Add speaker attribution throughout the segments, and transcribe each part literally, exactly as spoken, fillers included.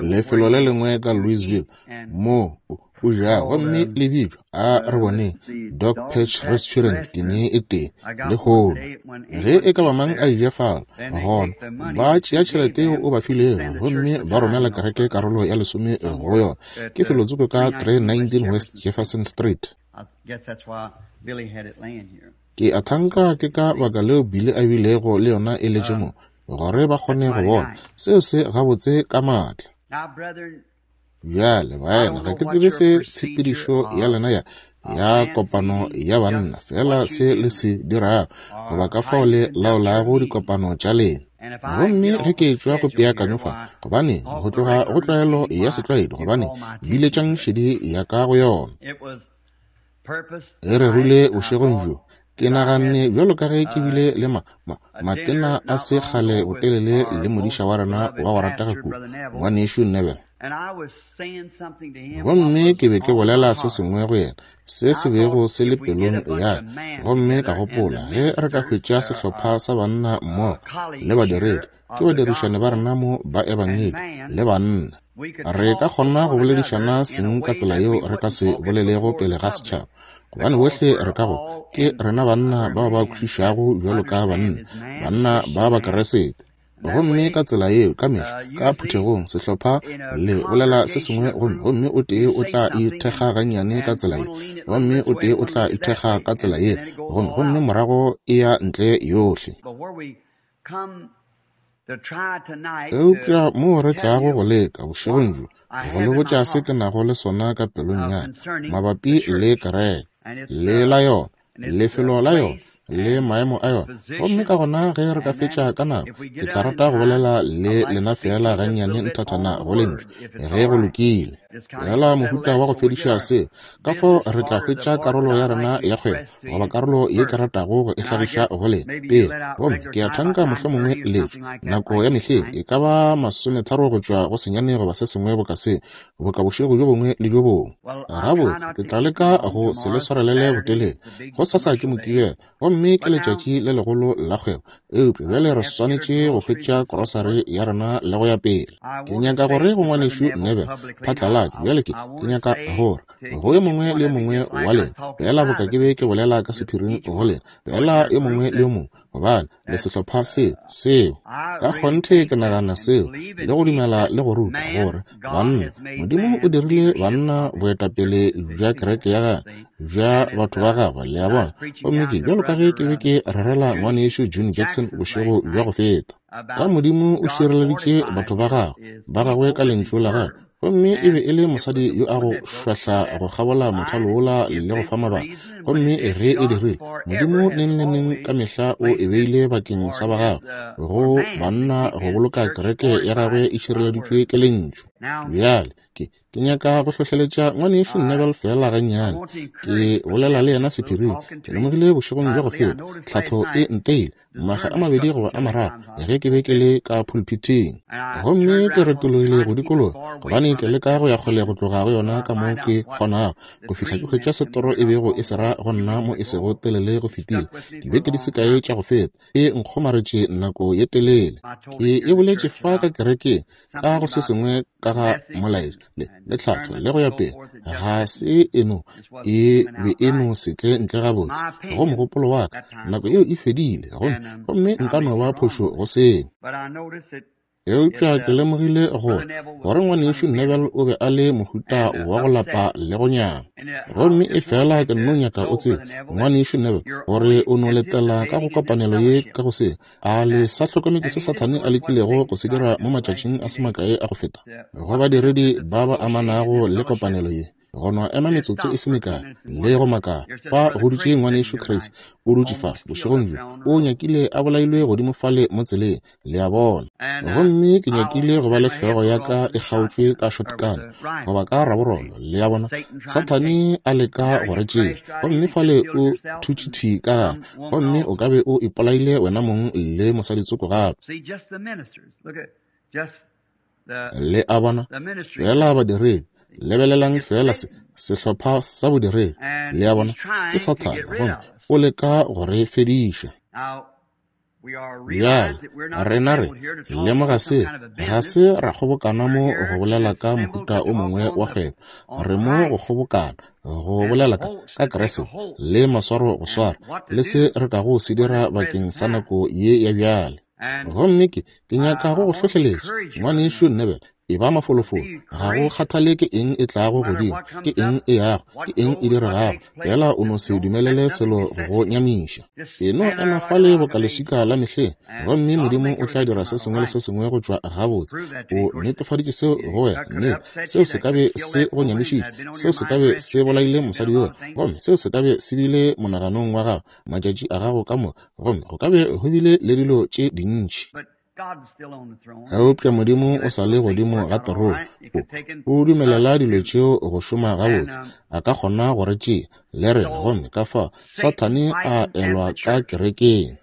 Speaker 1: Lefelo le lengwe ka Louisville moo o jago, gomme le bitšwa, a re boneng, Dog Patch Restaurant, ke ne e tee lehono. Ge e ka ba mang a eja fao, gona ba tšea tšhelete yeo o ba filego gomme ba romela kereke karolo ya lesome go yona. Ke felotsoko ka three nineteen West Jefferson Street. Ke a thanka ke ka baka leo Billy a bilego le yona e letše mo, gore ba kgone go bona seo se gabotse ka maatla. Bjale baena, ga ke tsebe se tshepedišo ya lena ya ya kopano ya banna, fela se le se dirago goba ka fao le laolago dikopano tša lena. Gomme ge ke etšwa go peakanyo fa, gobane go tloga go tlwaelo ya setlwaedi, gobane biletšang šedi ya ka go yona. Ge re rile bošegong bjo, ke naganne bjalo ka ge ke bile le ma, ma, matena a se kgale botelele le modiša wa rena wa go ratega kudu, ngwanešu Neville. Gomme ke be ke bolela se sengwe go yena, se se bego se le pelong ya ka. Gomme ka gopola, ge re ka hwetša sehlopha sa banna mmogo le badiredi, ke badirišane ba rena mo ba ebangedi le banna, re ka kgona go boledišana seng ka tsela yeo re ka se bolelego pele ga setšhaba, gobane bohle re ka go ke rena banna bao ba kwešišago bjalo ka banna, banna ba Bakeresete. Gomme ka tsela yeo ka mehla ka phuthegong sehlopha le bolela se sengwe, gomme gomme o tee o tla ithekga gannyane ka tsela ye, gomme o tee o tla ithekga ka tsela ye, gomme gomme morago e ya ntle yohle. Eupša moo re tlago go leka bošegong bjo go le botša se ke nago le sona ka pelong ya ka mabapi le kereke, le la yona, lefelo la yona, le maemo a yona. Gomme ka gona ge re ka fetša ka nako, ke tla rata go bolela le lena fela gannyane nthathana go lentšu, ge go lokile. Fela mohuta wa go fediša seo, ka fao re tla hwetša karolo ya rena ya kgwebo, goba karolo ye ke ratago go e hlagiša go lena pele. Gomme ke a thanka mohlomongwe letšo nako ya mehleng e ka ba masometharo go tšwa go senyane goba se sengwe boka se, boka bošego bjo bongwe le bjo bongwe. Gabotse, ke tla leka go se le swarelele botelele. Go sasa ke Mokibelo, gomme ke letšatši le legolo la kgwebo, eupša bjale re swanetše go hwetša krosari ya rena le go ya pele. Ke nyaka gore go ngwanešu Neville phatlalatšo bjale, ke ke nyaka gore go yo mongwe le yo mongwe wa lena, fela boka ke be ke bolela ka sephiring go lena, fela yo mongwe le yo mongwe, gobane le sehlopha seo seo ka kgonthe ke nagana seo le go dumela le go ruta gore banna, Modimo o dirile banna boetapele bja kereke ya gagwe, bja batho ba gagwe, le a bona. Gomme ke bjalo ka ge ke be ke rerela ngwanešu June Jackson bošego bja go feta, ka Modimo o šireleditše batho ba gagwe ba gagwe ka lentšu la gagwe. Gomme e be e le mosadi yo a go šwahla go kgabola mothalo wola le go fa mabaka. Gomme ge e dirile, Modimo neng le neng ka mehla o e beile bakeng sa ba gagwe, go banna go boloka kereke ya gagwe e šireleditšwe ke lentšu. Bjale ke ke nyaka go hlohleletša ngwanešu Neville fela gannyane. Ke bolela le yena sephiring. Ke lemogile bošegong bja go feta, tlhatho e nteile makga a mabedi goba a mararo ge ke be ke le ka pulpiteng. Gomme ke retologile go dikologa, gobane ke leka go ya kgole go tloga go yona ka mo ke kgonago, go fihla ke hwetša setoro e bego e se ra go nna mo e sego telele go fetile dibeke di se kae tša go feta, e nkgomaretše nako ye telele. Ke e boletše fa ka kerekeng ka go se sengwe ka ga molaetša le le tlhatho le go ya pele, ga se eno e be e no se tle ntle gabotse go mogopolo wa ka. Nako yeo e fedile, gomme gomme nka no ba phošo go seo. Eupša ke lemogile gore gore ngwanešu Neville o be a le mohuta wa go lapa le go nyama. Gomme e fela ke nno nyaka o tsebe, ngwanešu Neville, gore o no letela ka go kopanelo ye ka go se. A le sa hlokometse se Sathane a lekilego go se dira mo matšatšing a se makae a go feta go badiredi ba ba amanago le kopanelo ye, go no ema metsotso e se mekae le go makala. Fa go dutše ngwanešu Chris, o dutše fa bošegong bjo, o nyakile a bolailwe godimo fale mo tseleng, le a bona. Gomme ke nyakile go ba le hlogo ya ka e kgaotšwe ka shotgun goba ka raborolo, le a bona. Sathane a leka go re tšea, gomme fale o thutše thwi ka gare, gomme o ka be o ipolaile wena mong le mosaditsoko gape. Le a bona, fela badiredi, lebelelang fela se sehlopha sa bodiredi, le a bona, ke Sathane, gomme o leka go re fediša. Bjale, rena re lemoga se, ga se ra kgobokana mo go bolela ka mohuta o mongwe wa kgwebo. Re mo go kgobokana, go bolela ka, ka Kriste, le maswaro go swara, le se re kago se dira bakeng sa nako ye ya bjale. Gomme ke, ke nyaka go go hlohleletša, ngwanešu Neville, e ba mafolofolo. Ga go kgathale ke eng e tlago godimo, ke eng e yago, ke eng e diregago, fela o no se dumelele selo go go nyamiša. E no ema fale boka leswika la mehleng, gomme Modimo o tla dira se sengwe le se sengwe go tšwa gabotse. O netefaditše seo go wena, nnete. Seo se ka be se go nyamišitše, seo se ka be se bolaile mosadi yola, gomme seo se ka be se bile monaganong wa gago matšatši a gago ka moka, gomme go ka be go bile le dilo tše dintši. Eupša Modimo o sa le godimo ga terone. O, o dumelela dilo tšeo go šoma gabotse. A ka kgona go re tšea le rena, gomme ka fao Sathane a elwa ka kerekeng.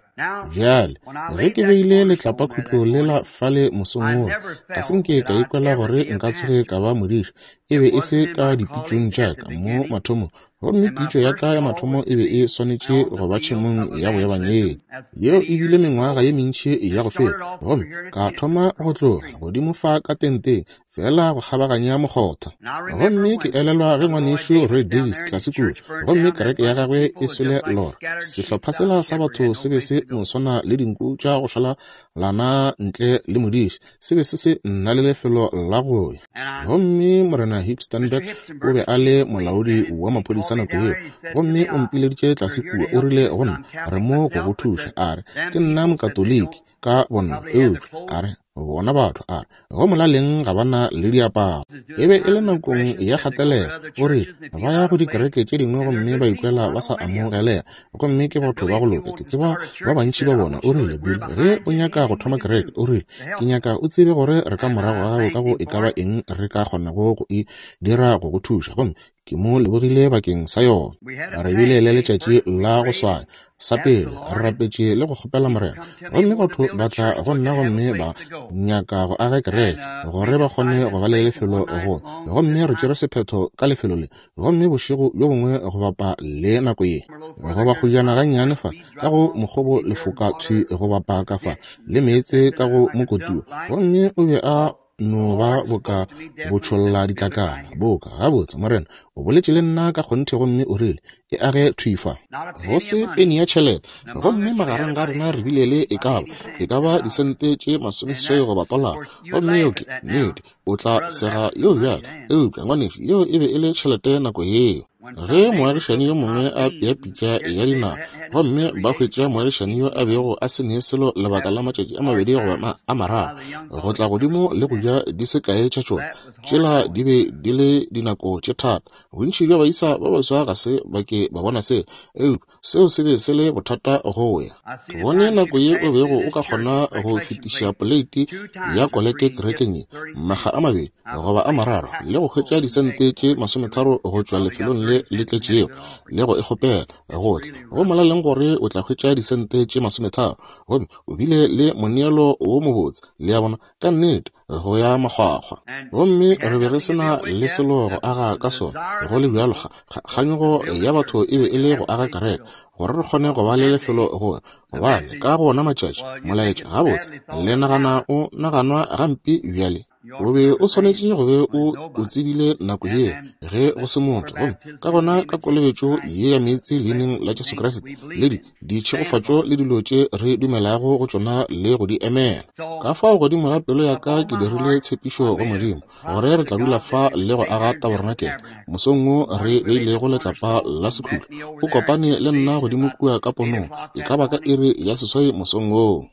Speaker 1: Bjale, ge ke beile letlapakhutlo lela fale mosong wola, ga se nke ka ikwela gore nka tsoge ka ba modiši. E be e se ka dipitšong tša ka mo mathomong, gomme pitšo ya ka ya mathomo e be e swanetše go ba tšhemong ya boebangedi. Yeo e bile mengwaga ye mentši ya go feta, gomme ka thoma go tloga godimo fa ka tenteng, fela go kgabaganya mokgotha. Gomme ke elelwa ge ngwanešu Roy Davis tlase kua, gomme kereke ya gagwe e swele lora. Sehlopha sela sa batho se be se no swana le dinku tša go šala lana ntle le modiši, se be se se nna le lefelo la go ya. Gomme Morena Hipstenberg o be a le molaodi wa maphodisa nako yeo, gomme o mpileditše tlase kua, o rile go nna, re mo go go thuša. A re, ke nna mokatoliki ka bonna, eupša a re, bona batho, a re, go molaleng ga ba na le diaparo. E be e le nakong ya kgatelelo. O rile, ba ya go dikereke tše dingwe gomme ba ikwela ba sa amogelega, gomme ke batho ba go loka, ke tseba ba bantši ba bona. O rile, Bill, ge o nyaka go thoma kereke, o rile, ke nyaka o tsebe gore re ka morago ga gago ka go e ka ba eng re ka kgonago go e dira go go thuša. Gomme ke mo lebogile bakeng sa yona. Re bile le letšatši la go swaya. Sa pele, re rapetše le go kgopela Morena, gomme batho ba tla go nna gomme ba nyaka go aga kereke gore ba kgone go ba le lefelo go, gomme re tšere sephetho ka lefelo le. Gomme bošego bjo bongwe go bapa le nako ye, go ba kgojana gannyane fa ka go mokgobo lefoka thwi go bapa ka fa le meetse ka go mokotiwa, gomme o be a no ba boka botšholla ditlakala boka. Gabotse, Morena o boletše le nna ka kgonthe, gomme o rile, e age thwi fa, go se peni ya tšhelete. Gomme magareng ga rena re bile le e ka ba e ka ba disente tše masomeseswai goba tolara. Gomme yeo ke nnete, o tla sega yeo bjale. Eupša ngwanešu, yeo e be e le tšhelete nako yeo. Ge moagišani yo mongwe a pea pitša ya dinawa, gomme ba hwetša moagišani yo a bego a se ne selo lebaka la matšatši a mabedi goba a mararo, go tla godimo le go ja di se kae tša tšona. Tšela di be di le dinako tše thata. Bontši bja baisa ba baswa ga se ba ke ba bona se, eupša seo se be se le bothata go ya. Ke bone nako ye o bego o ka kgona go fetiša poleiti ya koleke kerekeng ye makga a mabedi goba a mararo, le go hwetša disente tše masometharo go tšwa lefelong le le tletšego, le go e kgopela gohle go molaleng gore o tla hwetša disente tše masometharo, gomme o bile le moneelo wo mobotse, le ya bona, ka nnete, go ya makgwakgwa. Gomme re be re se na le selo go aga ka sona. Go le bjalo, kganyogo ya batho e be e le go aga kereke gore re kgone go ba le lefelo go, gobane ka go ona matšatši molaetša gabotse le nagana o naganwa gampe bjale. O be o swanetše go be o o tsebile nako yeo ge go se motho. Gomme ka gona ka kolobetšo ye ya meetse leineng la Jesu Kriste, le di ditšhegofatšo le dilo tše re dumelago go tšona le go di emela. Ka fao godimo ga pelo ya ka ke dirile tshepišo go Modimo gore re tla dula fa le go aga tabernakel. Mosong wo re beilego letlapa la sekhutlo, o kopane le nna godimo kua ka ponong, e ka ba ka iri ya seswai mosong woo.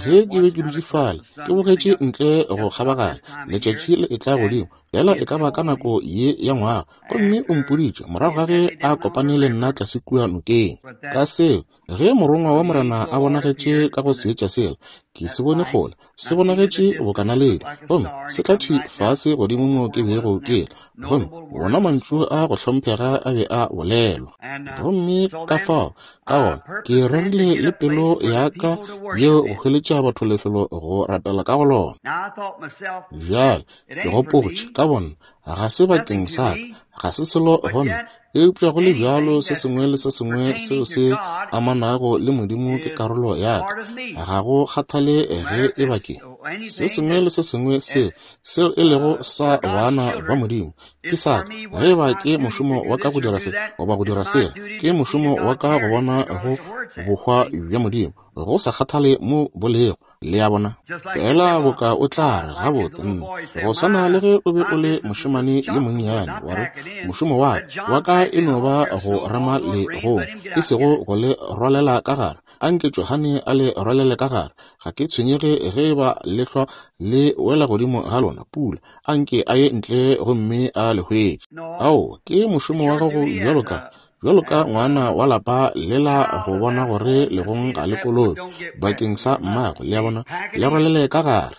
Speaker 1: Ge ke be ke dutše fale, ke bogetše ntle go kgabaganya, letšatši le etla godimo, fela e ka ba ka nako ye ya ngwaga, gomme o mpoditše morago ga ge a kopane le nna tlase kua nokeng. Ka seo, ge morongwa wa Morena a bonagetše ka go seetša sela, ke se bone kgole, se bonagetše bokanaledi, gomme se tla thwi fase godimo mo ke bego ke le, gomme wona mantšu a go hlomphega a be a bolelwa. Gomme ka fao, ka gona, ke rerile le pelo ya ka yeo go hweletša batho lefelo go rapela ka go lona. Bjale, ke gopotše ka bona, ga se bakeng sa ka, Ga se selo go nna, eupša go le bjalo se sengwe le se sengwe seo se amanago le Modimo ke karolo ya ka. Ga go kgathale ge e ba ke se sengwe le se sengwe seo seo e lego sa bana ba Modimo ke sa ka. Ge e ba ke mošomo wa ka go dira se goba go dira sela, ke mošomo wa ka go bona go bohwa bja Modimo, go sa kgathale mo bo lego. Le a bona? Fela boka o tla re, gabotse nna, go swana le ge o be o le mošemane yo monnyane, wa re, mošomo wa ka wa ka e no ba go rema legong, e sego go le rwalela ka gare. Anke Johane a le rwalele ka gare. Ga ke tshwenyege ge e ba lehlwa le wela godimo ga lona, pula. Anke a ye ntle gomme a le hwetše. Ao, ke mošomo wa gago bjalo ka bjalo ka ngwana wa lapa lela go bona gore legong ga le kolobe bakeng sa mmago. Le a bona? Le rwalele ka gare.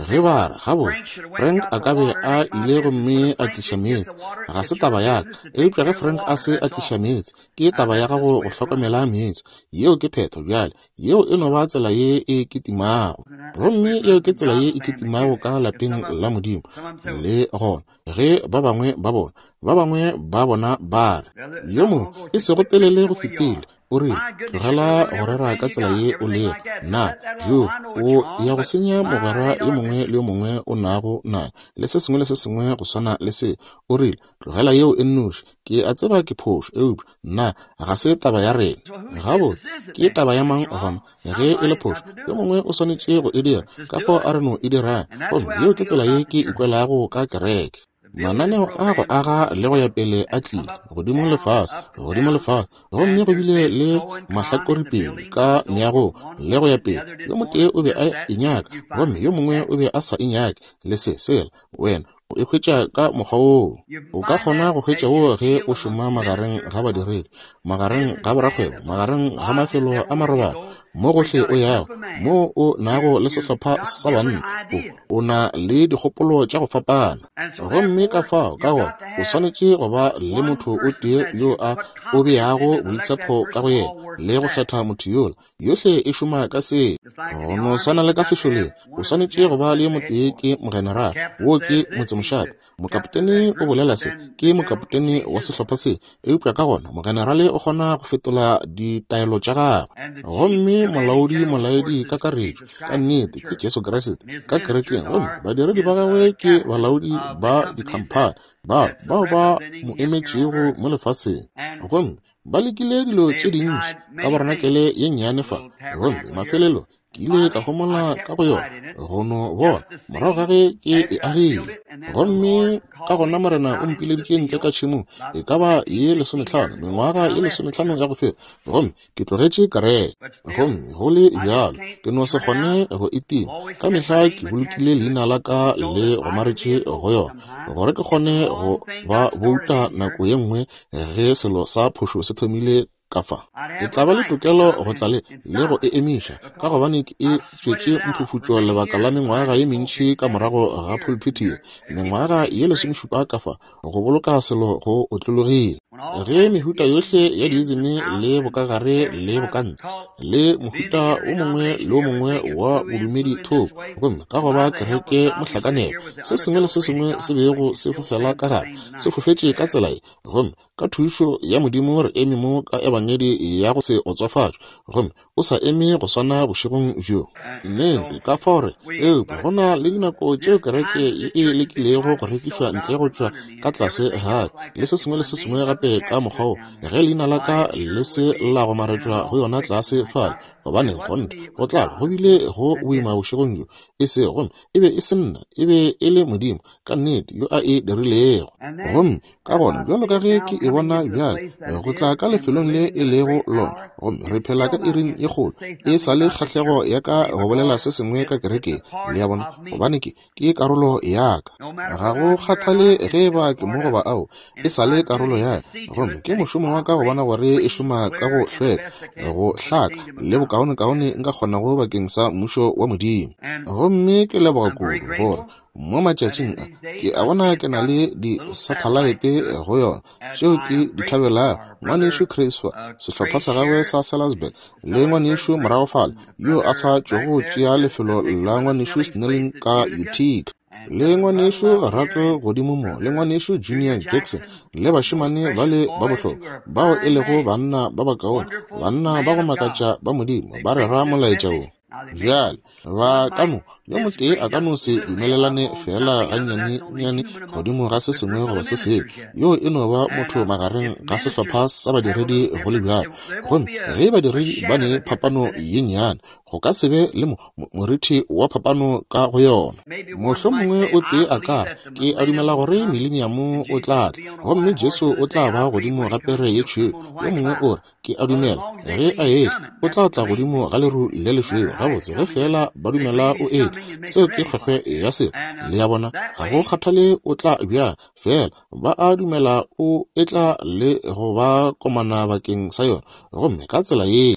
Speaker 1: Ge ba re, gabotse, Frank a ka be a ile gomme a tliša meetse, ga se taba ya ka. Eupša ge Frank a se a tliša meetse, ke taba ya gago go hlokomela meetse. Yeo ke phetho bjale. Yeo e no ba tsela ye e kitimago. Gomme yeo ke tsela ye e kitimago ka lapeng la Modimo. Le gona, ge ba bangwe ba bona, ba bangwe ba bona ba re, yo mongwe e sego telele go fetile, o rile, tlogela go rera ka tsela ye o lego. Na jo o ya go senya mogwera yo mongwe le yo mongwe o nago naye, le se sengwe le se sengwe go swana le se. O rile, tlogela yeo e nnoši. Ke a tseba ke phošo, eupša nna ga se taba ya rena. Gabotse, ke taba ya mang gona? Ge e le phošo, yo mongwe o swanetše go e dira, ka fao a re no e dirang. Gomme yeo ke tsela ye ke ikwelago ka kereke. Mananeo a go aga le go ya pele a tlile godimo le fase, godimo le fase, gomme go bile le mahlakorepedi ka meagong le go ya pele. Yo motee o be a e nyaka, gomme yo mongwe o be a sa e nyake, le se sela. Wena o e hwetša ka mokgwa woo. O ka kgona go hwetša woo ge o šoma magareng ga badiredi, magareng ga borakgwebo, magareng ga mafelo a marobalo, mo gohle o yago, mo o nago le sehlopha sa banna, o, o na le dikgopolo tša go fapana. Gomme ka fao, ka gona, o swanetše go ba le motho o tee yo a o beago boitshepo ka go yena, le go kgetha motho yola. Yohle e šoma ka se. Go no swana le ka sešoleng, o swanetše go ba le yo motee ke mogenerale, wo ke motsemošate. Mokapotene o bolela se, ke mokapotene wa sehlopha se, eupša ka gona mogenerale o kgona go fetola ditaelo tša gagwe. Gomme molaodi molaedi kakaretšo ka nnete ke Jesu Kriste ka kerekeng, gomme badiredi ba gagwe ke balaodi ba dikhamphani ba bao ba mo emetšego mo lefaseng. Gomme ba lekile dilo tše dintši tabarenakele ye nnyane fa, gomme mafelelo ke ile ka homola ka go yona go no bona morago ga ge ke e agile. Gomme ka gona Morena o mpileditše ntle ka tšhemong e ka ba ye lesomehlano, mengwaga ye lesomehlano ya go feta, gomme ke tlogetše kereke. Gomme go le bjalo ke no se kgone go e tima. Ka mehla ke bolokile leina la ka le gomaretše go yona, gore ke kgone go ba bouta nako ye nngwe ge selo sa phošo se thomile ka fa. Ke tla ba le tokelo go tla le le go e emiša, ka gobane ke e tšwetše mphufutšo lebaka la mengwaga ye mentši ka morago ga pulpiti ye, mengwaga ye lesomešupa ka fa, go boloka selo go otlologile. Ge mehuta yohle ya diizimi le bokagare le bokantle le mohuta o mongwe le o mongwe wa bodumedi thoko, gomme ka go ba kereke mohlakanelo, se sengwe le se sengwe se bego se fofela ka gare se fofetše ka tsela ye, gomme ka thušo ya Modimo re eme mo ka ebangedi ya go se otswafatšwe, gomme o sa eme go swana bošegong bjo. Nnete, ka fao re, eupša go na le dinako tšeo kereke ye e lekilego go rekišwa ntle go tšwa ka tlase ga ka, le se sengwe le se sengwe gape ka mokgwa wo, ge leina la ka le se la gomaretšwa go yona tlase fale, gobane kgonthe go tla ba go bile go boima bošegong bjo. E se gomme e be e se nna, e be e le Modimo ka nnete yo a e dirilego. Gomme ka gona bjalo ka ge ke e bona bjale go tla ka lefelong le e lego lona, gomme re phela ka iring ye kgolo, e sa le kgahlego ya ka go bolela se sengwe ka kerekeng, le a bona, gobane ke ke karolo ya ka. Ga go kgathale ge e ba ke mo goba ao, e sa le karolo ya ka. Gomme ke mošomo wa ka go bona gore e šoma ka go hlweka, go hlaka le bokaonekaone nka kgonago bakeng sa mmušo wa Modimo. Gomme ke leboga kudu gore mo matšatšing a ke a bona ke na le di-satellite go yona tšeo ke di thabelago. Ngwanešu Chris fa, sehlopha sa gagwe sa Salisbury, le ngwanešu morago fale yo a sa tšwago tšea lefelo la ngwanešu Snelling ka Utica. Le ngwanešu Rattle godimo mo, le ngwanešu Junior Jackson, le bašemane bale ba bohlokwa, bao e lego banna ba bakaone, banna ba go makatša ba Modimo, ba rera molaetša wo. Bjale, ba ka no, yo motee a ka no se dumelelane feela gannyane-nnyane godimo ga se sengwe goba se sengwe. Yo e no ba motho magareng ga sehlopha sa badiredi go le bjalo. Gomme ge badiredi ba ne phapano ye nnyane, go ka se be le morithi wa phapano ka go yona. Mohlomongwe o tee a ka re, ke a dumela gore mileniamo o tla tla, gomme Jesu o tla ba godimo ga pere ye tšhweu. Yo mongwe o re, ke a dumela ge a etla, o tla tla godimo ga leru le lešweu. Gabotse, ge feela ba dumela o etla, seo ke kgwekgwe ya selo. Le ya bona, ga go kgathale o tla bjang, feela ba a dumela o etla le go ba komana bakeng sa yona. Gomme ka tsela ye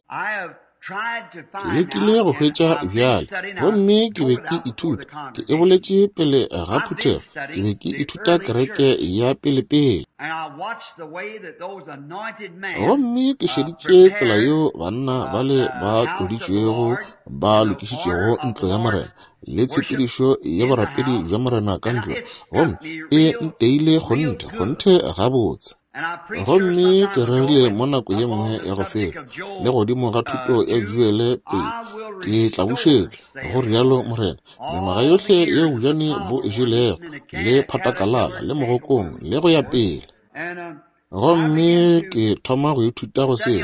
Speaker 1: ke lekile go hwetša bjale, gomme ke be ke ithuta, ke e boletše pele ga phuthego, ke be ke ithuta kereke ya pelepele. Gomme ke šeditše tsela yeo banna bale ba tloditšwego ba lokišitšego ntlo ya Morena le tshepedišo ya borapedi bja Morena ka ntlo, gomme e nteile kgonthe, kgonthe gabotse. Gomme ke rerile mo nako ye nngwe ya go feta, le godimo ga thuto ya Joele pele, ke tla bušetša, go rialo Morena, mengwaga yohle yeo bojane bo e jelego, le phatakalala, le mogokong, le go ya pele. Gomme ke thoma go ithuta go se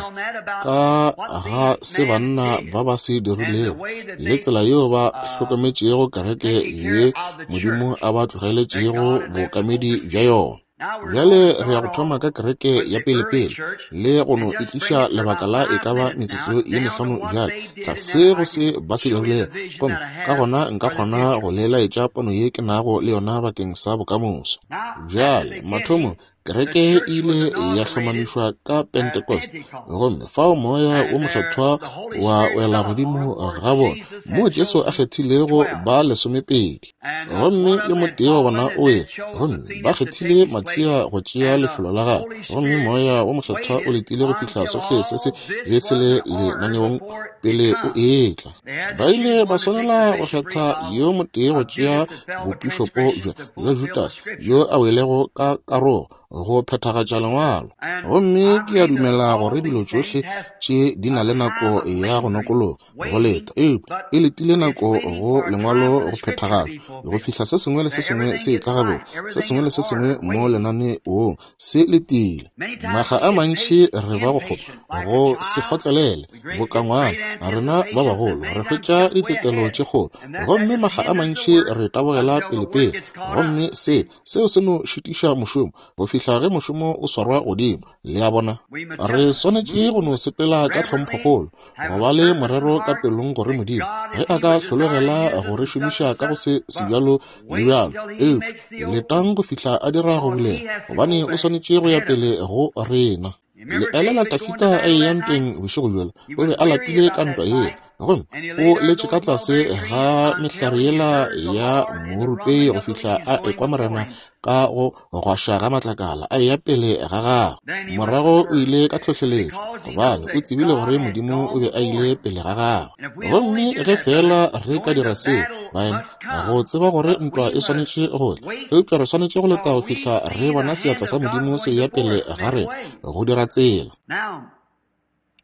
Speaker 1: ka ga se banna ba ba se dirilego, le tsela yeo ba hlokometšego kereke ye Modimo a ba tlogeletšego bookamedi bja yona. Bjale re ya go thoma ka kereke ya pelepele le go no e tliša lebaka la e ka ba metsotso ye mehlano bjale, tlase go se ba se dirilego, gomme ka gona nka kgona go le laetša pono ye ke nago le yona bakeng sa bokamoso. Bjale, mathomo, kereke e ile ya hlomamišwa ka Pentecost, gomme fao moya wo mokgethwa wa wela godimo ga bona, moo Jesu a kgethilego ba lesomepedi. Gomme yo motee wa bona o wele, gomme ba kgethile Matia go tšea lefelo la gagwe, gomme moya wo mokgethwa o letile go fihla sohle se se be se le lenaneong pele o etla. Ba ile ba swanela go kgetha yo motee go tšea bopišopo bja bja Judas yo a welego ka karogo go phethagatša lengwalo. Gomme ke a dumela gore dilo tšohle tše di na le nako ya go nokologa go leta, eupša e letile nako go lengwalo go phethagatšwa, go fihla se sengwe le se sengwe se etla gabotse, se sengwe le se sengwe mo lenaneong se letile. Makga a mantši re ba go kgopa, go se kgotlelele bokangwana, rena ba bagolo re hwetša ditetelo tše kgolo, gomme makga a mantši re tabogela pelepele, gomme se seo se no šitiša mošomo go fihla ge mošomo o swarwa godimo. Le a bona, re swanetše go no sepela ka tlhomphokgolo, go ba le morero ka pelong gore Modimo ge a ka hlologela go re šomiša ka go se sebjalo le bjalo, eupša letang go fihla a dira go bulega, gobane o swanetše go ya pele go rena. Le elela Dafida a eya ntweng bošego bjola, o be a lapile ka ntwa yela, gomme o letše ka tlase ga mehlare yela ya morupei go fihla a ekwa Morena ka go gwaša ga matlakala a eya pele ga gagwe. Morago o ile ka tlhohleletšo, gobane o tsebile gore Modimo o be a ile pele ga gagwe. Gomme ge feela re ka dira seo, baena, go tseba gore ntwa e swanetše go tla, eupša re swanetše go leta go fihla re bona seatla sa Modimo se eya pele ga rena go dira tsela.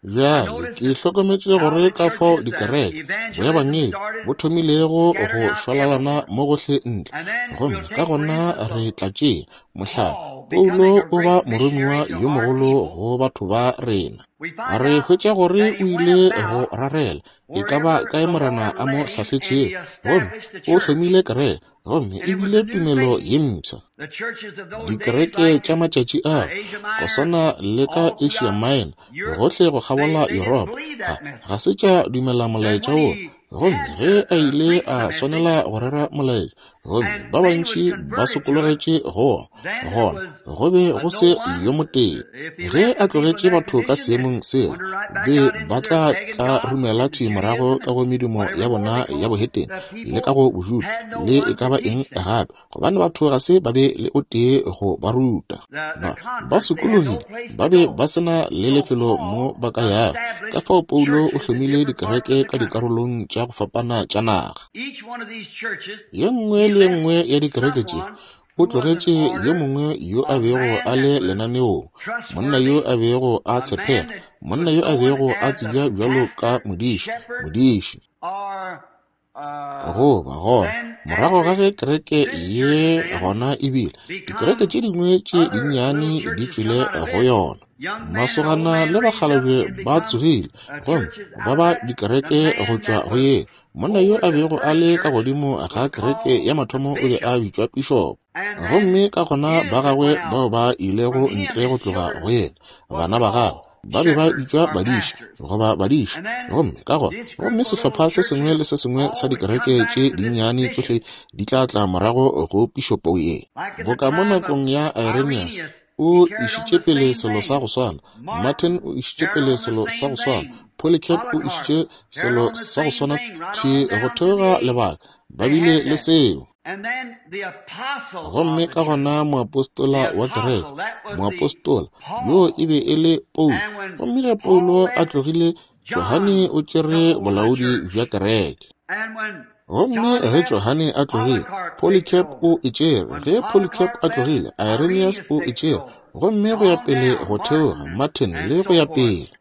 Speaker 1: Bjale ke hlokometše gore ka fao dikereke boebangedi bo thomilego go šwalalana mo gohle ntle, gomme ka gona re tla tšea mohlala, Paulo o ba moromiwa yo mogolo go batho ba rena. Re hwetša gore o ile go rarela e ka ba kae Morena a mo hlahletšego, gomme o hlomile kereke, gomme e bile tumelo ye mpsha. Dikereke tša matšatši ao, go swana le ka Asia Minor, gohle go kgabola Yuropa, ga, ga se tša dumela molaetša wo. Gomme ge a ile a swanela go rera molaetša, gomme ba bantši ba sokologetše go wona, gona go be go se yo motee. Ge a tlogetše batho ka seemong seo, be ba tla tla rumela thwi morago ka go medumo ya bona ya bohetene le ka go bojuda le e ka ba eng gape, gobane batho ga se ba be le o tee go ba ruta. Ba ba sokologile, ba be ba se na le lefelo mo ba ka yago. Ka fao Paulo o hlomile dikereke ka dikarolong tša tša go fapana tša naga. Ye nngwe le ye nngwe ya dikereke tše o tlogetše yo mongwe yo a bego a le lenaneong, monna yo a bego a tshepega, monna yo a bego a tsebja bjalo ka modiši, modiši. Goba gona, morago ga ge kereke ye gona ebile, dikereke tše dingwe tše dinnyane di tšwele go yona. Masogana le bakgalabje ba tsogile gomme ba ba dikereke go tšwa go ye. Monna yo a bego a le ka godimo ga kereke ya mathomo o be a bitšwa pišopo. Gomme ka gona ba gagwe bao ba ilego ntle go tloga go yena, bana ba gagwe ba be ba bitšwa badiši goba badiši. Gomme ka gona, gomme sehlopha se sengwe le se sengwe sa dikereke tše dinnyane tšohle di tla tla morago go pišopo ye. Boka mo nakong ya Irenaeus, o išitše pele selo sa go swana, Martin o išitše pele selo sa go swana, Polycarp o išitše selo sa go swana thwi go theoga lebaka, ba bile le seo. Gomme ka gona moapostola wa kereke, moapostola yo e be e le Paulo. Gomme ge Paulo a tlogile, Johane o tšere bolaodi bja kereke. Gomme ge Johane a tlogile, Polycarp o e tšere. Ge Polycarp a tlogile, Irenaeus o e tšere. Gomme go ya pele go theoga, Martin le go ya pele.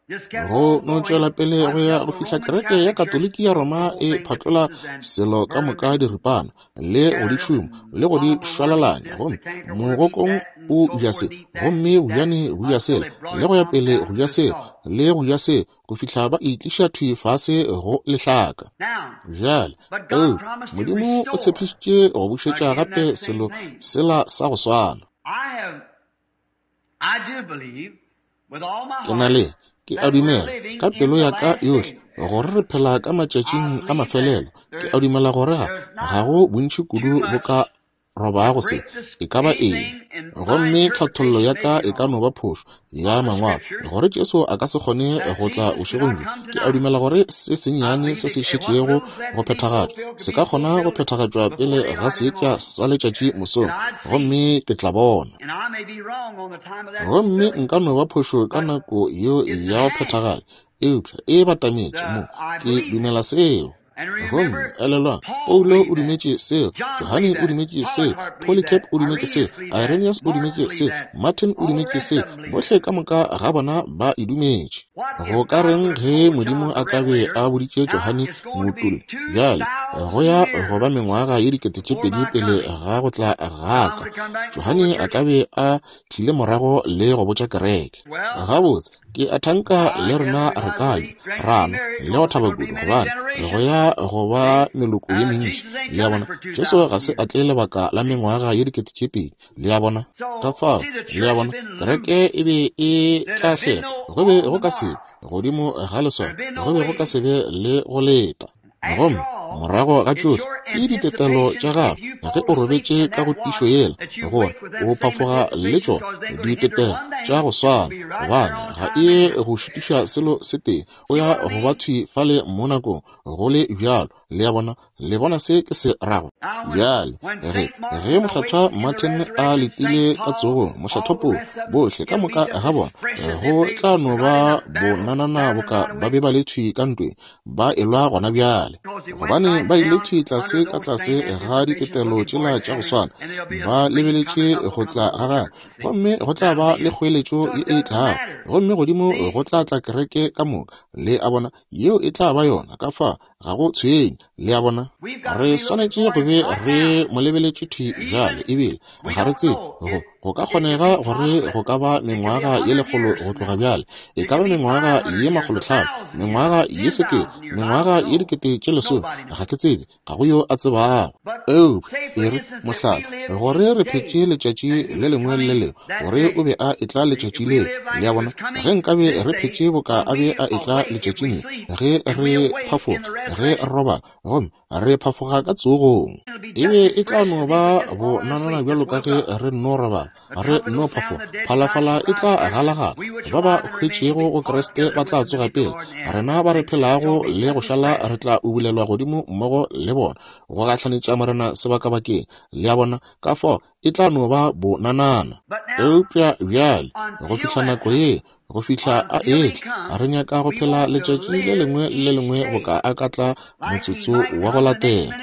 Speaker 1: Go no tšwela pele go ya go fihla kereke ya Katoliki ya Roma e phatlola selo ka moka diripana, le go di tšhuma, le go di šwalalanya. Gomme mogokong o ja se, gomme bojane bo ja sela, le go ya pele go ja sela, le go ja se, go fihla ba itliša thwi fase go lehlaka. Bjale, eo, Modimo o tshepišitše go bušetša gape selo sela sa go swana. Ke na le, ke a dumela ka pelo ya ka yohle gore re phela ka matšatšing a mafelelo. Ke a dumela gore ga ga go bontši kudu bo ka robago se e ka ba eng. Gomme tlhathollo ya ka e ka no ba phošo ya mangwalo, gore Jesu a ka se kgone go tla bošegong bjo. Ke a dumela gore se sennyane se se šetšego go phethagatšwa se ka kgona go phethagatšwa pele ga seetša sa letšatši mosong, gomme ke tla bona. Gomme nka no ba phošo ka nako yeo ya go phethagatšwa, eupša e batametše mo. Ke dumela seo. Gomme elelwang, Paulo o dumetše seo, Johane o dumetše seo, Polycarp o dumetše seo, Irenaeus o dumetše seo, Martin o dumetše seo, bohle ka moka ga bona ba e dumetše. Go ka reng ge Modimo a ka be a boditše Johane moutulli, bjale go ya go ba mengwaga ye dikete tše pedi pele ga go tla ga ka, Johane a ka be a tlile morago le go botša kereke. Gabotse, ke a thanka le rena re ka ja, ra nwa le go thaba kudu, gobane go ya go ba meloko ye mentši. Le a bona, Jesu ga se a tle lebaka la mengwaga ye dikete tše pedi. Le a bona, ka fao, le a bona, kereke e be e tla hlela, go be go ka se godimo ga leswao, go be go ka se be le go leta. Gomme morago ga tšohle ke ditetelo tša gago ge o robetše ka go tišo yela, gore o phafoga le tšona ditetelo tša go swana, gobane ga e go šitiša selo se tee, o ya go ba thwi fale mo nakong go le bjalo. Le a bona, le bona se ke se rago. Bjale ge ge mokgethwa Martin a letile ka tsogong, mokgethwa Paulo, bohle ka moka ga bona go tla no ba bonanana boka ba be ba le thwi ka ntweng, ba elwa gona bjale, gobane ba ile thwi tlase ka tlase ga ditetelo tšela tša go swana, ba lebeletše go tla ga gagwe. Gomme go tla ba le kgoeletšo ye e tlago, gomme godimo go tla tla kereke ka moka. Le a bona, yeo e tla ba yona. Ka fa ga go tshwenye. Le a bona, re swanetše go be re mo lebeletše thwi bjale, ebile ga re tsebe go go ka kgonega gore go ka ba mengwaga ye lekgolo go tloga bjale, e ka ba mengwaga ye makgolotlhano, mengwaga ye sekete, mengwaga ye dikete tše lesome, ga ke tsebe, ga go yo a tsebago. Eupša e re mohlala, gore re phetše letšatši le lengwe le le lengwe, gore o be a etla letšatši leo. Le a bona, ge nkabe re phetše boka a be a etla letšatšing le, ge re phafoga, ge re robala, gomme re phafoga ka tsogong, e be e tla no ba bonanana bjalo ka ge re nno robala, re nno phafoga. Phalafala e tla galagala, ba ba hwetšego go Kriste ba tla tsoga pele, rena ba re phelago le go šala re tla ubulelwa godimo mmogo le bona, go gahlanetša Morena sebakabakeng. Le a bona, ka fao e tla no ba bonanana. Eupša bjale go fihla nako ye, Go fihla a etla, re nyaka go phela letšatši le lengwe le le lengwe boka a ka tla motsotso wa go latela,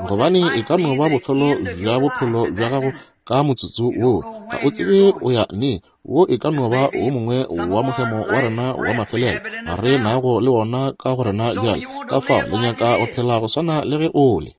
Speaker 1: gobane e ka no ba bofelo bja bophelo bja gago ka motsotso woo. Ga o tsebe o ya neng. Wo e ka no ba wo mongwe wa mohemo wa rena wa mafelelo re nago le wona ka go rena bjale. Ka fao le nyaka go phela go swana le ge o le.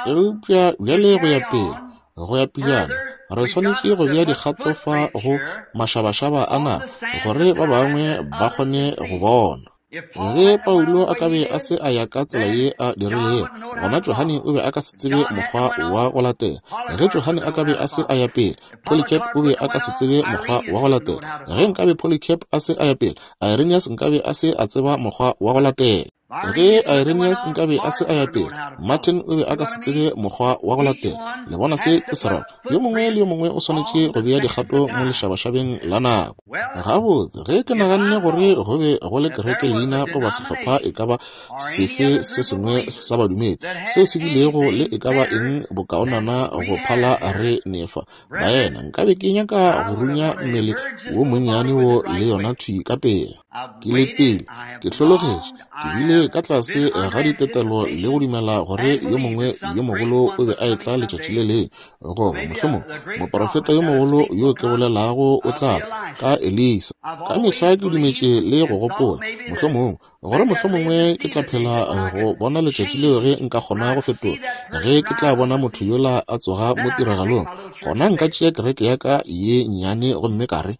Speaker 1: Eupša bjale go ya pele, go ya pejana, re swanetše go bea dikgato fa go mašabašaba a naga gore ba bangwe ba kgone go bona. Ge Paulo a ka be a se a ya ka tsela ye a dirilego, gona Johane o be a ka se tsebe mokgwa wa go latela. Ge Johane a ka be a se a ya pele, Polycarp o be a ka se tsebe mokgwa wa go latela. Ge nkabe Polycarp a se a ya pele, Irenaeus nkabe a se a tseba mokgwa wa go latela. Ge Irenaeus nkabe a se a ya pele, Martin o be a ka se tsebe mokgwa wa go latela. Le bona se ke se rago? Yo mongwe le yo mongwe o swanetše go bea dikgato mo lešabašabeng la nako. Gabotse, ge ke naganne gore go be go le kereke leina goba sehlopha e ka ba sefe se sengwe sa badumedi seo se bilego le e ka ba eng bokaonana go phala re nefa, baena, nkabe ke nyaka go runya mmele wo monnyane wo le yona thwi ka pela. Ke letile, ke hlologetše, ke bile ka tlase ga ditetelo le go dumela gore yo mongwe yo mogolo o be a etla letšatši le lengwe, goba mohlomong moprofeta yo mogolo yo ke bolelago o tla tla ka Elisa. Ka mehla ke dumetše le go gopola mohlomong gore mohlomongwe ke tla phela go bona letšatši leo ge nka kgona go fetola, ge ke tla bona motho yola a tsoga mo tiragalong, gona nka tšea kereke ya ka ye nnyane gomme ka re,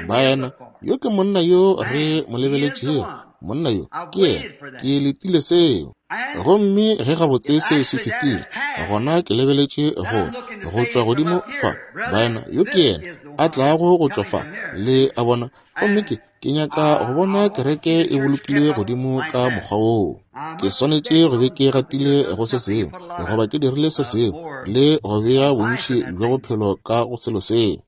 Speaker 1: baena, yo ke monna yo re mo lebeletšego, monna yo ke yena, ke letile seo. Gomme ge gabotse seo se fetile, gona ke lebeletše go go tšwa godimo fa, baena, yo ke yena a tlago go tšwa fa, le a bona. Gomme ke ke nyaka go bona kereke e bolokilwe godimo ka mokgwa woo. Ke swanetše go be ke gatile go se sengwe, goba ke dirile se sengwe, le go bea bontši bja bophelo ka go selo seo.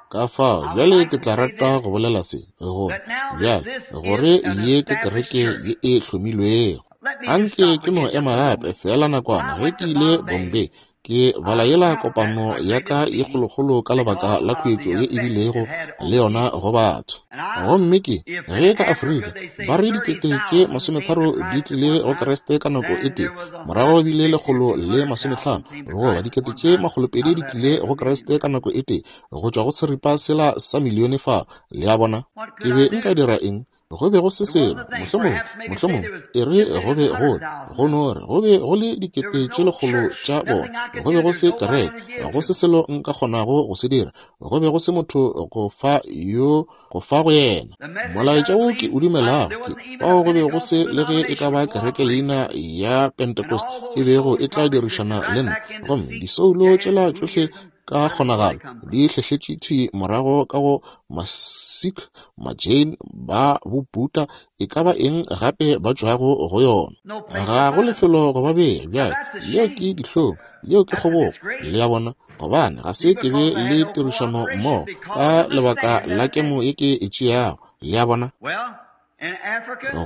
Speaker 1: Ka fao bjale ke tla rata go bolela se, gore bjale gore ye ke kereke ye e hlomilwego. Anke ke no ema gape fela nakwana. Ge ke ile Bombay, ke bala yela kopano ya ka ye kgolokgolo ka lebaka la khuetšo ye e bilego le yona go batho. Gomme ke ge ka Afrika ba re dikete tše masometharo di tlile go Kriste ka nako e tee, morago bile lekgolo le masometlhano goba dikete tše makgolopedi di tlile go Kriste ka nako e tee, go tšwa go seripa sela sa milione fa. Le a bona? Ke be nka dira eng? Go be go se selo, mohlomong, mohlomong e re go be go go no re go be go le dikete tše lekgolo tša bona, go be go se kereke, go se selo nka kgonago go se dira, go be go se motho go fa yo go fa go yena molaetša wo ke o dumelago. Ke bao go be go se le ge e ka ba kereke leina ya Pentecost e bego e tla dirišana le nna, gomme disoulo tšela tšohle ka kgonagalo di hlehletše thwi morago ka go Masikh, Majain, ba Bobuddha, e ka ba eng gape ba tšwago go yona. Ga go lefelo go ba bea bjale. Yeo ke dihlong, yeo ke kgobogo, le a bona, gobane ga se ke be le tirišano mmogo ka lebaka la kemo ye ke e tšeago, le a bona.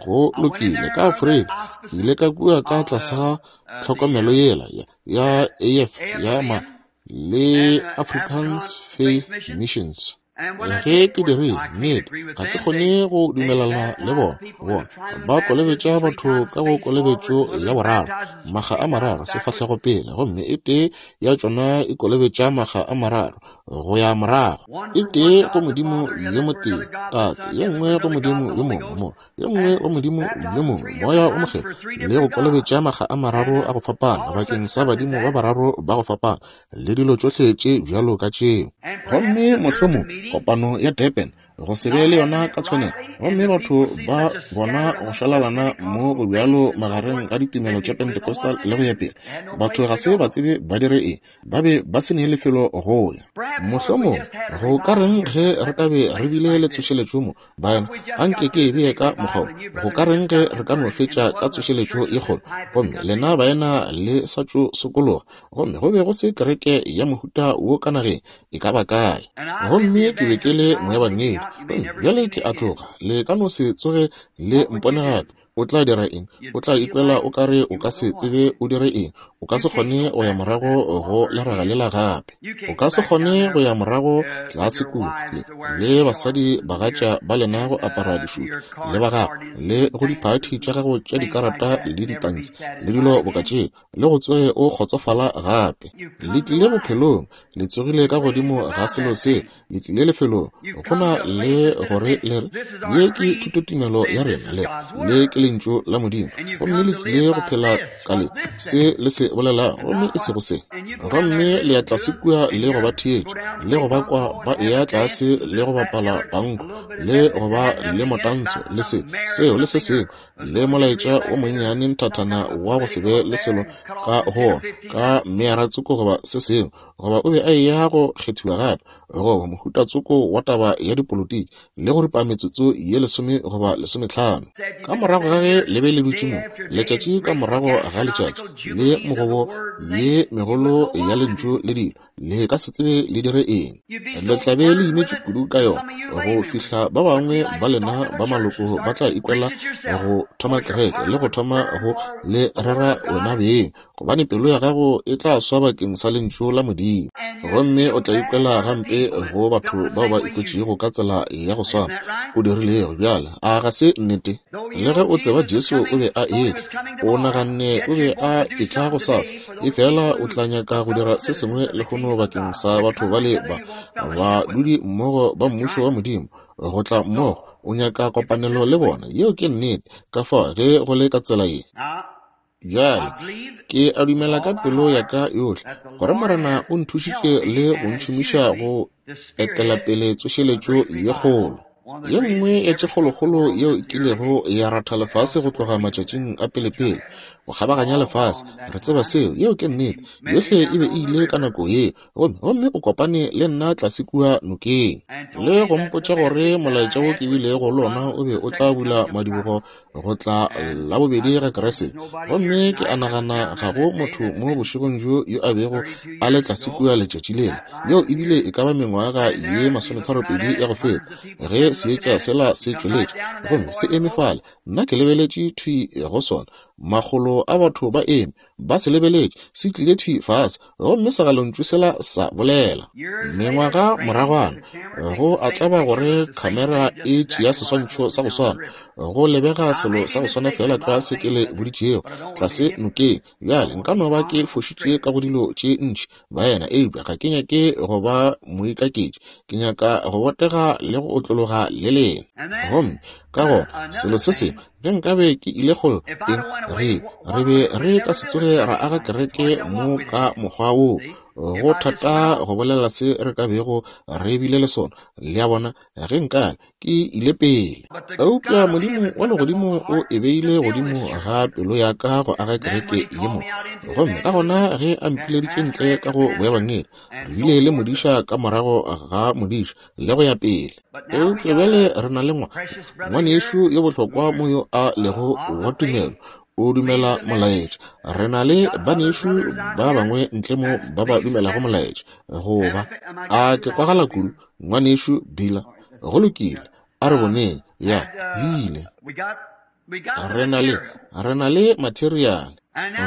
Speaker 1: Go lokile, ka Afrika ke ile ka kua ka tlase ga tlhokomelo yela ya A F ya ma le Africans Faith Missions. Ge ke dirile nnete, ga ke kgone go dumelana le bona. Bona ba kolobetša batho ka go kolobetšo ya boraro, makga a mararo sefahlego pele, gomme e tee ya tšona e kolobetša makga a mararo go ya morago. E tee go Modimo yo motee Tate, ye nngwe go Modimo yo mongwe mo, ye nngwe go Modimo yo mongwe Moya o Mokgethwa, le go kolobetša makga a mararo a go fapana bakeng sa badimo ba bararo ba go fapana, le dilo tšohle tše bjalo ka tšeo. Gomme mohlomong kopano ya Durban go se be le yona ka tshwanelo, gomme batho ba bona go šwalalana mo go bjalo magareng ga ditumelo tša Pentecostal le go ya pele. Batho ga se ba tsebe ba dire eng, ba be ba se ne lefelo go ya. Mohlomong go ka reng ge re ka be re bile le tsošeletšo mo, baena, anke ke e bee ka mokgwa wo. Go ka reng ge re ka no fetša ka tsošeletšo ye kgolo, gomme lena baena le sa tšo sokologa, gomme go be go se kereke ya mohuta wo ka nageng e ka ba kae. Gomme ke be ke le moebangedi, gomme bjale ke a tloga, le ka no se tsoge le mpone gape. O tla dira eng? O tla ikwela o ka re o ka se tsebe o dire eng. O ka se kgone go ya morago go leraga lela gape. O ka se kgone go ya morago tlase kua le, le basadi bagatša ba lena go apara dišutu le ba gago le go diphathi tša gago tša dikarata le ditansi le dilo boka tšeo, le go tsoge o kgotsofala gape. Le tlile bophelong, le tsogile ka godimo ga selo se, le tlile lefelong go na le gore le re, ye ke thutotumelo ya rena, le le ke lentšu la Modimo, gomme le tlile go phela ka le se le se bolelago, gomme e sego se. Gomme le ya tlase kua le go ba theetša, le go ba kwa ba eya tlase le go bapala panko, le go ba le motantsho le se seo le se sengwe, le molaetša o monnyane nthathana wa go se be le selo ka go ka mearatsoko goba se sengwe, goba o be a eya go kgethiwa gape, goba mohutatsoko wa taba ya dipolotiki, le go ripa metsotso ye lesome goba lesometlhano. Ka morago ga ge le be le dutše mo, letšatši ka morago ga letšatši, le mogobo ye megolo ya lentšu le dilo, le ka se tsebe le dire eng. Le tla be le imetše kudu ka yona go fihla ba bangwe ba lena ba maloko ba tla ikwela go thoma kereke le go thoma go le rera wena beng, gobane pelo ya gago e tla swa bakeng sa lentšu la Modimo, gomme o tla ikwela gampe go batho bao ba ikwetšego ka tsela ya go swana o dirilego. Bjale a ga se nnete? Le ge o tseba Jesu o be a etla, o naganne o be a etla gosasa, efela o tla nyaka go dira se sengwe lehono bakeng sa batho bale ba badudi mmogo ba mmušo wa Modimo go tla mmogo. O nyaka kopanelo le bona. Yeo ke nnete. Ka fao ge go le ka tsela ye bjale, ke a dumela ka pelo ya ka yohle gore Morena o nthušitše le go ntšhomiša go etela pele tsošeletšo ye kgolo, ye nngwe ya tše kgolokgolo yeo e kilego ya ratha lefase go tloga matšatšing a pelepele go kgabaganya lefase. Re tseba seo, yeo ke nnete. Yohle e be e ile ka nako yeo, gomme gomme o kopane le nna tlase kua nokeng le go mpotša gore molaetša wo ke bilego le ona o be o tla bula madibogo go tla la bobedi ga Kriste. Gomme ke a nagana ga go motho mo bošegong bjo yo a bego a le tlase kua letšatši lela. Yeo ebile e ka ba mengwaga ye masometharopedi ya go feta ge seetša sela se tšweletše gomme se eme fale. Nna ke lebeletše thwi go sona, makgolo a batho ba eme ba se lebeletše, se tlile thwi fase gomme segalontšu sela sa bolela. Mengwaga moragwana go a tlaba gore khamera e tšea seswantšho sa go swana, go lebega selo sa go swana fela tlwa se ke le boditšego tlase nokeng. Bjale nka no ba ke fošitše ka go dilo tše ntši baena, eupša ga ke nyake go ba moikaketši, ke nyaka go botega le go otlologa le lena. Gomme ka gona selo se sengwe, ge nkabe ke ile kgole eng, re re be re ka se tsoge ra aga kereke mo ka mokgwa wo. Go thata go bolela se re ka bego re bile le sona, le a bona, ge nkabe ke ile pele. Eupša Modimo wa legodimo o e beile godimo ga pelo ya ka go aga kereke ye mo. Gomme ka gona ge a mpileditše ntle ka go boebangedi, re bile le modiša ka morago ga modiša le go ya pele. Eupša bjale re na le ngwanešu yo bohlokwa mo yo a lego wa tumelo, o dumela molaetša. Re na le banešu ba bangwe ntle mo ba ba dumelago molaetša. Goba a ke kwagala kudu, ngwanešu Bila? Go lokile, a re boneng. Ya bile re na le re na le material.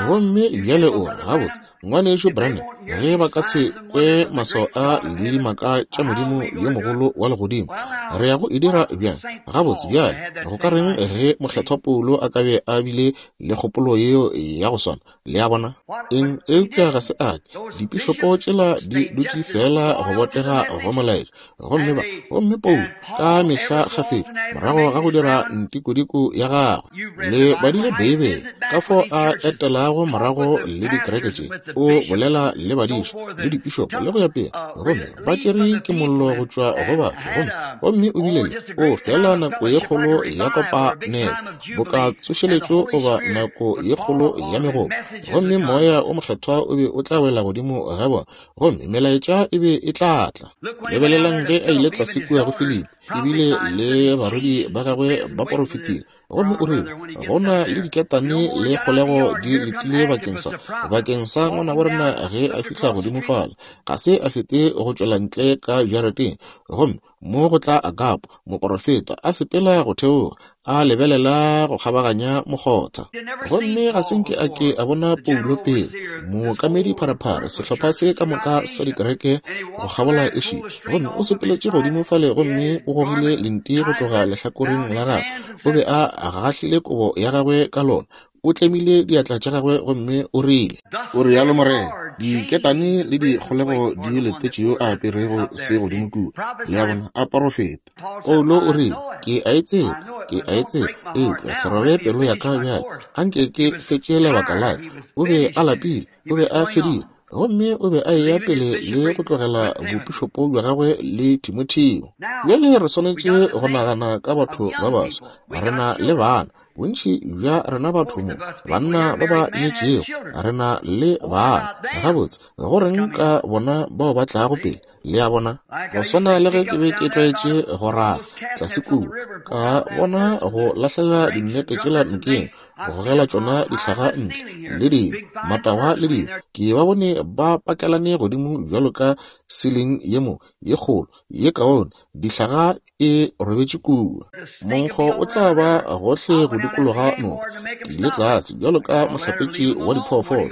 Speaker 1: Gomme bjale o re, gabotse ngwanešu Branham, ge ba ka se kwe maswao a le dimaka tša Modimo yo mogolo wa legodimo, re ya go e dira bjang? Gabotse bjale go ka reng ge mokgethwa Paulo a ka be a bile le kgopolo yeo ya go swana? Le a bona eng? Eupša ga se ake. Dipišopo tšela di dutše fela go botega go molaetša. Gomme ba gomme Paulo ka mehla kgafetša morago ga go dira ntikodiko ya gagwe, le badile Beibele ka fao a etelago morago le dikereke tše, o bolela le badiša le dipišopo le go ya pele, gomme ba tšere ke mollo go tšwa go batho. Gomme gomme o bile le o fela nako ye kgolo ya kopanelo boka tsošeletšo goba nako ye kgolo ya megopo, gomme moya o mokgethwa o be o tla wela godimo ga bona, gomme melaetša e be e tla tla. Lebelelang ge a ile tlase kua go Filipi, ebile le barwedi ba gagwe ba porofetile, gomme o rile go na le diketane le kgolego di letile bakeng sa bakeng sa ngwana wa rena ge a fihla godimo fale. Ga se a fete go tšwela ntle ka jarateng, gomme mo go tla Agapo moporofeta a sepela go theoga, a lebelela go kgabaganya mokgotha. Gomme ga se nke a ke a bona Paulo pele, Mookamedi pharephare, sehlopha se ka moka sa dikereke go kgabola Asia. Gomme o sepeletše godimo fale gomme o gogile lenti go tloga lehlakoreng la gagwe. O be a gahlile kobo ya gagwe ka lona. O tlemile diatla tša gagwe gomme o rile, o rialo Morena, diketane le dikgolego di letetše yo a aperego se godimo kua. Le a bona, a porofeta. Paulo o rile, ke a e tseba, ke a e tseba, eupša se robe pelo ya ka bjale, anke ke fetše lebaka la ka. O be a lapile, o be a fedile, gomme o be a eya pele le go tlogela bopišopo bja gagwe le Timotheo. Bjale re swanetše go nagana ka batho ba baswa, re na le bana. Bontši bja rena batho mo, banna ba ba nyetšego, re na le bana. Gabotse, go reng ka bona bao ba tlago pele? Le a bona? Go swana le ge ke be ke tlwaetše go raga tlase kua, ka bona go lahlela dinnete tšela nokeng, go gogela tšona dihlaga ntle, le dilo, matagwa le dilo. Ke ba bone ba pakelane godimo bjalo ka siling ye mo, ye kgolo, ye kaone, dihlaga e robetše kua. Monkgo o tla ba gohle go dikologa noka. Ke ile tlase bjalo ka mohlapetši wa diphoofolo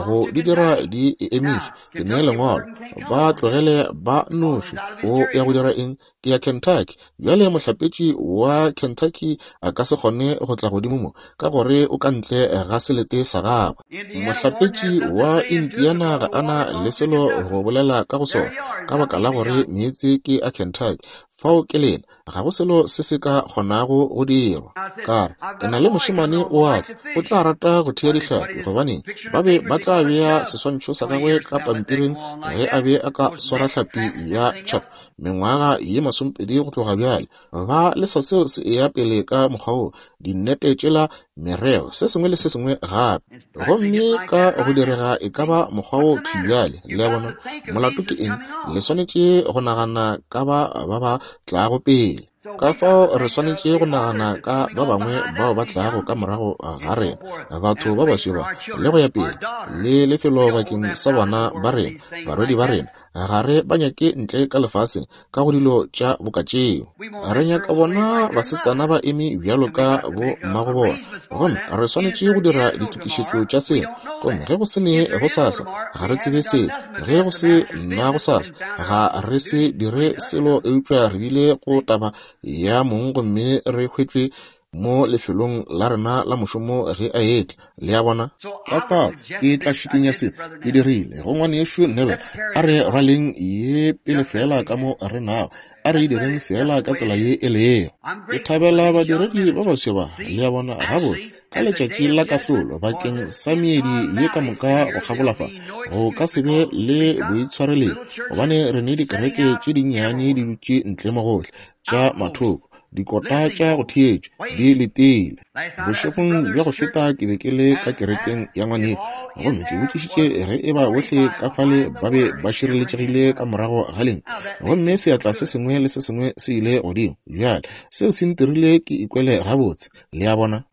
Speaker 1: go di dira di e emiše. Ke nee lengwalo, ba tlogele ba noši. O ya go dira eng? Ke ya Kentucky. Bjale mohlapetši wa Kentucky a ka se kgone go tla godimo mo, ka gore o ka ntle ga selete sa gagwe. Mohlapetši wa Indiana ga ana le selo go bolela ka go sona, ka baka la gore meetse ke a Kentucky. Fao ke lena, ga go selo se se ka kgonago go dirwa. Ka re, ke na le mošemane o a tla, o tla rata go thea dihlapi, gobane ba be ba tla bea seswantšho sa gagwe ka pampiring ge a be a ka swara hlapi ya chub mengwaga ye masomepedi go tloga bjale. Ba lesa seo se eya pele ka mokgwa wo, dinnete tšela, mereo, se sengwe le se sengwe gape. Gomme ka go direga e ka ba mokgwa wo thwi bjale. Le a bona? Molato ke eng? Le swanetše go nagana ka ba ba ba tlago pele. Ka fao re swanetše go nagana ka ba bangwe bao ba tlago ka morago ga rena, batho ba baswi ba, le go ya pele, le lefelo bakeng sa bana ba rena, barwedi ba rena. Ga re ba nyake ntle ka lefaseng ka go dilo tša boka tšeo. Re nyaka bona basetsana ba eme bjalo ka bo mmago bona. Gomme re swanetše go dira ditokišetšo tša seo. Gomme ge go se ne gosasa, ga re tsebe seo. Ge go se na gosasa, ga re se dire selo eupša re bile go taba ya mong gomme re hwetšwe mo lefelong la rena la mošomo ge a etla. Le a bona? Ka fao ke tla šikinya se ke dirile go ngwanešu Neville. A re rwaleng ye pele fela ka mo re nago, a re direng fela ka tsela ye e lego. Ke thabela badiredi ba baswi ba, le a bona, gabotse ka letšatši la kahlolo bakeng sa meedi ye ka moka go kgabola fa, go ka se be le boitshwarelelo, gobane re ne dikereke tše dinnyane di dutše ntle mo gohle tša mathoko, dikota tša go theetšwa di letile. Bošegong bja go feta ke be ke le ka kerekeng ya ngwaneng, gomme ke botšišitše ge e ba bohle ka fale ba be ba šireletšegile ka morago ga leng, gomme seatla se sengwe le se sengwe se ile godimo. Bjale seo se ntirile ke ikwele gabotse. Le a bona?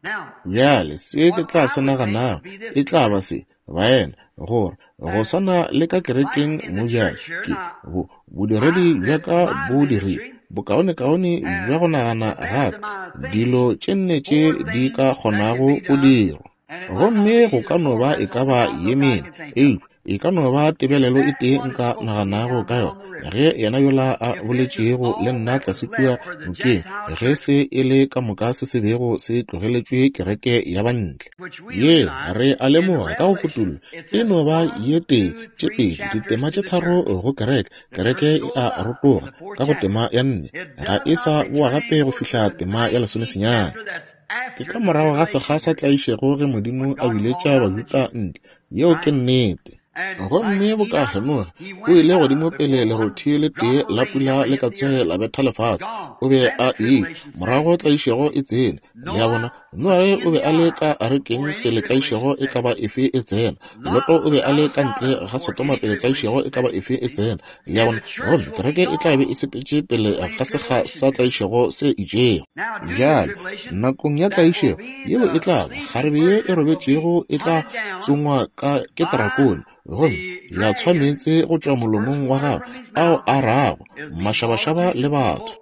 Speaker 1: Bjale se ke tla se naganago e tla ba se, baena, gore go swana le ka kerekeng mo bjale, ke bo bodiredi bja ka bo dirile bokaonekaone bja go nagana gape dilo tše nne tše di ka kgonago go dirwa. Gomme go ka no ba e ka ba ye mene, eupša e ka no ba tebelelo e tee nka naganago ka yona, ge yena yola a boletšego le nna tlase kua nokeng, ge se e le ka moka se se bego se tlogeletšwe kereke ya bantle. Ye re a lemoga ka go kutullo e no ba ye tee, tše pedi, ditema tše tharo go kereke. Kereke e a rotoga ka go tema ya nne, ga e sa boa gape go fihla tema ya lesomesenyane. Ke ka morago ga sekga sa tlaišego ge Modimo a biletša Bajuda ntle. Yeo ke nnete. Gomme boka Henoge o ile godimo pele lerothi le tee la pula le ka tsoge la betha lefase, o be a ile morago tlaišego e tsene. Le a bona? Noage o be a le ka arekeng pele tlaišego e ka ba efe e tsena. Loto o be a le ka ntle ga Sodoma pele tlaišego e ka ba efe e tsena. Le a bona? Gomme kereke e tla be e sepetše pele ga sekga sa tlaišego se itšego. Bjale nakong ya tlaišego yeo e tla ba kgarebe ye e robetšego e tla tsongwa ka ke drakone, gomme ya tshwa meetse go tšwa molomong wa gagwe ao a rago mašabašaba le batho.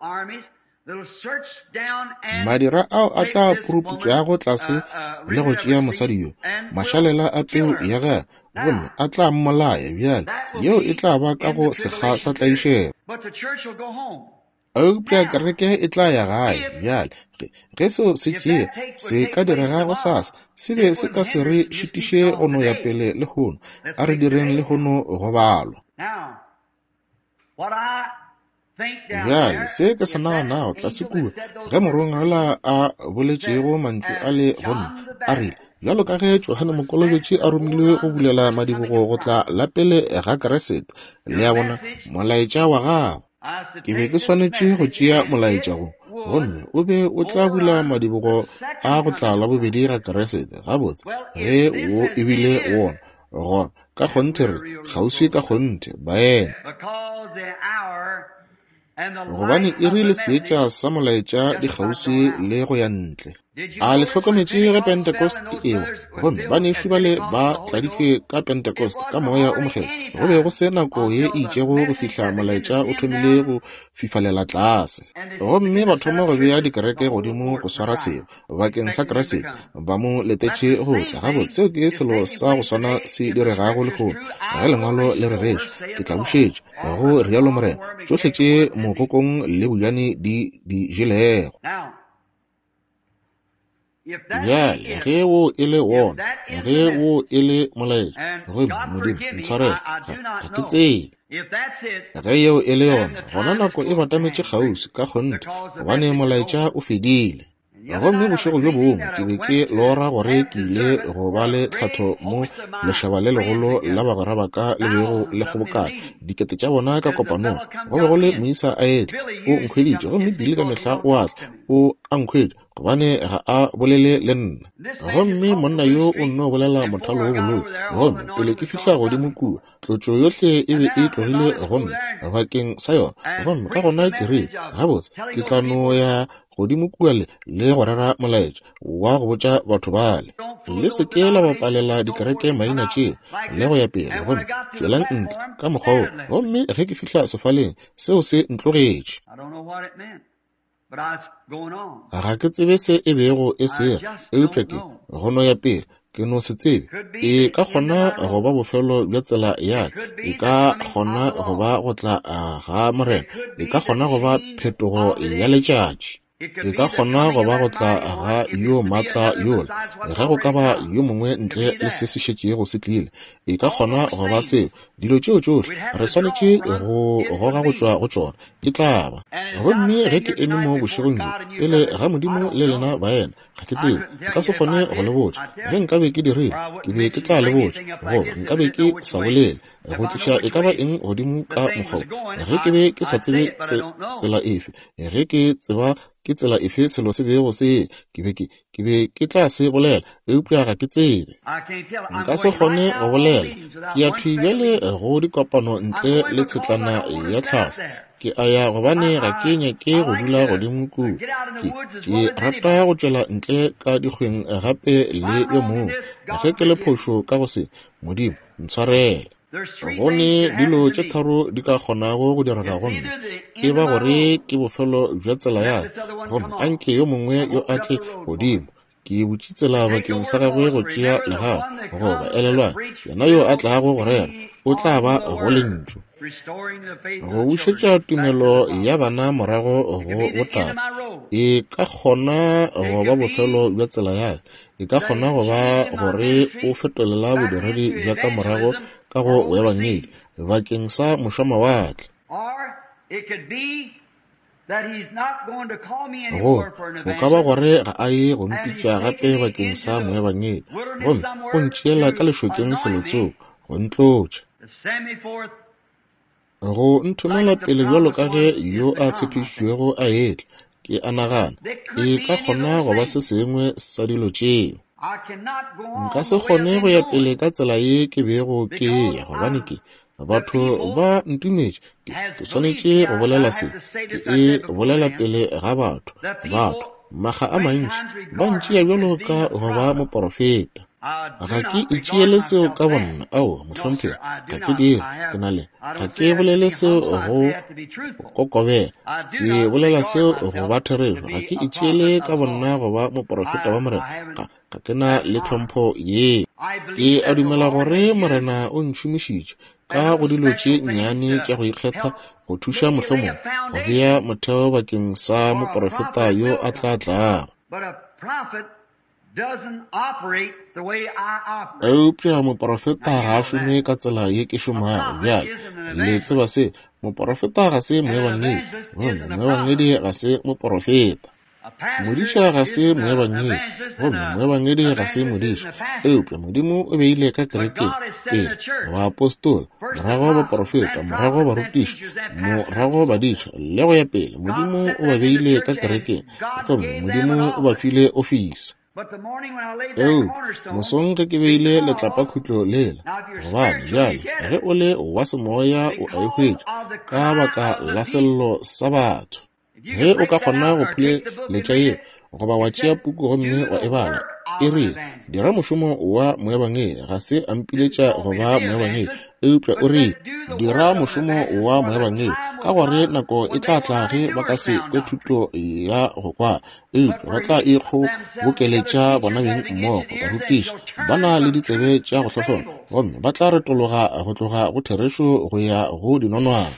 Speaker 1: Madira ao a tla puruputšago tlase le go tšea mosadi yo, mašalela a peu ya gagwe, gomme a tla mmolaya. Bjale yeo e tla ba ka go sekga sa tlaišego. Eupša kereke e tla ya gae. Bjale ge seo se tšea se ka direga gosasa, se be se ka se re šitiše go no ya pele lehono. A re direng lehono go balwa. Bjale se ke se naganago tlase kua, ge morongwa a boletšego mantšu a le go nna, a rile, bjalo ka ge Johane Mokolobetši a romilwe go bulela madibogo go tla la pele ga Kriste, le a bona, molaetša wa gago. Ke be ke swanetše go tšea molaetša go, gomme o be o tla bula madibogo a go tla la bobedi ga Kriste. Gabotse, ge wo ebile wona, gona ka kgonthe re kgauswi ka kgonthe, baena. Gobane iri le seetša sa molaetša di kgauswi le go ya ntle. A le hlokometše ge Pentecost e ewa, gomme banešu bale ba tladitšwe ka Pentecost ka moya o mokgethwa, go be go se nako ye e itšego go fihla molaetša o thomile go fifalela tlase, gomme ba thoma go bea dikereke godimo go swara seo bakeng sa Kriste, ba mo letetše go tla. Gabotse, seo ke selo sa go swana se diregago lehono. Ge lengwalo le rereša, ke tla bušetša, go rialo Morena, tšohle tše mogokong le bojane di di jelego. Bjale ge wo e le wona, ge wo e le molaetša, gomme Modimo ntshwarele, ga ke tsebe. Ge yeo e le yona, gona nako e batametše kgauswi ka kgonthe, gobane molaetša o fedile. Gomme bošego bjo bongwe ke be ke lora gore ke ile go ba le tlhatho mo lešaba le legolo la bagwera ba ka le bego le kgobokana, dikete tša bona ka kopanong. Go be go le moisa a etla, o nkhweditše, gomme Billy ka mehla o a tla, o a nkhwetša, gobane ga a bolele le nna. Gomme monna yo o nno bolela mothalo wo bololo, gomme pele ke fihla godimo kua, tlotšo yohle e be e tlogile go nna bakeng sa yona. Gomme ka gona ke rile, gabotse, ke tla no ya godimo kua le le go rera molaetša wa go botša batho bale, le se ke la bapalela dikereke maina tšeo le go ya pele, gomme tšwelang ntle ka mokgwa wo. Gomme ge ke fihla sefaleng, seo se ntlogetše. Ga ke tsebe se e bego e se, eupša ke go no ya pele, ke no se tsebe. E ka kgona go ba bofelo bja tsela ya ka, e ka kgona go ba go tla ga Morena, e ka kgona go ba phetogo ya letšatši, e ka kgona go ba go tla ga yo maatla yola, ge go ka ba yo mongwe ntle le se se šetšego se tlile, e ka kgona go ba seo. Dilo tšeo tšohle re swanetše go goga go tšwa go tšona, e tla ba. Gomme ge ke eme mo bošegong bjo pele ga Modimo le lena baena, ga ke tsebe, nka se kgone go le botša. Ge nkabe ke dirile, ke be ke tla le botša, goba nkabe ke sa bolele go tliša e ka ba eng godimo ka mokgwa wo. Ge ke be ke sa tsebe tsela efe, ge ke tseba ke tsela efe selo se bego se, ke be ke ke be ke tla se bolela, eupša ga ke tsebe. Nka se kgone go bolela. Ke ya thwi bjale go dikopano ntle le tshetlana ya tlhago. Ke a ya gobane ga ke nyake go dula godimo kua. Ke ke rata go tšwela ntle ka dikgweng gape le yo mongwe. Ge ke le phošo ka go se, Modimo ntshwarele. Go ne dilo tše tharo di ka kgonago go direga go nna, e ba gore ke bofelo bja tsela ya ka, gomme anke yo mongwe yo a tle godimo, ke butše tsela bakeng sa gagwe go tšea legato, goba elelwang, yena yo a tlago go rera o tla ba go lentšu, go bušetša tumelo ya bana morago go botate. E ka kgona go ba bofelo bja tsela ya ka, e ka kgona go ba gore o fetolela bodiredi bja ka morago ka go boebangedi bakeng sa mošwamawatle, go go ka ba gore ga a ye go mpitša gape bakeng sa moebangedi, gomme o ntšeela ka lešokeng felotsoko go ntlotša, go nthomela pele bjalo ka ge yo a tshepišitšwego a etla. Ke a nagana e ka kgona go ba se sengwe sa dilo tšeo. Nka se kgone go ya pele ka tsela ye ke bego ke eya, gobane ke batho ba ntumetše. Ke swanetše go bolela se, ke e bolela pele ga batho. Batho makga a mantši ba ntšea bjalo ka go ba moporofeta. Ga ke itšeele seo ka bonna, aowa, mohlomphegi, ga ke dire. Ke na le, ga ke bolele seo go kokobela, ke bolela seo go ba therešo. Ga ke itšeele ka bonna go ba moporofeta wa Morena, ga, ga ke na le tlhompho yeo. Ke a dumela gore Morena o ntšhomišitše ka go dilo tše nnyane tša go ikgetha go thuša mohlomong go bea motheo bakeng sa moporofeta yo a tla tlago. Eupša moporofeta ga a šome ka tsela ye ke šomago. Bjale, le tseba se, moporofeta ga se moebangedi, gomme moebangedi ga se moporofeta. Modiša ga se moebangedi, gomme moebangedi ga se modiša. Eupša Modimo o beile ka kerekeng pele baapostola, morago baporofeta, morago barutiši, morago badiša, le go ya pele. Modimo o ba beile ka kerekeng, gomme Modimo o ba file ofisi. Eupša mosong ge ke beile letlapakhutlo lela, gobane bjale ge o le wa semoya o a e hwetša ka baka la sello sa batho. Ge o ka kgona go phuleletša yeo, goba wa tšea puku gomme wa e bala, e rile, dira mošomo wa moebangedi. Ga se a mpiletša go ba moebangedi, eupša o rile, dira mošomo wa moebangedi, ka gore nako e tla tla ge ba ka se kwe thuto ya go kwa, eupša ba tla ikgobokeletša bona beng mmogo barutiši ba na le ditsebe tša go hlohlona, gomme ba tla retologa go tloga go therešo go ya go dinonwane.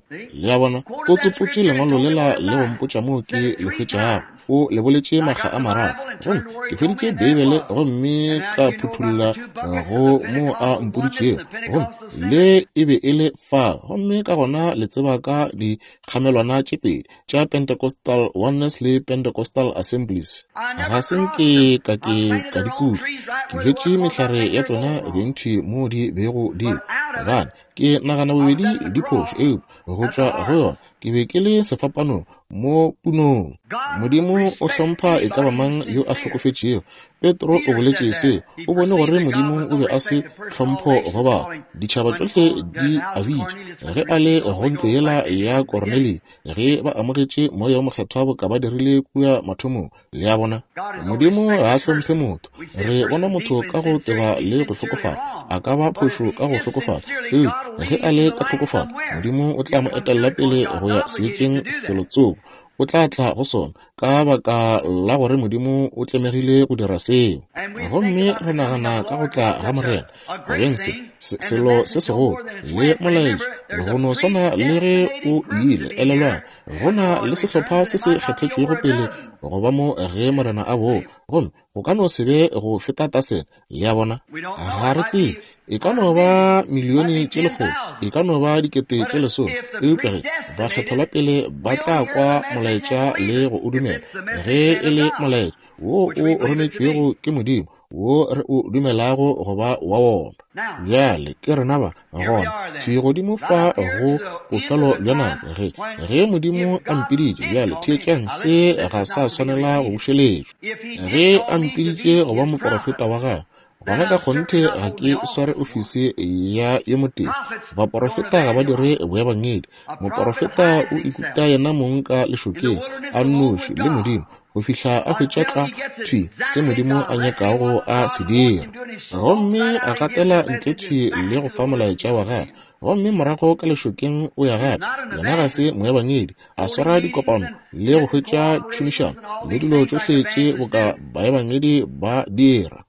Speaker 1: Le a bona, o tsopotše lengwalo lela le go mpotša moo ke le hwetšago. O le boletše makga a mararo, gomme ke hweditše Beibele gomme ka phuthulla go mo a mpoditšego, gomme le e be e le fa. Gomme ka gona le tseba ka dikgamelwana tše pedi tša Pentecostal Oneness le Pentecostal Assemblies. Ga se nke ka ke ka di kutlwa. Ke bjetše mehlare ya tšona bentši mo di bego di, gobane ke nagana bobedi di phošo, eupša go tšwa go yona ke be ke le sefapanong mo punong. Modimo o hlompha e ka ba mang yo a hlokofetšego. Petro o boletše se, o bone gore Modimo o be a se tlhompho go batho. Ditšhaba tšohle di a bitša ge a le go ntlo yela ya Kornelio, ge ba amogetše moya o mokgethwa boka ba dirile kua mathomong. Le a bona, Modimo ga a hlomphe motho. Re bona motho ka go teba le go hlokofala, a ka ba phošo ka go hlokofala, eupša ge a le ka hlokofala, Modimo o tla mo etella pele go ya seetšeng felotsoko. O tla tla go sona ka baka la gore Modimo o tlemegile go dira seo. Gomme re nagana ka go tla ga Morena go beng se, se selo se segolo le molaetša, go no swana le ge o ile. Elelwang, go na le sehlopha se se kgethetšwego pele go ba mo ge Morena a boa, gomme go ka no se be go feta tasene. Le a bona, ga re tsebe, e ka no ba milione tše lekgolo, e ka no ba dikete tše lesome, eupša ge bakgethelwa pele ba tla kwa molaetša le go o dumela, ge e le molaetša wo o rometšwego ke Modimo, wo re o dumelago go ba wa wona. Bjale ke rena ba gona thwi godimo fa go bofelo bja nako ge ge Modimo a mpiditše. Bjale theetšang, se ga sa swanela go bušeletšwa. Ge a mpiditše go ba moporofeta wa gagwe, gona ka kgonthe ga ke sware ofisi ya yo motee. Baporofeta ga ba dire boebangedi. Moporofeta o ikuta yena mong ka lešokeng a nnoši le Modimo go fihla a hwetša tlwa thwi se Modimo a nyakago a se dira, gomme a gatela ntle thwi le go fa molaetša wa gagwe. Gomme morago ka lešokeng o ya gape. Yena ga se moebangedi, a swara dikopano le go hwetša tšhomišano le dilo tšohle tše boka baebangedi ba dira.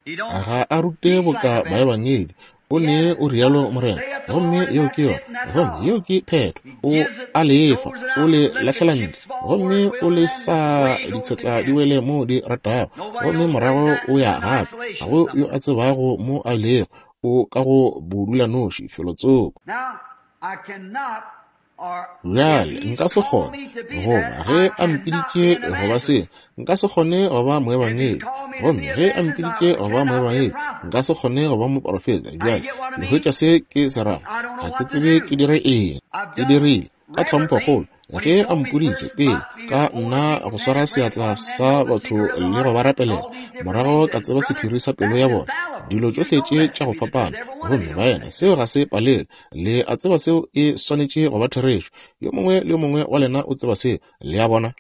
Speaker 1: Ga a rute boka baebangedi. O ne o rialo Morena, gomme yeo ke yona, gomme yeo ke phetho. O a lefa, o le lahlela ntle, gomme o le sa ditshetla di wele mo di ratago, gomme morago o ya gape. Ga go yo a tsebago mo a ilego, o ka go bodulanoši felotsoko. Bjale nka se kgone, goba ge a mpiditše go ba se, nka se kgone go ba moebangedi, gomme ge a mpiditše go ba moebangedi, nka se kgone go ba moporofeta. Bjale le hwetša se ke se rago. Ga ke tsebe ke dire eng. Ke dirile ka tlhomphokgolo ge a mpoditše pele ka nna go swara seatla sa batho le go ba rapelela, morago ka tseba sephiri sa pelo ya bona. dilo tšohle tše tša go fapana. Gomme baena, seo ga se palelwe. Le a tseba seo e swanetše go ba therešo. Yo mongwe le yo mongwe wa lena o tseba seo. Le a bona?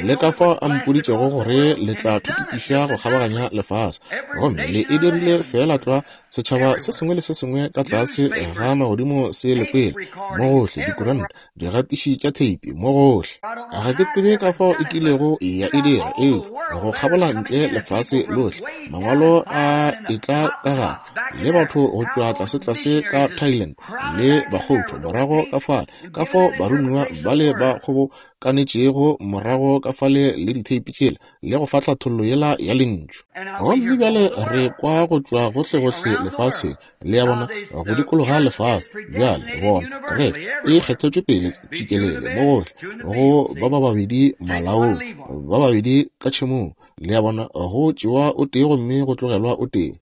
Speaker 1: Le ka fao a mpoditšego gore le tla thuthupiša go kgabaganya lefase. Gomme le e dirile feela tlwa, setšhaba se sengwe le se sengwe ka tlase ga magodimo se le kwele, mo gohle, dikuranta, digatiši tša theipi, mo gohle. Ga ke tsebe ka fao e kilego ya e dira, eupša go kgabola ntle lefase lohle, mangwalo a etla ka gare, le batho go tšwa tlasetlase ka Thailand le Bakgotho morago ka fale, ka fao baromiwa bale ba kgobokanetšego morago ka fale le ditheipi tšela le go fa tlhathollo yela ya lentšu. Gomme bjale re kwa go tšwa gohlegohle lefaseng, le a bona, go dikologa lefase. Bjale bona, kereke e kgethetšwe pele tšikelele mo gohle, go ba ba babedi malaong, ba babedi ka tšhemong, le a bona, go tšewa o tee gomme go tlogelwa o tee.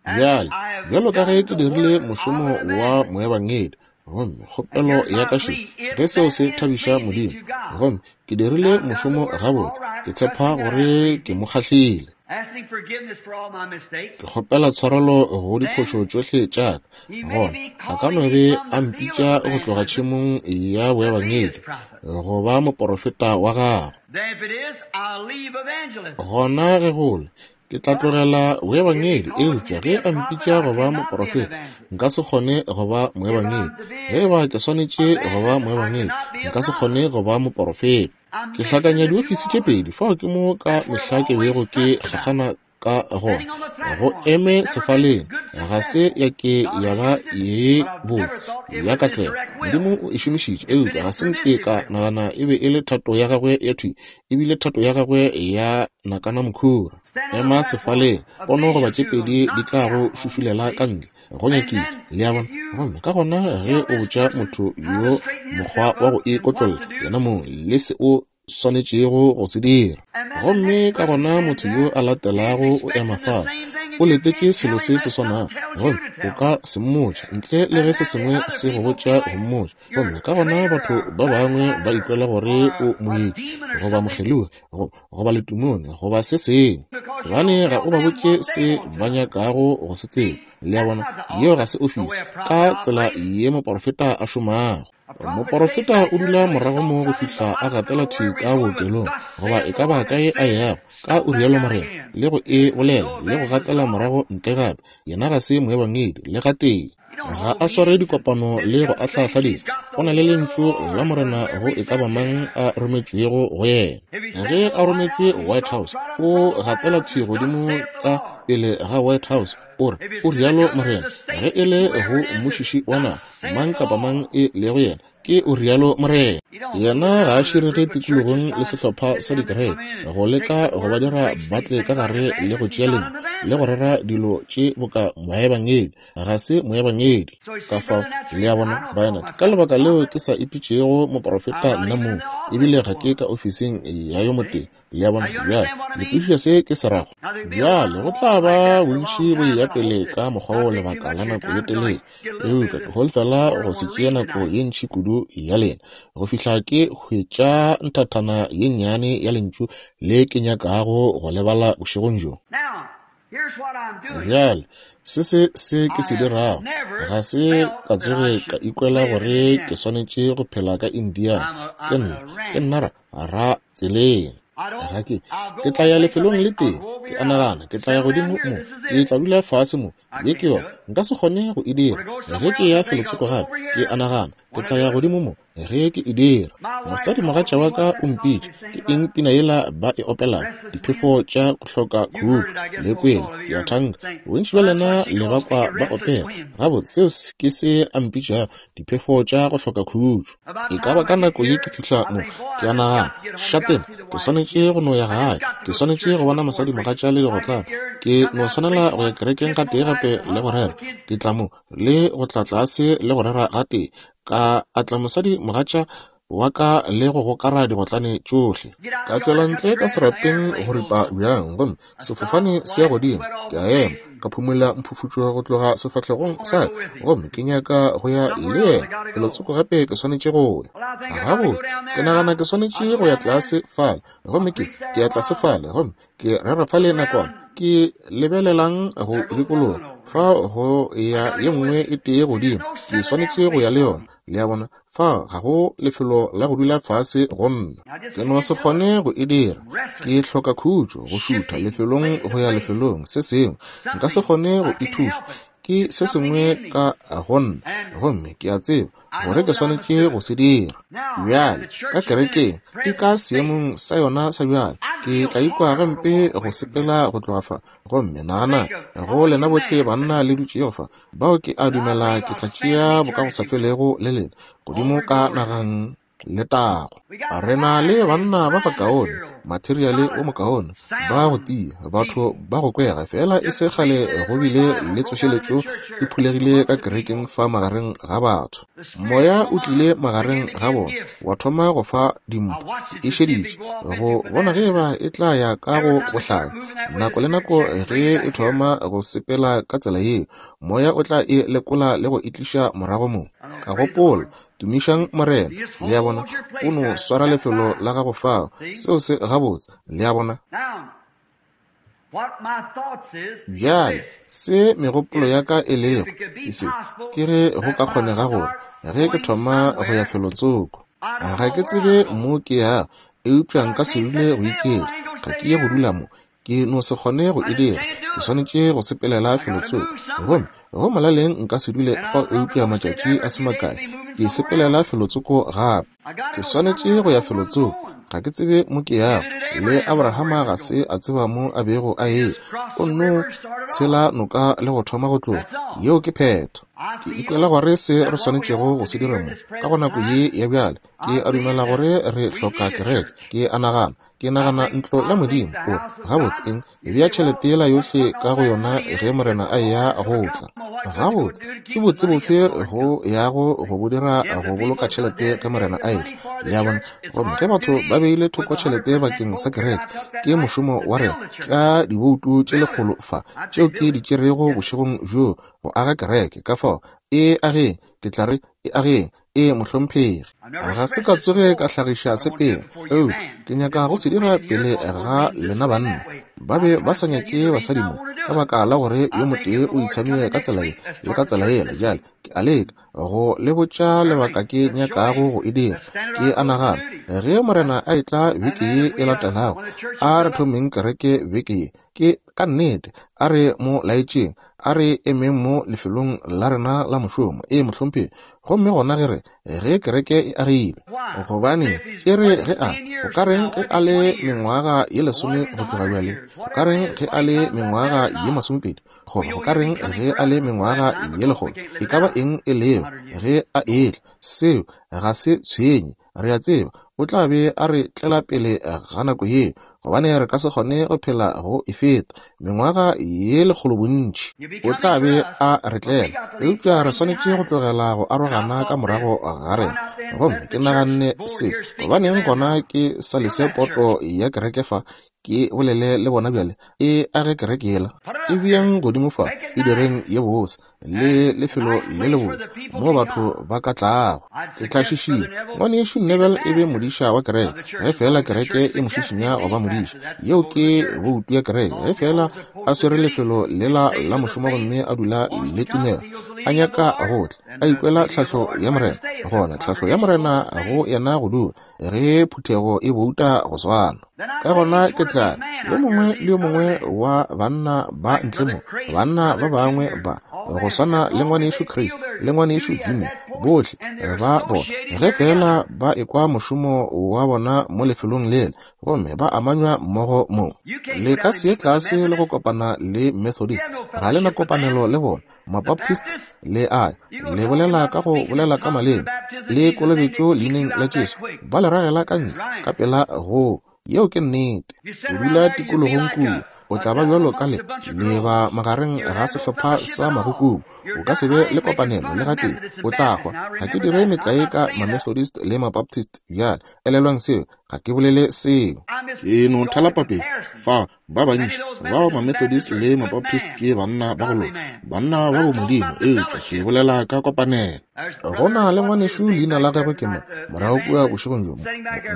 Speaker 1: Bjale, bjalo ka ge ke dirile mošomo wa moebangedi, gomme kgopelo ya ka še, ge seo se thabiša Modimo, gomme ke dirile mošomo gabotse, ke tshepa gore ke mo kgahlile. Ke kgopela tshwarelo go diphošo tšohle tša ka. Gona a ka no be a mpitša go tloga tšhemong ya boebangedi go ba moporofeta wa gagwe. Gona ge gole ke tla tlogela boebangedi, eupša ge a mpitša go ba moporofeta, nka se kgone go ba moebangedi. Ge eba ke swanetše go ba moebangedi, nka se kgone go ba moporofeta. Ke hlakanya diofisi tše pedi, fao ke mo ka mehla ke bego ke kgakgana ka gona. Go eme sefaleng ga se ya ke ya ba ye botse ya katlego. Modimo o e šomišitše, eupša ga se nke ka nagana e be e le thato ya gagwe ya thwi, ebile thato ya gagwe ya nakana mokhura. Ema sefaleng, pono goba tše pedi di tla go šušulela ka ntle, go nyakile, le a bona. Gomme ka gona ge o botša motho yo mokgwa wa go ikotlolla yena mong le se o swanetšego go se dira, gomme ka gona motho yo a latelago o ema fao, o letetše selo se se swanago, gomme o ka se mmotša ntle le ge se sengwe se go botša go mmotša. Gomme ka gona batho ba bangwe ba ikwela gore o moeki goba mokgelogi goba letumone goba se sengwe, gobane ga o ba botše se ba nyakago go se tseba. Le a bona, yeo ga se ofisi ka tsela ye moporofeta a šomago. Moporofeta o dula morago mo go fihla a gatela thwi ka bookelong goba e ka ba kae a yago, ka o rialo Morena, le go e bolela le go gatela morago ntle gape. Yena ga se moebangedi le gatee. Ga a sware dikopano le go ahlahla dilo. O na le lentšu la Morena go e ka ba mang a rometšwego go yena. Ge a rometšwe White House, o gatela thwi godimo ka pele ga White House, o re, o rialo Morena. Ge e le go mmušiši wa naga, mang kapa mang e lego yena, ke o rialo Morena. Yena ga a širege tikologong le sehlopha sa dikereke go leka go ba dira ba tle ka gare le go tšea lentšu le go rera dilo tše boka moebangedi. Ga se moebangedi. Ka fao, le a bona, baena, ke ka lebaka leo ke sa ipitšego moporofeta nna mong, ebile ga ke ka ofising ya yo motee. Le a bona? Bjale le kwešiša se ke se rago. Bjale go tla ba bontši bo eya pele ka mokgwa wo lebaka la nako ye telele, eupša ke holofela go se tšee nako ye ntši kudu ya lena go fihla ke hwetša nthathana ye nnyane ya lentšu le ke nyakago go lebala bošegong bjo. Bjale se se se ke se dirago, ga se ka tsoge ka ikwela gore ke swanetše go phela ka Indiana. Ke nna ke nna ra ra tseleng. Ga ke ke tla ya lefelong le tee, ke a nagana ke tla ya godimo mo, ke tla dula fase mo, ye ke yona, nka se kgone go e dira. Ge ke ya felotsoko gape, ke a nagana ke tla ya godimo mo ge ke e dira. Mosadimogatša wa ka o mpitše, ke eng pina yela ba e opelago, diphefo tša go hloka khutšo le kwele, ke a thanka bontši bja lena le ba kwa ba opela. Gabotse, seo ke se a mpitšago, diphefo tša go hloka khutšo. E ka ba ka nako ye ke fihla mo, ke a nagana, šatena, ke swanetše go no ya gae, ke swanetše go bona mosadimogatša le digotlane, ke no swanela go ya kerekeng gatee gape le go rera. Ke tla mo le go tla tlase le go rera gatee, ka atla mosadimogatša wa ka le go gokara digotlane tšohle. Ka tšwela ntle ka serapeng go ripa bjang, gomme sefofane se ya godimo. Ke a ema, ka phumola mphufutšo go tloga sefahlegong sa ka, gomme ke nyaka go ya le yena felotsoko gape. Ke swanetše go ya. Gabotse, ke nagana ke swanetše go ya tlase fale, gomme ke ke ya tlase fale, gomme ke rera fale nakwana. Ke lebelelang go dikologa fa go ya ye nngwe e tee godimo, ke swanetše go ya le yona. Le a bona, fa ga go lefelo la go dula fase go nna. Ke no se kgone go e dira. Ke hloka khutšo, go šutha lefelong go ya lefelong se sengwe. Nka se kgone go ithuša. Ke se sengwe ka go nna, gomme ke a tseba gore ke swanetše go se dira. Bjale ka kerekeng e ka seemong sa yona sa bjale, ke tla ikwa gampe go sepela go tloga fa. Gomme nagana go lena bohle banna le dutšego fa, bao ke a dumela ke tla tšea bokagosafelego le lena godimo ka nagang letago. Re na le banna ba bakaone, materiale o mokaone, ba go tia, batho ba go kwega, fela e se kgale go bile le tsošeletšo e phulegile ka kerekeng fa magareng ga batho. Moya o tlile magareng ga bona, wa thoma go fa dimpho, e šeditše go bona ge eba e tla ya ka go bohlale. Nako le nako ge e thoma go sepela ka tsela yeo, moya o tla e lekola le go e tliša morago mo. Ka gopola, tumišang Morena. Le a bona, o no swara lefelo la gago fao. Seo se gabotse. Le a bona. Bjale se megopolo ya ka e lego ke se, ke ge go ka kgonega gore ge ke thoma go ya felotsoko, ga ke tsebe mo ke yago, eupša nka se dule go iketla. Ga ke ye go dula mo, ke no se kgone go e dira. Ke swanetše go sepelela felotsoko, gomme go molaleng nka se dule fao eupša matšatši a se makae. Ke sepelela felotsoko gape. Ke swanetše go ya felotsoko. Ga ke tsebe mo ke yago. Le Abrahama ga se a tseba mo a bego a eya. O nno tshela noka le go thoma go tloga. Yeo ke phetho. Ke ikwela gore se re swanetšego go se dira mo ka go nako ye ya bjale. Ke a dumela gore re hloka kereke. Ke a nagana, ke nagana ntlo ya Modimo. O gabotse eng, bea tšhelete yela yohle ka go yona ge Morena a eya go tla. Gabotse ke botse bofe go yago go bo dira go boloka tšhelete ge Morena a etla. Le a bona, gomme ge batho ba beile thoko tšhelete bakeng sa kereke, ke mošomo wa rena ka diboutu tše lekgolo fa tšeo ke di tšerego bošegong bjo go aga kereke. Ka fao e ageng, ke tla re e ageng. E mohlomphegi, ga se ka tsoge ka hlagiša se pele, eupša ke nyaka go se dira pele ga lena banna. Ba be ba sa nyake basadi mo ka baka la gore yo motee o itshamile ka tsela ye le ka tsela yela. Bjale ke a leka go le botša lebaka ke nyakago go e dira. Ke a nagana ge Morena a etla beke ye e latelago, a re thomeng kereke beke ye. Ke ka nnete, a re mo laetšeng, a re emeng mo lefelong la rena la mošomo. E mohlomphegi. Gomme gona ge re ge kereke e agilwe, gobane e re ge a o ka reng ge a le mengwaga ye lesome go tloga bjale, o ka reng ge a le mengwaga ye masomepedi, goba o ka reng ge a le mengwaga ye lekgolo, e ka ba eng e lego ge a etla, seo ga se tshwenye. Re a tseba o tla be a re tlela pele ga nako yeo, gobane re ka se kgone go phela go e feta mengwaga ye lekgolo bontši. O tla be a re tlela, eupša re swanetše go tlogela go arogana ka morago ga rena. Gomme ke naganne se, gobaneng gona ke sa lese poto ya kereke fa, ke bolele le bona bjale, e age kereke yela, e beang godimo fa, e direng ye botse le lefelo le lebotse mo batho ba ka tlago. Ke tla šišinya ngwanešu Neville e be modiša wa kereke, ge fela kereke e mo šišinya go ba modiša. Yeo ke boutu ya kereke. Ge fela a swere lefelo lela la mošomo gomme a dula le tumelo, a nyaka go tla, a ikwela tlhahlo ya Morena, gona tlhahlo ya Morena go yena go dula ge phuthego e bouta go swana. Ka gona ke tla yo mongwe le yo mongwe wa banna ba ntle mo, banna ba bangwe ba go swana le ngwanešu Chris le ngwanešu Jimmy, bohle ba bona ge fela ba ekwa mošomo wa bona mo lefelong lela, gomme ba amanywa mmogo mo. Le ka se ye tlase le go kopana le Methodist, ga le na kopanelo le bona. Mabaptist le a le bolela ka go bolela ka maleme le kolobetšo leineng la Jesu, ba le ragela ka ntle ka pela go. Yeo ke nnete. O dula tikologong kua, o tla ba bjalo ka le leba magareng ga sehlopha sa magukubu. O ka se be le kopanelo le gatee, o tla hwa. Ga ke dire metlae ka ma-Methodist le ma-Baptist bjale, elelwang seo, ga ke bolele seo. Ke no thala papedi fa ba bantši ba ma-Methodist le ma-Baptist ke banna ba go loka, banna ba bomodimo, eupša ke bolela ka kopanelo. Go na le ngwanešu leina la gagwe ke ma morago kua bošegong bjo,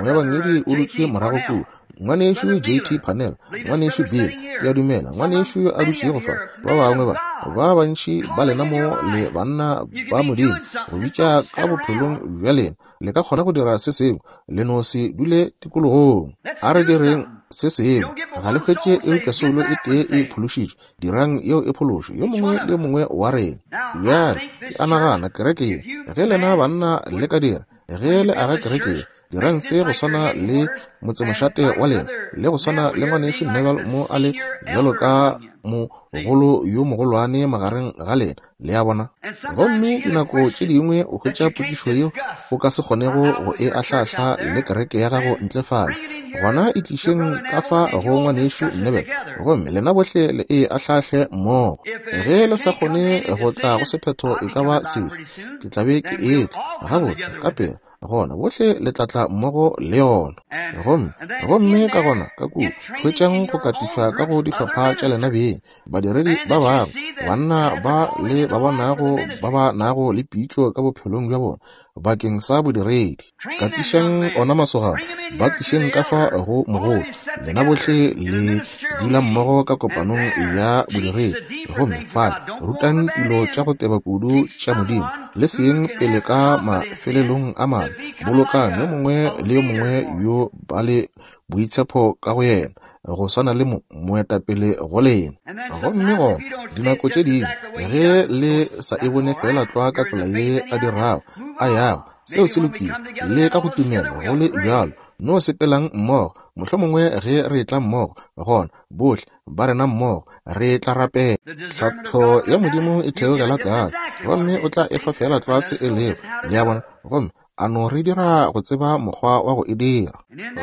Speaker 1: moebangedi o dutše morago kua, Ngwanešu J T Parnell, ngwanešu Bill, ke a dumela, ngwanešu a dutšego fa, ba bangwe ba, ba bantši ba lena mo le banna ba Modimo, go bitša ka bophelong bja lena, le ka kgona go dira se sengwe, le no se dule tikologong. A re direng se sengwe. Ga le hwetše eupša soulo e tee e phološitšwe, dirang yeo e phološo, yo mongwe le yo mongwe wa rena. Bjale, ke a nagana kereke ye, ge lena banna le ka dira, ge le aga kereke ye, dirang se go swana le motsemošate wa lena, le go swana le ngwanešu Neville mo a le bjalo ka mogolo yo mogolwane magareng ga lena, le a bona. Gomme dinako tše dingwe o hwetša potšišo yeo o ka se kgonego go e ahlaahla le kereke ya gago ntle fale. Gona e tlišeng ka fa go ngwanešu Neville, gomme lena bohle le e ahlaahle mmogo. Ge le sa kgone go tla go sephetho e ka ba sefe, ke tla be ke etla gabotse ka pela. Gona bohle le tla tla mmogo le yona. Gomme gomme ka gona ka kua hwetšang go katišwa ka go dihlopha tša lena beng, badiredi ba bangwe, banna ba le ba bonago ba ba nago le pitšo ka bophelong bja bona bakeng sa bodiredi. Katišang ona masogana, ba tlišeng ka fa go mogolo. Lena bohle le dula mmogo ka kopanong ya bodiredi, gomme fale rutang dilo tša go teba kudu tša Modimo, le seng pele ka mafelelong a mane. Bolokang yo mongwe le yo mongwe yo ba le boitshepo ka go yena, go swana le moetapele go lena. Gomme gona dinako tše dingwe ge le sa e bone fela tlwa ka tsela ye a dirago a yago, seo se lokile, le ka go tumelo go le bjalo, no sepelang mmogo. Mohlomongwe ge re tla mmogo, gona bohle ba rena mmogo re tla rapela. Tlhatho ya Modimo e theogela tlase, gomme o tla efa fela tlwa se e lego, le a bona, gomme a no re dira go tseba mokgwa wa go e dira.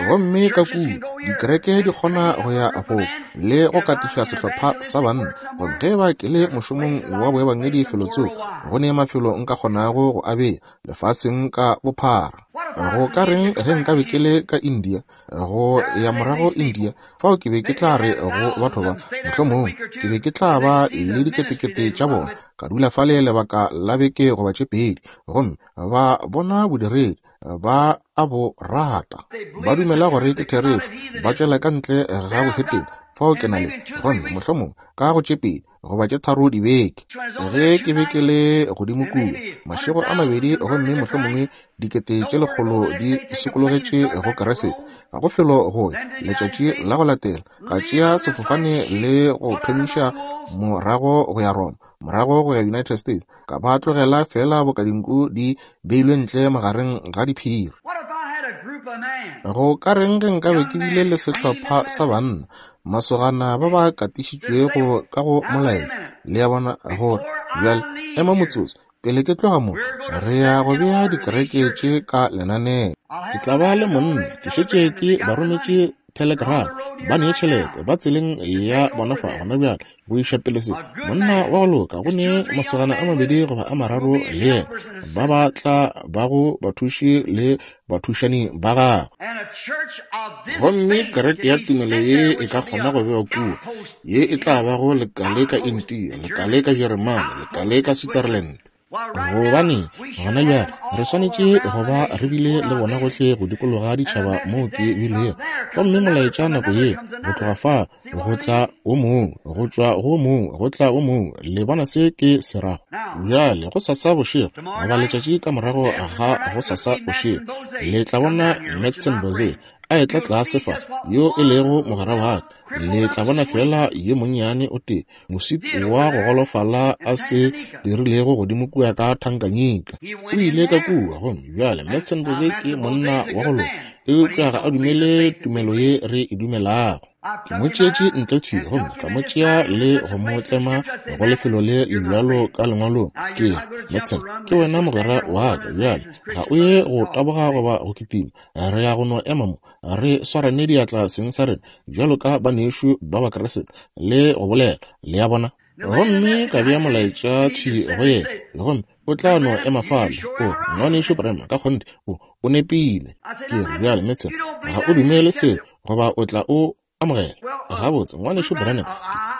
Speaker 1: Gomme ka kua dikereke di kgona go ya go le go katiša sehlopha sa banna. Gomme ge ba ke le mošomong wa boebangedi felotsoko, go ne mafelo nka kgonago go a bea lefaseng ka bophara. Go ka reng ge nka be ke le ka India, go ya morago India, fao ke be ke tla re go batho ba, mohlomongwe ke be ke tla ba le diketekete tša bona, ka dula fale lebaka la beke goba tše pedi, gomme ba bona bodiredi, ba a bo rata, ba dumela gore ke therešo, ba tšwela ka ntle ga bohetene. Fao ke na le, gomme mohlomongwe ka go tše pedi goba tše tharo dibeke, ge ke be ke le godimo kua mašego a mabedi, gomme mohlomongwe dikete tše lekgolo di sokologetše go Keresete, ga go felo go ya. Letšatši la go latela ka tšea sefofane le go thomiša morago go ya Roma, morago go ya United States, ka ba tlogela fela boka dinku di beilwe ntle magareng ga diphiri. Go ka reng ge nkabe ke bile le sehlopha sa banna, masogana ba ba katišitšwego ka go molaetša, le a bona, gore bjale ema motsotso pele ke tloga mo, re ya go bea dikereke tše ka lenaneo. Ke tla ba le monna, ke šetše ke ba rometše telegram, ba nee tšhelete, ba tseleng ya bona fa gona bjale go iša pele se. Monna wa go loka, go ne masogana a mabedi goba a mararo le yena, ba ba tla bago bathuši le bathušani ba gagwe. Gomme kereke ya tumelo ye e ka kgona go bewa kua, ye e tla bago lekale ka India, lekale ka Jeremane, lekale ka Switzerland. Gobane gona bjale re swanetše go ba re bile le bona gohle go dikologa ditšhaba moo ke bilego. Gomme molaetša nako ye go tloga fa go tla o mongwe, go tšwa go mongwe go tla o mongwe, le bona se ke se rago. Bjale go sasa bošego goba letšatši ka morago ga go sasa bošego, le tla bona Madsen Boze a etla tlase fa, yo e lego mogwera wa ka. Le tla bona fela yo monnyane o tee, moswiti wa go golofala a se dirilego godimo kua ka Tanganyika. O ile ka kua, gomme bjale Madsen Boze ke monna wa go loka, eupša ga a dumele tumelo ye re e dumelago. Ke mo tšeetše ntle thwi, gomme ka mo tšea le go mo tlema go lefelo le le bjalo ka lengwalong. Ke re, Madsen, ke wena mogwera wa ka, bjale ga o ye go taboga goba go kitima, re ya go no ema mo, re swarane diatla seng sa rena bjalo ka banešu ba Bakriste le go bolela, le a bona. Gomme ka bea molaetša thwi go yena, gomme o tla no ema fale. O ngwanešu Branham, ka kgonthe o o nepile. Ke re, bjale Madsen, ga o dumele seo goba o tla o amogela. Gabotse, ngwanešu Branham,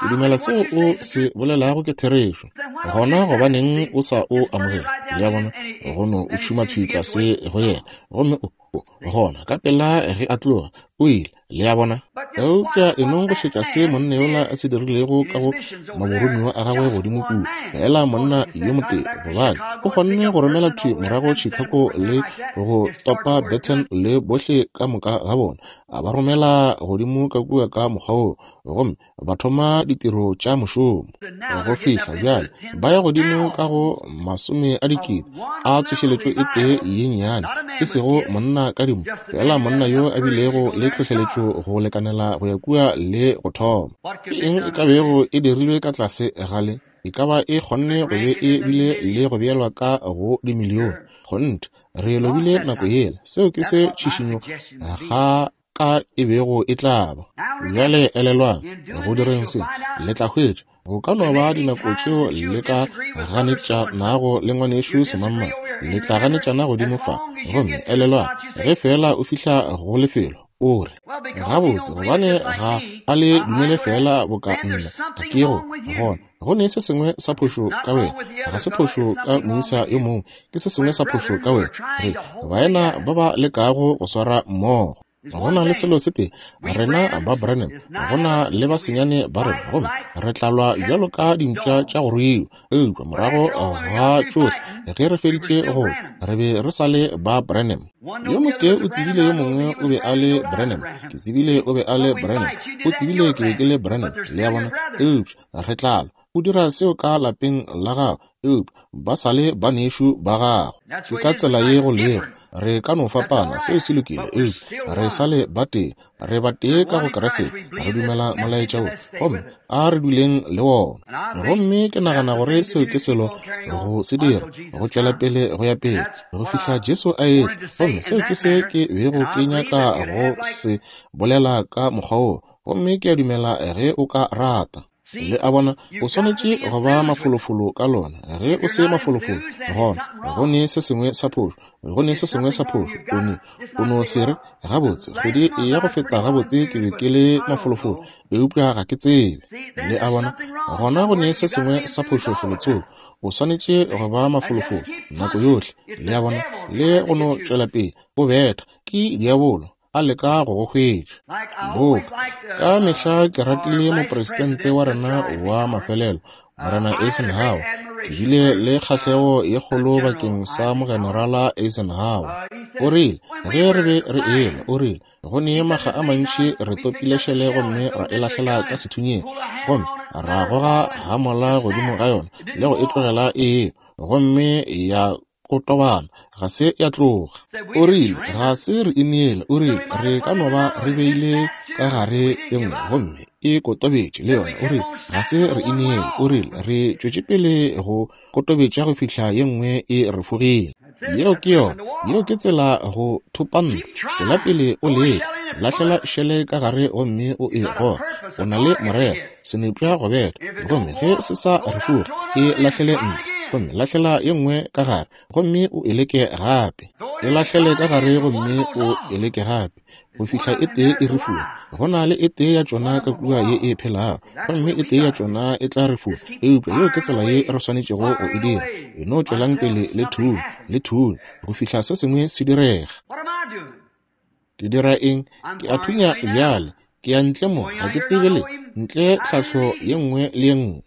Speaker 1: ke dumela seo o se bolelago ke therešo. Gona gobaneng o sa o amogela? Le a bona, go no o šoma thwi tlase go yena. Gomme o gona ka pela ge a tloga, o ile Le a bona? Eupša e nong go šetša se monna yola a se dirilego ka go maboromiwa a gagwe godimo kua, feela monna yo motee, gobane o kgonne go romela thwi morago Chicago le go topa Burton le bohle ka moka ga bona, a ba romela godimo ka kua ka mokgwa woo, gomme ba thoma ditiro tša mošomo. Go fihla bjale ba ya godimo ka go masome a dikete a tsošeletšo e tee ye nnyane, e sego monna ka dimo, feela monna yo a bilego le tlhohleletšo go lekanela go ya kua le go thoma. Ke eng e ka bego e dirilwe ka tlase ga le? E ka ba e kgonne go be e bile le go beelwa ka go dimilione. Kgonthe, re lobile nako yela. Seo ke se tšhišinyo ga ka e bego e tla ba. Bjale elelwang, go direng se, le tla hwetša go ka no ba dinako tšeo le ka ganetšanago le ngwanešu semangmang, le tla ganetšana godimo fa. Gomme elelwang, ge feela o fihla go lefelo, o re, gabotse, gobane ga a le dumele feela boka nna, ga ke go gona. Go ne se sengwe sa phošo ka wena, ga se phošo ka moisa yo mongwe, ke se sengwe sa phošo ka wena. Re baena ba ba lekago go swara mmogo. Go na le selo se tee, rena ba Branham, go na le ba senyane ba rena, gomme re tla lwa bjalo ka dimpša tša go ruiwa. Eupša morago ga tšohle, ge re feditše go, re be re sa le ba Branham. Yo motee o tsebile yo mongwe o be a le Branham, ke tsebile o be a le Branham, o tsebile ke be ke le Branham, le a bona. Eupša re tla lwa. O dira seo ka lapeng la gago, eupša ba sa le banešu ba gago. Ke ka tsela ye go lego. Re ka no fapana, seo se lokile, eupša re sa le batee. Re batee ka go Kriste, re dumela molaetša wo, gomme a re duleng le wona. Gomme ke nagana gore seo ke selo go se dira, go tšwela pele go ya pele, go fihla Jesu a etla. Gomme seo ke se ke bego ke nyaka go se bolela ka mokgwa wo, gomme ke a dumela ge o ka rata. Le a bona, o swanetše go ba mafolofolo ka lona. Ge o se mafolofolo, gona go ne se sengwe sa phošo, go ne se sengwe sa phošo. O ne o no se re, gabotse, kgwedi ya go feta gabotse ke be ke le mafolofolo, eupša ga ke tsebe. Le a bona, gona go ne se sengwe sa phošo felotsoko. O swanetše go ba mafolofolo nako yohle. Le a bona, le go no tšwela pele o betha ke diabolo a leka go go hwetša. Boka ka mehla ke ratile mopresidente wa rena wa mafelelo, Morena Eisenhower. Ke bile le kgahlego ye kgolo bakeng sa mogenerala Eisenhower. O rile ge re be re elwa, o rile go ne makga a mantši re topile šele gomme ra e lahlela ka sethunyeng, gomme ra goga hamola godimo ga yona le go e tlogela e, gomme ya kotobana, ga se ya tloga. O rile ga se re ineele, o rile re ka no ba re beile ka gare e nngwe gomme e kotobetše le yona. O rile ga se re ineele, o rile re tšwetše pele go kotobetša go fihla ye nngwe e re fogile. Yeo ke yona, yeo ke tsela go thopa ntwa. Tšwela pele o leka, lahlela šele ka gare gomme o e goge. O na le morero, senepša go betha, gomme ge se sa re foge, e lahlele ntle, gomme lahlela ye nngwe ka gare, gomme o e leke gape. E lahlele ka gare gomme o e leke gape, go fihla e tee e re fuwa. Go na le e tee ya tšona ka kua ye e phelago, gomme e tee ya tšona e tla re fuwa. Eupša yeo ke tsela ye re swanetšego go e dira. E no tšwelang pele le thunya, le thunya, go fihla se sengwe se direga. Ke dira eng? Ke a thunya bjale. Ke ya ntle mo, ga ke tsebe le ntle tlhahlo ye nngwe le ye nngwe.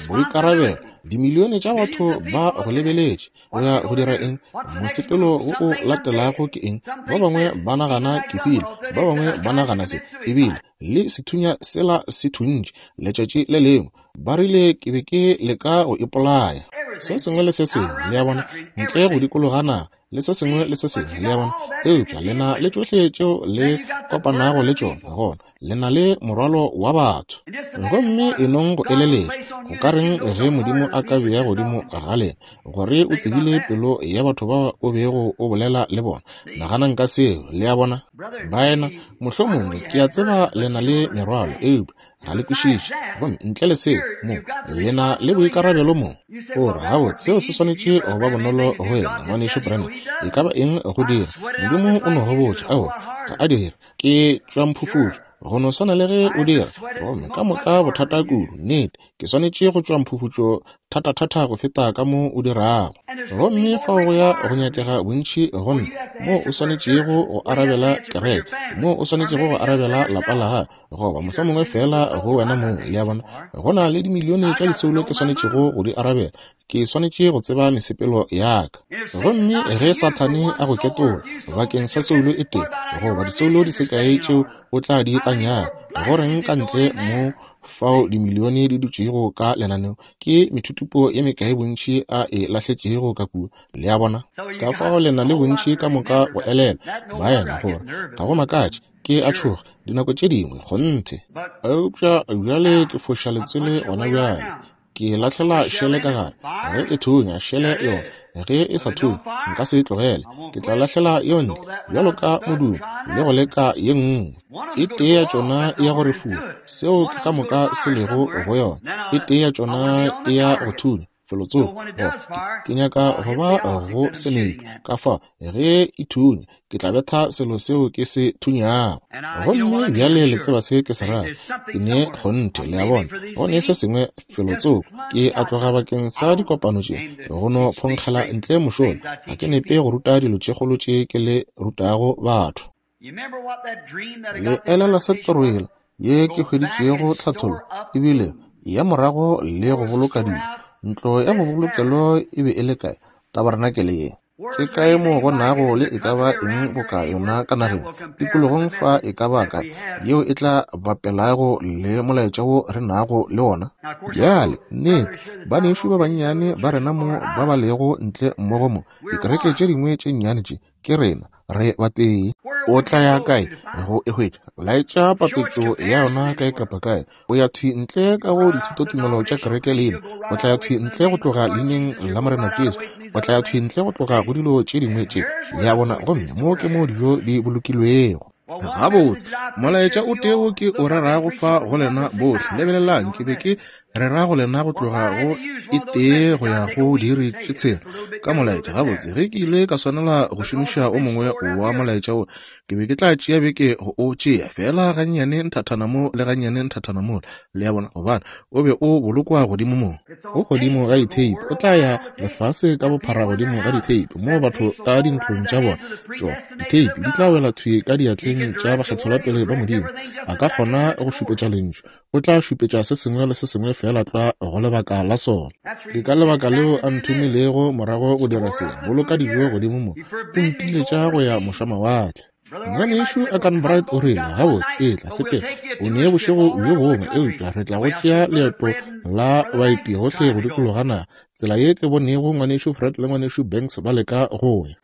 Speaker 1: Boikarabelo, dimilione tša batho ba go lebeletše. O ya go dira eng? Mosepelo wo o latelago ke eng? Ba bangwe ba nagana ke hwile, ba bangwe ba nagana se, ebile le sethunya sela se thuntše letšatši le lengwe. Ba rile ke be ke leka go ipolaya. Se sengwe le se sengwe, le a bona, ntle go dikologa naga, le se sengwe le se sengwe, le a bona. Eupša le na le tšohle tšeo le kopanago le tšona, gona le na le morwalo wa batho. Gomme e nong go eleletša, go ka reng ge Modimo a ka bea godimo ga lena gore o tsebile pelo ya batho ba o bego o bolela le bona? Naganang ka seo, le a bona. Baena, mohlomongwe ke a tseba le na le merwalo, eupša ga le kwešiše. Gomme ntle le seo, mo le na le boikarabelo mo. O re, gabotse, seo se swanetše go ba bonolo go wena, ngwanešu Branham. E ka ba eng go dira? Modimo o no go botša, aowa, ga a dire. Ke tšwa mphufutšo, go no swana le ge o dira. Gomme ka moka bothata kudu, nnete, ke swanetše go tšwa mphufutšo thatathata go feta ka mo o dirago. Gomme fao go ya go nyakega bontši go nna moo o swanetšego go arabela kereke, moo o swanetšego go arabela lapa la gago, goba mohlomongwe feela go wena mong, le a bona. Go na le dimilione tša disoulo ke swanetšego go di arabela. Ke swanetše go tseba mesepelo ya ka. Gomme ge Sathane a go ketola bakeng sa soulo e tee, goba disoulo di se kae tšeo o tla di tanyago, go reng ka ntle mo fao dimilione di dutšego ka lenaneo, ke methutupo ye mekae bontši a e lahletšego ka kua, le a bona. Ka fao le na le bontši ka moka go elela, baena, gore ga go makatše ke a tšhoga dinako tše dingwe, kgonthe. Eupša bjale ke foša letswele gona bjale. Ke lahlela šele ka gare, ge e thunya šele yona, ge e sa thunye nka se e tlogele, ke tla lahlela yo ntle bjalo ka modumo le go leka ye nngwe. E tee ya tšona e ya go re fula, seo ke ka moka se lego go yona. E tee ya tšona e ya go thunya felotsoko, ke nyaka go ba go senepe. Ka fao ge e thunya ke tla betha selo seo ke se thunyago. Gomme bjale le tseba se ke se rago, ke ne kgonthe, le a bona. Go ne se sengwe felotsoko, ke a tloga bakeng sa dikopano tše, go no phonkgela ntle mošola. Ga ke nepe go ruta dilo tše kgolo tše ke le rutago batho. Le elelwa se toro yela ye ke hweditšego tlhathollo, ebile ya morago le go boloka dilo. Ntlo ya bobolokelo e be e le kae? Tabarenakele ye. Ke kae mo go nago le e ka ba eng boka yona ka nageng, tikologong fa e ka ba kae, yeo e tla bapelago le molaetša wo re nago le wona? Bjale, nnete, banešu ba bannyane ba rena mo ba ba lego ntle mmogo mo, dikereke tše dingwe tše nnyane tše, ke rena, re batee. O tla ya kae go e hwetša? Laetša papetšo ya yona kae kapa kae. O ya thwi ntle ka go dithutotumelo tša kereke leina, o tla ya thwi ntle go tloga leineng la Morena Jesu, o tla ya thwi ntle go tloga go dilo tše dingwe tše, le a bona. Gomme mo ke mo dijo di bolokilwego. Gabotse, molaetša o tee wo ke o rerago fa go lena bohle. Lebelelang, ke be ke rera go lena go tloga go e tee go ya go diiri tše tshela ka molaetša. Gabotse, ge ke ile ka swanela go šomiša o mongwe wa molaetša wo, ke be ke tla tšea beke go o tšea, fela gannyane nthathana mo le gannyane nthathana mola, le a bona, gobane o be o bolokwa godimo mo. O godimo ga ditheipi, o tla ya lefase ka bophara godimo ga ditheipi, moo batho ka dintlong tša bona, tšona ditheipi di tla wela thwi ka diatleng tša bakgethelwapele ba Modimo. A ka kgona go šupetša lentšu, o tla šupetša se sengwe le se sengwe fela tlwa go lebaka la sona. Ke ka lebaka leo a nthomilego morago go dira se, boloka dijo godimo mo, o ntiletša go ya mošwamawatle. Ngwanešu Akanbright o rile, gabotse, etla sepela, o ne bošego bjo bongwe, eupša re tla go tšea leeto la baeti gohle go dikologa naga, tsela ye ke bonego ngwanešu Fred le ngwanešu Banks ba leka go ya.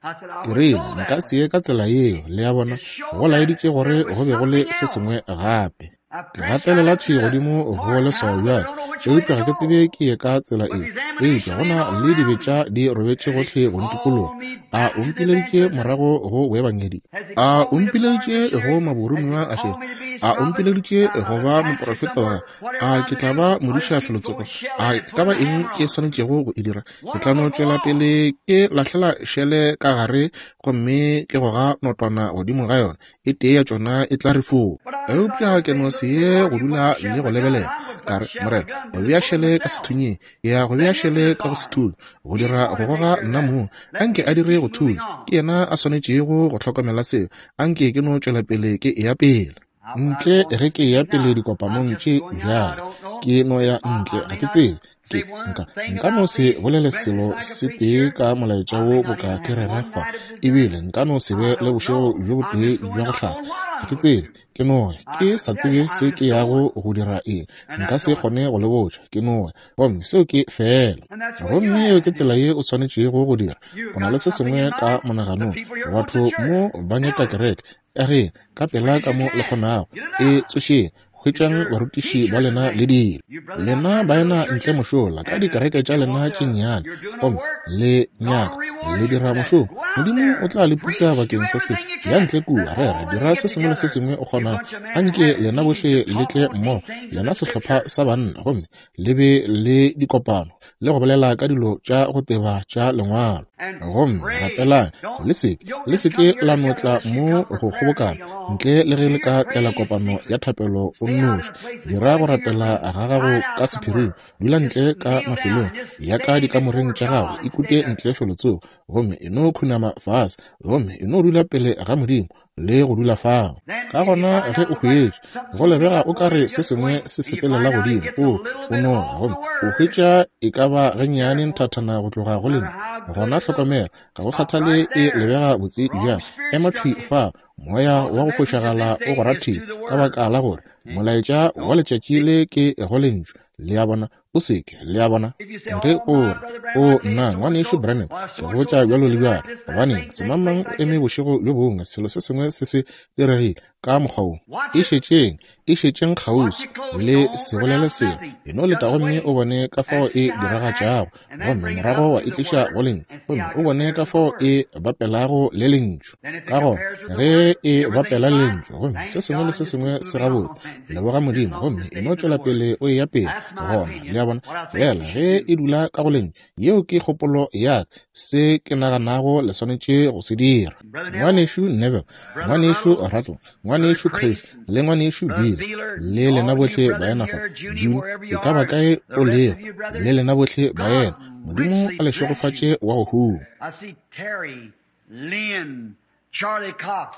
Speaker 1: Ke rile, nka se ye ka tsela yeo, le a bona. Go laeditše gore go be go le se sengwe gape. Ke gatelela thwi godimo go leswao bjale, eupša ga ke tsebe ke ye ka tsela efe, eupša go na le dibetša di robetše gohle go ntikologa. A o mpileditše morago go boebangedi? A o mpileditše go maboromiwa a šele? A o mpileditše go ba moprofeta wa gagwe? A ke tla ba modiša felotsoko? A e ka ba eng ke swanetšego go e dira? Ke tla no tšwela pele ke lahlela šele ka gare gomme ke goga notwana godimo ga yona, e tee ya tšona e tla re foo. Eupša ke no se ye go dula le go lebelela. Ka re, Morena, go bea šele ka sethunyeng, ke ya go bea šele ka go sethunya, go dira go goga nna mong. Anke a dire go thunya, ke yena a swanetšego go hlokomela seo. Anke ke no tšwela pele ke eya pele. Ntle ge ke eya pele dikopanong tše bjale, ke no ya ntle, ga ke tsebe. Ke nka nka no se bolele selo se tee ka molaetša wo boka ke rera fa, ebile nka no se be le bošego bjo botee bja go hlapa. Ga ke tsebe, ke no ya, ke sa tsebe se ke yago go dira eng, nka se kgone go le botša, ke no ya, gomme seo ke fela. Gomme yeo ke tsela ye o swanetšego go dira. O na le se sengwe ka monaganong. Batho mo ba nyaka kereke, ageng ka pela ka mo le kgonago, e tsošeng, hwetšang barutiši ba lena le dilo. Lena baena ntle mošola ka dikereke tša lena tše nnyane, gomme le nyaka le dira mošomo, Modimo o tla le putsa bakeng sa se. Ya ntle kua, rera, dira se sengwe le se sengwe o kgonago. Anke lena bohle le tle mmogo, lena sehlopha sa banna, gomme le be le dikopano. le go bolela ka dilo tša go teba tša Lengwalo. Gomme rapelang, le seke le seke la no tla mo go kgobokana ntle le ge le ka tlela kopano ya thapelo o nnoši. Dira go rapela ga gago ka sephiring, dula ntle ka mafelong ya ka dikamoreng tša gago, ikute ntle felotsoko, gomme e no khunama fase, gomme e no dula pele ga Modimo le go dula fao. Ka gona ge o hwetša go lebega o ka re se sengwe se sepelela godimo, o o no gomme o hwetša e ka ba gannyane nthathana go tloga go lena, gona hlokomela, ga go kgathale e lebega botse bjang, ema thwi fa, moya wa go fošagala o go rathile, ka baka la gore molaetša wa letšatši le ke go lentšu. Le a bona? O seke, le a bona? Ge o re, o nna ngwanešu Branham, ke go botša bjalo le bjalo, gobaneng semangmang o eme bošego bjo bongwe, selo se sengwe se se diregile ka mokgwa wo. E šetšeng, e šetšeng kgauswi, le se bolele selo, e no leta gomme o bone ka fao e diragatšago, gomme morago wa e tliša go lentšu, gomme o bone ka fao e bapelago le lentšu. Ka gona ge e bapela le lentšu, gomme se sengwe le se sengwe se gabotse, leboga Modimo, gomme e no tšwela pele o eya pele. Gona, le a bona? Fela ge e dula ka go lentšu, yeo ke kgopolo ya ka, se ke naganago le swanetše go se dira. Ngwanešu Neville, ngwanešu Rattle, ngwanešu Chris, le ngwanešu Bill, le lena bohle baena fa, June, e ka ba kae o lego, le lena bohle baena, Modimo a le šegofatše wa go huma.
Speaker 2: I see Terry, Lynn, Charlie Cox,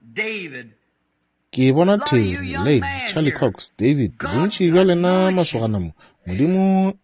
Speaker 2: David.
Speaker 1: Ke bona Terry, Lane, Charlie Cox, David, bontši bja lena masogana mo, Modimo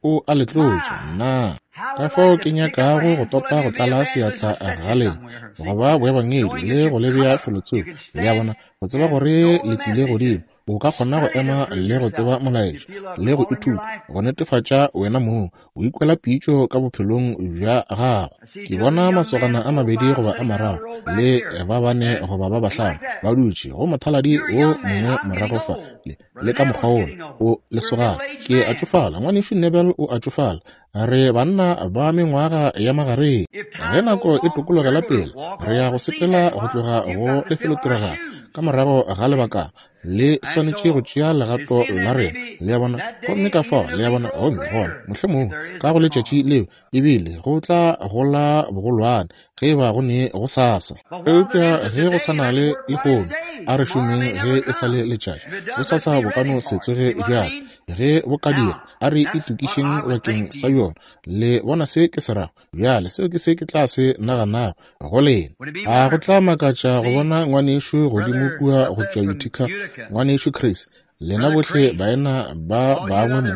Speaker 1: o a le tlotša. Nna ka fao ke nyakago go topa go tlala seatla ga lena, go ba boebangedi le go le bea felotsoko, le a bona, go tseba gore le tlile godimo. O ka kgona go ema le go tseba molaetša le go ithuta go netefatša wena mong, o ikwela pitšo ka bophelong bja gago. Ke bona masogana a mabedi goba a mararo le ba bane goba ba bahlano ba dutše go mothaladi wo mongwe morago fa, le, le ka mokgwa wola o lesogana. Ke a tšofala, ngwanešu Neville o a tšofala, re banna ba mengwaga ya magareng. Ge nako e tokologela pele, re ya go sepela go tloga go lefelotiragalo ka morago ga lebakana, le swanetše go tšea legato la rena, le a bona? Gomme ka fao, le a bona, gomme gona mohlomongwe ka go letšatši leo ebile go tla gola bogolwane ge e ba go ne go sasa. Eupša ge go sa na le lehono, a re šomeng ge e sa le letšatši. Go sasa bo ka no se tsoge bja tla. Ge bo ka dira, a re itokišeng bakeng sa yona. Le bona se ke se rago? Bjale seo ke se ke tla se naganago go lena. A go tla makatša go bona ngwanešu godimo kua go tšwa Utica, ngwanešu Chris, lena bohle baena ba bangwe mo,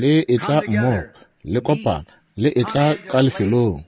Speaker 1: le etla mmogo, le kopana, le etla ka lefelong.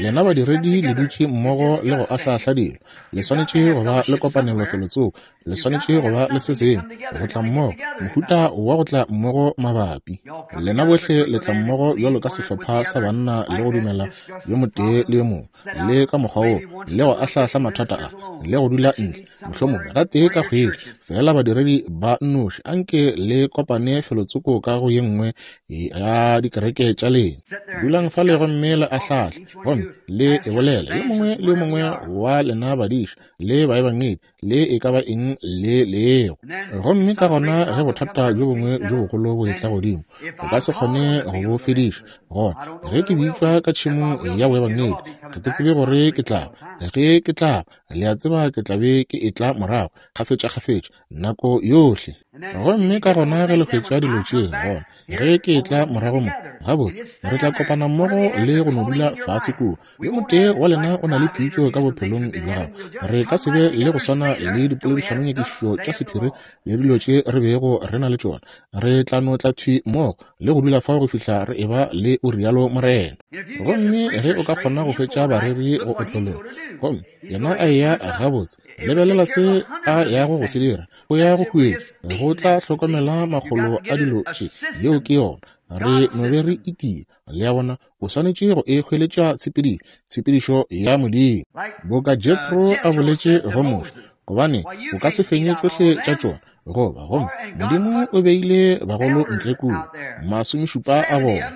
Speaker 1: Lena badiredi le dutše mmogo le go ahlaahla dilo. Le swanetše go ba le kopanelo felotsoko, le swanetše go ba le se sengwe, go tla mmogo, mohuta wa go tla mmogo mabapi. Lena bohle le tla mmogo bjalo ka sehlopha sa banna le go dumela yo motee le yo mongwe, le ka mokgwa woo, le go ahlaahla mathata a, le go dula ntle, mohlomongwe gatee ka kgwedi, fela badiredi ba nnoši, anke le kopane felotsoko ka go ye nngwe ya dikereke tša lena. Dulang fale gomme le ahlaahle, gomme le e bolela yo mongwe le yo mongwe wa lena badiši le baebangedi le e ka ba eng le lego. Gomme ka gona ge bothata bjo bongwe bjo bogolo bo etla godimo, o ka se kgone go bo fediša. Gona ge ke bitšwa ka tšhemong ya boebangedi, ga ke tsebe gore ke tla ba. Ge ke tla ba, le a tseba ke tla be ke etla morago kgafetša-kgafetša nako yohle. Gomme ka gona ge le hwetša dilo tše, gona ge ke etla morago mo, gabotse re tla kopana mmogo le go no dula fase kua. Yo motee wa lena o na le pitšo ka bophelong bja gago. Re ka se be le go swana le dipoledišanonyakišišo tša sephiri le dilo tše re bego re na le tšona. Re tla no tla thwi mmogo le go dula fao go fihla re eba le o rialo Morena. Gomme ge o ka kgona go hwetša bareri go otlologa, gomme yena a eya gabotse, lebelela se a yago go se dira, o ya go hwetša, go tla hlokomela makgolo a dilo tše. Yeo ke yona. Re no be re itia, le a bona? O swanetše go e hweletša tshepedišo, tshepedišo ya Modimo. Boka Jethro a boletše go Moshe, gobane o ka se fenye tšohle tša tšona, goba gomme Modimo o beile bagolo ntle kua, masomešupa a bona,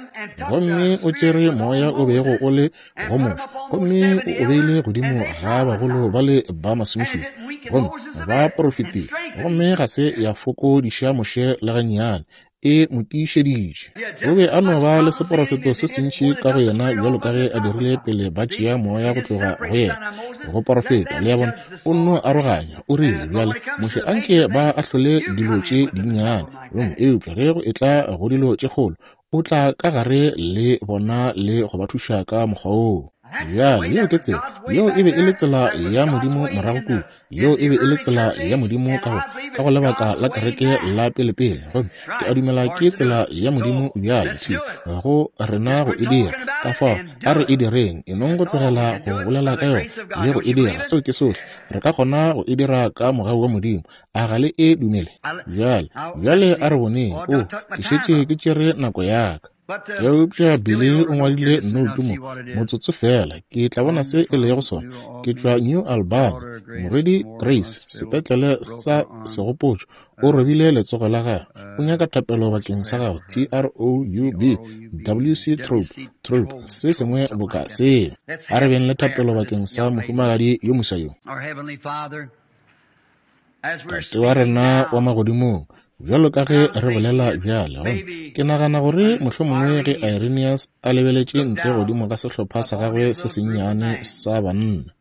Speaker 1: gomme o tšere moya o bego o le go Moshe, gomme o o beile godimo ga bagolo ba le ba masomešupa, gomme ba porofetile, gomme ga se ya fokodiša Moshe le gannyane. E mo tiišeditše. O be a no ba le seporofeto se sentši ka go yena bjalo ka ge a dirile pele ba tšea moya go tloga go yena go porofeta. Le a bona, o nno aroganya. O rile, bjale Moshe anke ba ahlole dilo tše dinnyane, gomme eupša ge go etla go dilo tše kgolo, o tla ka gare le bona le go ba thuša ka mokgwa woo. Bjale yeo ke tsela. Yeo e be e le tsela ya Modimo morago kua. Yeo e be e le tsela ya Modimo ka go ka go lebaka la kereke la pelepele. Gomme ke a dumela ke tsela ya Modimo bjale thwi go rena go e dira. Ka fao a re e direng, e nong go tlogela go bolela ka yona le go e dira. Seo ke sohle re ka kgona go e dira ka mogau wa Modimo. A ga le e dumele? Bjale, bjale a re boneng. O, ke šetše ke tšere nako ya ka. Eupša Billy o ngwadile noutu mo, motsotso fela, ke tla bona se e lego sona. Ke tšwa New Albany. Morwedi Grace, sepetlele sa segopotšo, o robile letsogo la gagwe. O nyaka thapelo bakeng sa gago. T R O U B W C Troop, Troop, se sengwe boka seo. A re beng le thapelo bakeng sa mohumagadi yo moswa yo. Tate wa rena wa magodimong, bjalo ka ge re bolela bjale, gomme ke nagana gore mohlomongwe ge Irenaeus a lebeletše ntle godimo ga sehlopha sa gagwe se sennyane sa banna,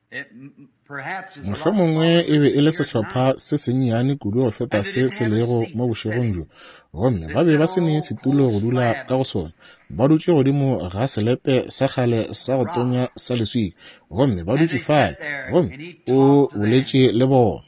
Speaker 1: mohlomongwe e be e le sehlopha se sennyane kudu go feta se se lego mo bošegong bjo, gomme ba be ba se ne setulo go dula ka go sona, ba dutše godimo ga selepe sa kgale sa go tonya sa leswika, gomme ba dutše fale, gomme o boletše le bona.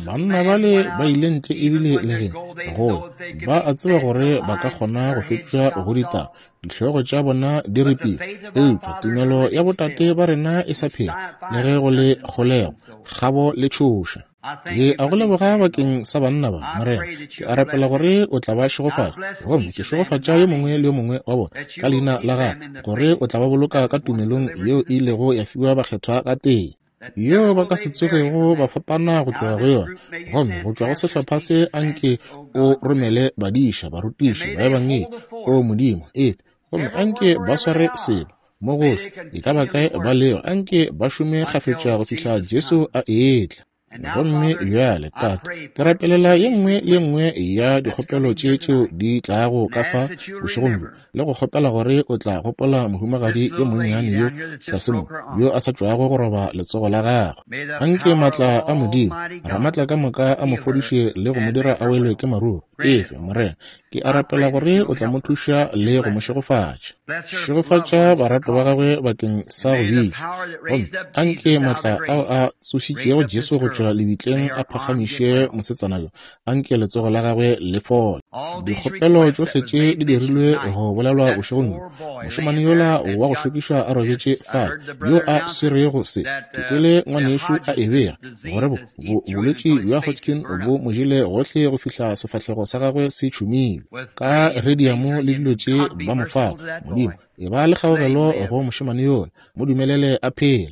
Speaker 1: Banna bale ba ile ntle ebile le ge go ba a tseba gore ba ka kgona go fepša go ditaba, dihlogo tša bona di ripile, eupša tumelo ya botate ba rena e sa phela le ge go le kgolego, kgabo le tšhoša. Ke a go leboga bakeng sa banna ba, Morena. Ke a rapela gore o tla ba šegofatša, gomme ke šegofatša yo mongwe le yo mongwe wa bona ka leina la gago, gore o tla ba boloka ka tumelong yeo e ilego ya fiwa bakgethwa ga tee, yeo ba ka se tsogego ba fapana go tloga go yona. Gomme go tšwa go sehlopha se anke o romele badiša, barutiši, baebangedi, o Modimo, efe, gomme anke ba sware selo mo gohle, e ka ba kae ba lego, anke ba šome kgafetša go fihla Jesu a etla. Gomme bjale, Tate, ke rapelela ye nngwe le ye nngwe ya dikgopelo tše tšeo di tlago ka fa bošegong bjo, le go kgopela gore o tla gopola mohumagadi yo monnyane yo tlase mo, yo a sa tšwago go roba letsogo la gagwe. Anke maatla a Modimo Ramaatla ka moka a mo fodiše le go mo dira a welwe ke maruru. Efe, Morena, ke a rapela gore o tla mo thuša le go mo šegofatša. Šegofatša baratwa ba gagwe bakeng sa go bitša, gomme anke maatla ao a tsošitšego Jesu go tšwa lebitleng a phagamiše mosetsana yo, anke letsogo la gagwe le fole. Dikgopelo tšohle tše di dirilwe go bolelwa bošegong bjo. Mošemane yola wa go šokiša a robetše fale, yo a swerego se, ke kwele ngwanešu a e bega gore bolwetši bja Hodgkin bo mo jele gohle go fihla sefahlego sa gagwe se tšhumile ka radiamo le dilo tše ba mo fago. Modimo, e ba le kgaogelo go mošemane yola, mo dumelele a phele.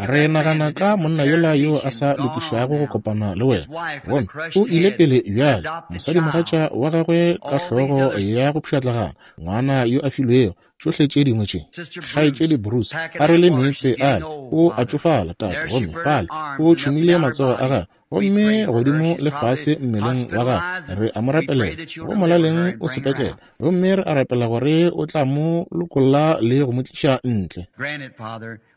Speaker 1: Re nagana ka monna yola yo a sa lokišwago go kopana le wena, gomme o ile pele bjale, mosadimogatša wa gagwe ka hlogo ya go pšhatlagana, ngwana yo a filwego, tšohle tše dingwe tše. Kgaetšedi Bruce a rwele meetse ale, o a tšofala, tate, gomme fale o tšhumile matsogo a gagwe, gomme godimo le fase mmeleng wa gagwe. Re a mo rapelela, go molaleng o sepetlele, gomme re a rapela gore o tla mo lokolla le go mo tliša ntle.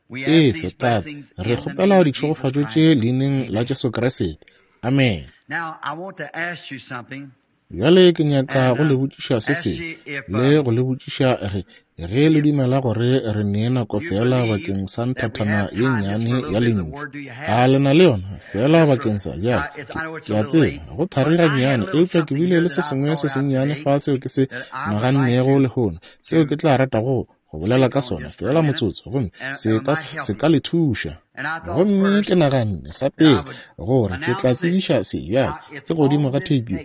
Speaker 1: Efe, Tate, re kgopela ditšhegofatšo tše leineng la Jesu Kriste. Amen. Bjale ke nyaka go le botšiša se sengwe, le go le botšiša ge ge le dumela gore re nee nako fela bakeng sa nthathana ye nnyane ya lentšu. A le na le yona fela bakeng sa bjale? Ke a tseba go thari gannyane, eupša ke bile le se sengwe se sennyane fa seo ke se nagannego lehono, seo ke tla ratago go bolela ka sona fela motsotso, gomme se ka se ka le thuša. Gomme ke naganne sa pele gore ke tla tsebiša se bjale ke godimo ga theipi.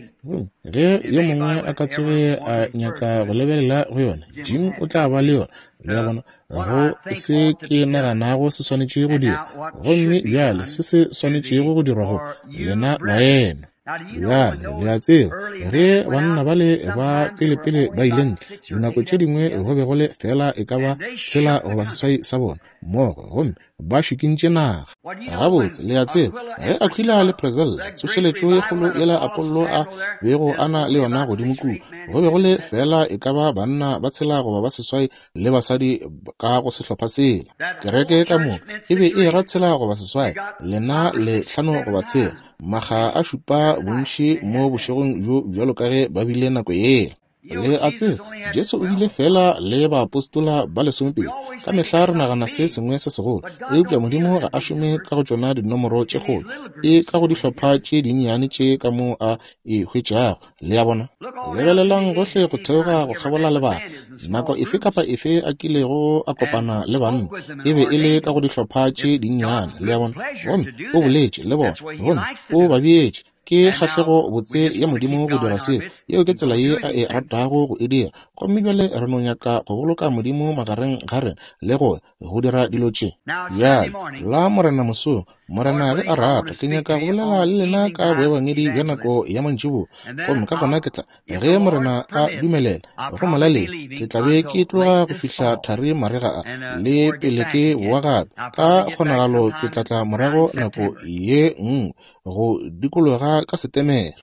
Speaker 1: Ge yo mongwe a ka tsoge a nyaka go lebelela go yona, Jim o tla ba le yona. Le a bona, go se ke naganago se swanetše go dirwa, gomme bjale se se swanetšego go dirwa go lena baena. Bjale le a tseba Ge banna bale ba pelepele ba ile ntle, dinako tše dingwe go be go le feela e ka ba tshela goba seswai sa bona mmogo, gomme ba šikintše naga. Gabotse, le a tseba, ge Aquila le Priscilla, tsošeletšo ye kgolo yela Apollo a bego a na le yona godimo kua, go be go le feela e ka ba banna ba tshela goba ba seswai le basadi ka go sehlopha sela. Kereke ka moka e be e era tshela goba seswai, lena le hlano goba tshela, makga a šupa bontši mo bošegong bjo bjalo ka ge ba bile nako yela. Le a tseba, Jesu o bile fela le baapostola ba lesomepedi. Ka mehla re nagana se sengwe se segolo, eupša Modimo ga a šome ka go tšona dinomoro tše kgolo, e ka go dihlopha tše dinnyane tše ka mo a e hwetšago. Le a bona? Lebelelang gohle go theoga go kgabola lebaka. Nako efe kapa efe a kilego a kopana le banna, e be e le ka go dihlopha tše dinnyane. Le a bona? Gomme o boletše le bona, gomme o ba beetše. Ke kgahlego botse ya Modimo go dira seo. Yeo ke tsela ye a e ratago go e dira. Gomme bjale re no nyaka go boloka Modimo magareng ga rena le go go dira dilo tše. Bjale, la Morena mosong, Morena ge a rata, ke nyaka go bolela le lena ka boebangedi bja nako ya mantšiboa. Gomme ka gona ke tla, ge Morena a dumelela, go molaleng, ke tla be ke tloga go fihla thari marega a, le pele ke boa gape. Ka kgonagalo ke tla tla morago nako ye nngwe go dikologa ka Setemere.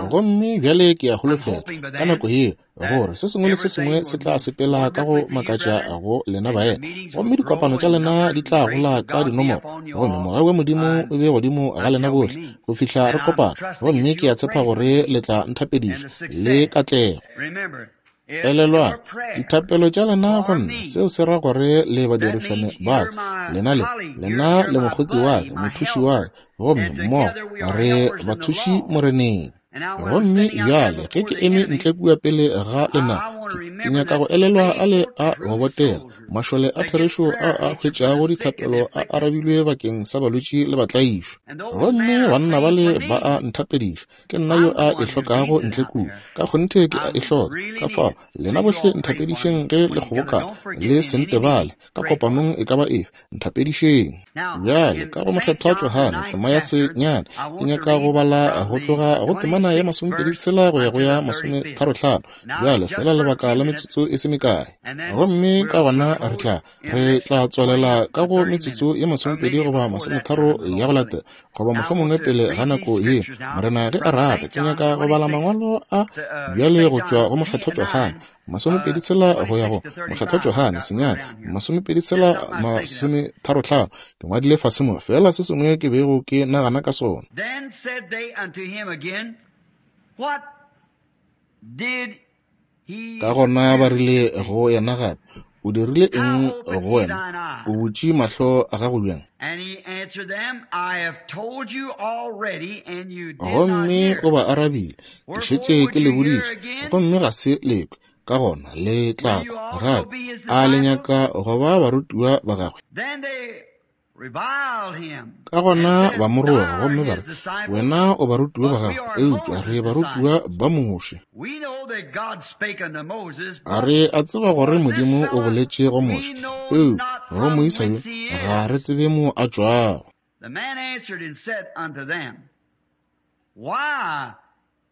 Speaker 1: Gomme bjale ke a holofela ka nako yeo gore se sengwe le se sengwe se tla sepela ka go makatša go lena baena, gomme dikopano tša lena di tla gola ka dinomoro, gomme mogau wa Modimo o be godimo ga lena bohle go fihla re kopana. Gomme ke a tshepa gore le tla nthapediša le katlego. Elelwang dithapelo tša lena go nna, seo se ra gore le badirišane ba ka, lena le lena le mokgotsi wa ka, mothuši wa ka, gomme mmogo re bathuši Moreneng. Gomme bjale ge ke eme ntle kua pele ga lena, ke nyaka go elelwa a le a go botega, mašole a therešo a a hwetšago dithapelo a arabilwe bakeng sa balwetši le batlaišwa. Gomme banna bale ba a nthapediša, ke nna yo a e hlokago ntle kua, ka kgonthe ke a e hloka. Ka fao lena bohle nthapedišeng ge le kgobokana, le se ntebale ka kopanong e ka ba efe, nthapedišeng. Bjale ka go Mokgethwa Johane tema ya senyane, ke nyaka go bala go tloga go temana ya masomepedi tshela go ya go ya masometharo-hlano. Bjale fela lebaka la metsotso e se mekae, gomme ka gona re tla re tla tswalela ka go metsotso ye masomepedi goba masometharo ya go latela, goba mohlomongwe pele ga nako ye, Morena ge a rata. Ke nyaka go bala mangwalo a bjale go tšwa go Mokgethwa Johane masomepedi tshela go ya go Mokgethwa Johane senyane masomepedi tshela masometharo-hlano. Ke ngwadile fase mo fela se sengwe ke bego ke nagana ka sona.
Speaker 2: Then said they unto him again, What did he
Speaker 1: Ka gona ba rile go yena gape, o dirile eng go wena? O butše mahlo a gago bjang?
Speaker 2: And he answered them, I have told you already, and you did not
Speaker 1: Gomme
Speaker 2: hear.
Speaker 1: o ba arabile, ke šetše ke le boditše, gomme ga se le kwe. Ka gona le tla kwa gape. A le nyaka go ba barutiwa ba gagwe?
Speaker 2: Then they reviled him.
Speaker 1: Ka gona ba mo roga gomme ba re, wena o barutiwa ba gagwe, eupša re barutiwa ba Moshe.
Speaker 2: We know that God spake unto Moses,
Speaker 1: A re a tseba gore Modimo o boletše go Moshe, eupša go moisa yo ga re tsebe mo a tšwago.
Speaker 2: The man answered and said unto them, Why,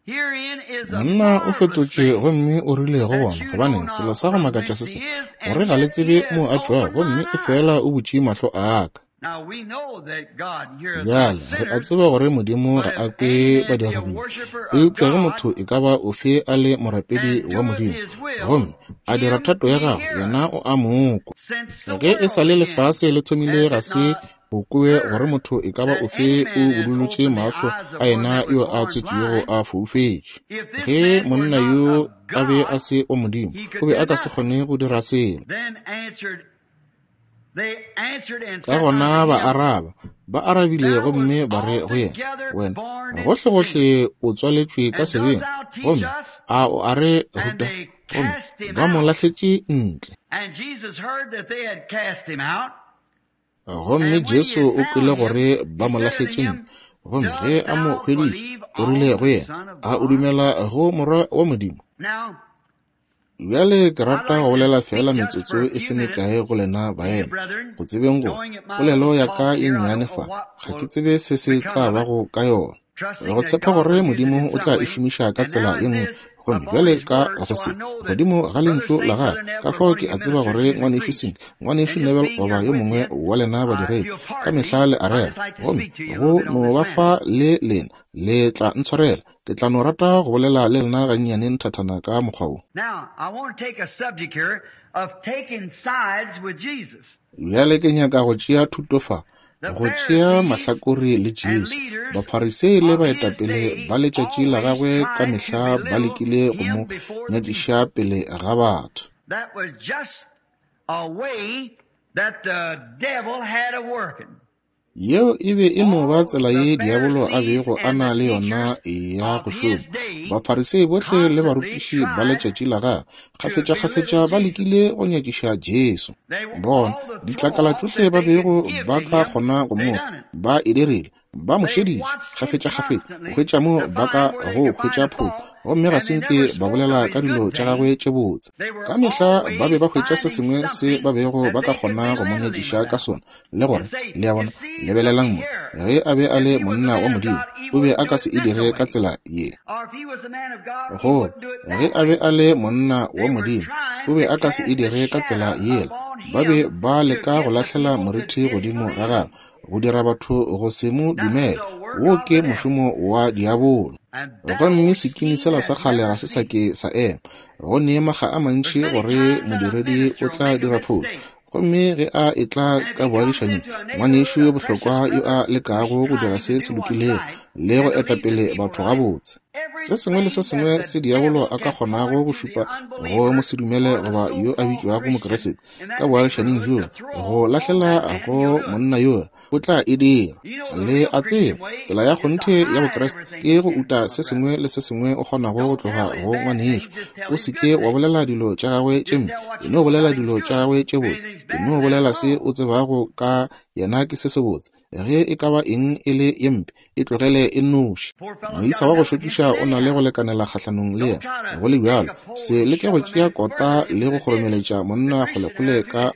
Speaker 2: herein is a
Speaker 1: Monna o
Speaker 2: marvelous
Speaker 1: fetotše
Speaker 2: thing,
Speaker 1: gomme o rile go
Speaker 2: that
Speaker 1: bona,
Speaker 2: you
Speaker 1: gobane
Speaker 2: know
Speaker 1: selo
Speaker 2: not
Speaker 1: sa go
Speaker 2: from
Speaker 1: makatša
Speaker 2: whence
Speaker 1: se se,
Speaker 2: he is,
Speaker 1: gore
Speaker 2: and
Speaker 1: ga le
Speaker 2: yet he
Speaker 1: tsebe
Speaker 2: hath
Speaker 1: mo a tšwago,
Speaker 2: opened
Speaker 1: gomme
Speaker 2: mine
Speaker 1: e
Speaker 2: eyes.
Speaker 1: fela o butše mahlo a ka.
Speaker 2: Now we know that God heareth not
Speaker 1: Bjale re a
Speaker 2: sinners,
Speaker 1: tseba gore Modimo
Speaker 2: but
Speaker 1: ga a
Speaker 2: if
Speaker 1: kwe
Speaker 2: any man be a
Speaker 1: badiradibe,
Speaker 2: worshiper of
Speaker 1: eupša ge
Speaker 2: God
Speaker 1: motho e ka ba ofe a le morapedi
Speaker 2: and
Speaker 1: wa
Speaker 2: doeth
Speaker 1: Modimo,
Speaker 2: his will,
Speaker 1: gomme a dira
Speaker 2: him
Speaker 1: thato ya
Speaker 2: he
Speaker 1: gagwe,
Speaker 2: heareth.
Speaker 1: yena o a mo kwa.
Speaker 2: Since the
Speaker 1: Ge e sa
Speaker 2: world
Speaker 1: le
Speaker 2: began,
Speaker 1: lefase le thomile
Speaker 2: hath
Speaker 1: ga
Speaker 2: it
Speaker 1: se
Speaker 2: not
Speaker 1: go kwewe gore
Speaker 2: heard
Speaker 1: motho e ka ba
Speaker 2: that
Speaker 1: ofe
Speaker 2: any
Speaker 1: o
Speaker 2: man has
Speaker 1: budulotše
Speaker 2: opened the
Speaker 1: mahlo
Speaker 2: eyes of
Speaker 1: a
Speaker 2: one
Speaker 1: yena
Speaker 2: that was
Speaker 1: yo a
Speaker 2: born
Speaker 1: tswetšwego
Speaker 2: blind?
Speaker 1: a foufetše.
Speaker 2: If this
Speaker 1: Ge
Speaker 2: man were
Speaker 1: monna
Speaker 2: not
Speaker 1: yo
Speaker 2: of
Speaker 1: a be a
Speaker 2: God,
Speaker 1: se wa Modimo,
Speaker 2: he
Speaker 1: o
Speaker 2: could
Speaker 1: be
Speaker 2: do
Speaker 1: a ka se
Speaker 2: nothing.
Speaker 1: kgone go dira selo.
Speaker 2: Then answered they answered and
Speaker 1: Ka
Speaker 2: said
Speaker 1: gona
Speaker 2: unto
Speaker 1: ba
Speaker 2: him,
Speaker 1: araba, ba arabile
Speaker 2: Thou
Speaker 1: gomme
Speaker 2: wast
Speaker 1: ba re go yena,
Speaker 2: altogether
Speaker 1: wena
Speaker 2: born in
Speaker 1: gohle
Speaker 2: sin,
Speaker 1: gohle o tswaletšwe ka
Speaker 2: and dost
Speaker 1: sebeng,
Speaker 2: thou teach
Speaker 1: gomme
Speaker 2: us?
Speaker 1: a o a re
Speaker 2: And
Speaker 1: ruta?
Speaker 2: they
Speaker 1: Gomme
Speaker 2: cast him
Speaker 1: ba mo
Speaker 2: out.
Speaker 1: lahletše ntle.
Speaker 2: And Jesus heard that they had cast him out.
Speaker 1: Gomme
Speaker 2: And when he
Speaker 1: Jesu
Speaker 2: had
Speaker 1: o kwele
Speaker 2: found him,
Speaker 1: gore ba
Speaker 2: he
Speaker 1: mo
Speaker 2: said unto
Speaker 1: lahletše ntle.
Speaker 2: him,
Speaker 1: Gomme ge
Speaker 2: Dost
Speaker 1: a mo
Speaker 2: thou
Speaker 1: hweditše,
Speaker 2: believe
Speaker 1: o rile
Speaker 2: on
Speaker 1: go
Speaker 2: the
Speaker 1: yena,
Speaker 2: Son of
Speaker 1: a o
Speaker 2: God?
Speaker 1: dumela go Morwa wa Modimo?
Speaker 2: Now,
Speaker 1: Bjale ke
Speaker 2: I'd
Speaker 1: rata
Speaker 2: like
Speaker 1: go
Speaker 2: to
Speaker 1: bolela
Speaker 2: speak
Speaker 1: fela
Speaker 2: just
Speaker 1: metsotso
Speaker 2: for a
Speaker 1: e
Speaker 2: few
Speaker 1: se
Speaker 2: minutes
Speaker 1: mekae go lena
Speaker 2: to you,
Speaker 1: baena,
Speaker 2: brethren,
Speaker 1: go tsebeng gore
Speaker 2: knowing at my
Speaker 1: polelo
Speaker 2: little
Speaker 1: ya ka
Speaker 2: talk
Speaker 1: e
Speaker 2: here, I
Speaker 1: nnyane
Speaker 2: don't know
Speaker 1: fa,
Speaker 2: what
Speaker 1: ga ke
Speaker 2: will
Speaker 1: tsebe se se
Speaker 2: become
Speaker 1: tla
Speaker 2: of it.
Speaker 1: bago ka yona. Go tshepa gore Modimo o tla e šomiša ka tsela ye nngwe. Gomme bjale ka go se godimo ga lentšu la gagwe, ka fao ke a tseba gore ngwanešu Sink, ngwanešu Neville goba yo mongwe wa lena badiredi ka mehla le a rera, gomme go no ba fa le lena le tla ntshwarela. Ke tla no rata go bolela le lena gannyane nthathana ka mokgwa wo. Bjale ke nyaka go tšea thuto fa, go tšea mahlakore le Jesu. Bafarisei le baetapele ba letšatši la gagwe ka mehla ba lekile go mo nyatšiša pele ga batho. Yeo e be e no ba tsela ye diabolo a bego a na le yona ya go šoma. Bafarisei bohle le barutiši ba letšatši la gagwe kgafetša-kgafetša ba lekile go nyakiša Jesu. Bona ditlakala tšohle ba bego ba ka kgona go mo ba e dirile, ba mo šeditše kgafetša-kgafetša go hwetša mo ba ka go hwetša phošo, gomme ga se nke ba bolela ka dilo tša gagwe tše botse. Ka mehla ba be ba hwetša se sengwe se ba bego ba ka kgona go mo nyakiša ka sona, le gore, le a bona, lebelelang mo, ge a be a le monna wa Modimo, o be a ka se e dire ka tsela ye. Gore ge a be a le monna wa Modimo, o be a ka se e dire ka tsela yela. Ba be ba leka go lahlela moriti godimo ga gagwe, go dira batho go se mo dumele. Wo ke mošomo wa diabolo. Gomme sekimi sela sa kgale ga se sa ke sa ema. Go ne makga a mantši gore modiredi o tla dira phošo, gomme ge a etla ka boagišaning, ngwanešu yo bohlokwa yo a lekago go dira se se lokilego le go etapele batho gabotse. Se sengwe le se sengwe se diabolo a ka kgonago go šupa go mosedumele goba yo a bitšwago Mokeresete ka boagišaning bjo, go lahlela go monna yola, o tla e dira. Le a tseba, tsela ya kgonthe ya Bokreste ke go uta se sengwe le se sengwe o kgonago go tloga go ngwanešu. O se ke wa bolela dilo tša gagwe tše mpe, e no bolela dilo tša gagwe tše botse, e no bolela se o tsebago ka yena ke se sebotse. Ge e ka ba eng e le ye mpe, e tlogele e nnoši. Moisa wa go šokiša o na le go lekanela kgahlanong le yena. Go le bjalo, se leke go tšea kota le go kgoromeletša monna kgolekgole ka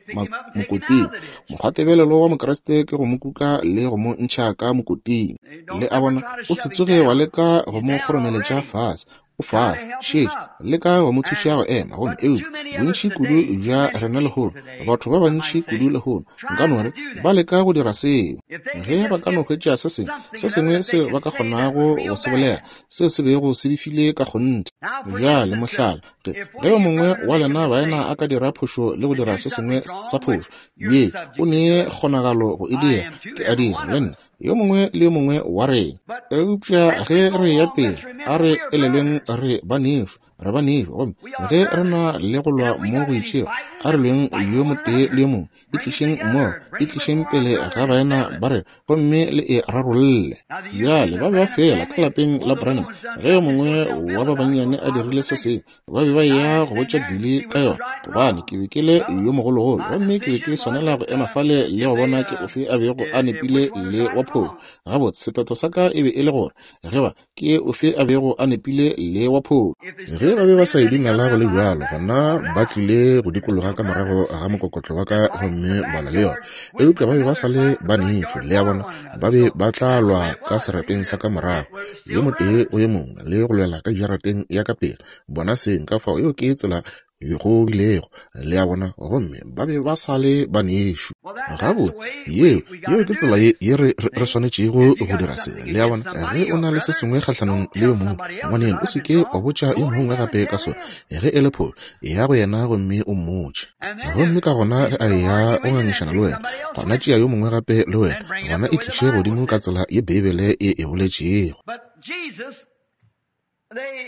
Speaker 1: mokoting. Mokgwatebelelo wa Mokriste ke go mo kuka le go mo ntšha ka mokoting. Le a bona, o se tsoge wa leka go mo kgoromeletša fase. O fase, šetše, leka go mo thuša go ema. Gomme eupša bontši kudu bja rena lehono, batho ba bantši kudu lehono, nka no re ba leka go dira seo. Ge ba ka no hwetša se sengwe, se sengwe seo ba ka kgonago go se bolela, seo se bego se befile ka kgonthe. Bjale mohlala, ge yo mongwe wa lena baena a ka dira phošo le go dira se sengwe sa phošo, ye o ne kgonagalo go e dira, ke a dira le nna, yo mongwe le yo mongwe wa rena. Eupša ge re ya pele, a re elelweng re banešu, re banešu, gomme ge re na le go lwa mo go itšego, a re lweng yo motee le yo mongwe, e tlišeng mmogo, e tlišeng pele ga baena ba rena, gomme le e rarolle. Bjale ba be ba fela ka lapeng la Branham, ge yo mongwe wa ba bannyane a dirile se sengwe, ba be ba eya go botša Billy ka yona, gobane ke be ke le yo mogologolo, gomme ke be ke swanela go ema fale le go bona ke ofe a bego a nepile le wa phošo. Gabotse, sephetho sa ka e be e le gore ge ba ke ofe a bego a nepile le wa phošo. Ge ba be ba sa e dumela go le bjalo, gona ba tlile go dikologa ka morago ga mokokotlo wa ka gomme ba lwa le yona. Eupša ba be ba sa le banešu, le a bona, ba be ba tla lwa ka serapeng sa ka morago, yo motee go yo mongwe, le go lwela ka jarateng ya ka pele. Bona seng ka fao, yeo ke tsela go bilego, le a bona, gomme ba be ba sa le banešu. Gabotse, yeo yeo ke tsela ye ye re re swanetšego go dira se, le a bona. Ge o na le se sengwe kgahlanong le yo mongwe, ngwaneno, o se ke wa botša yo mongwe gape ka sona. Ge e le phošo, eya go yena gomme o mmotše. Gomme ka gona ge a eya go ngangišana le wena, gona tšea yo mongwe gape le wena, gona e tliše godimo ka tsela ye Beibele e e boletšego.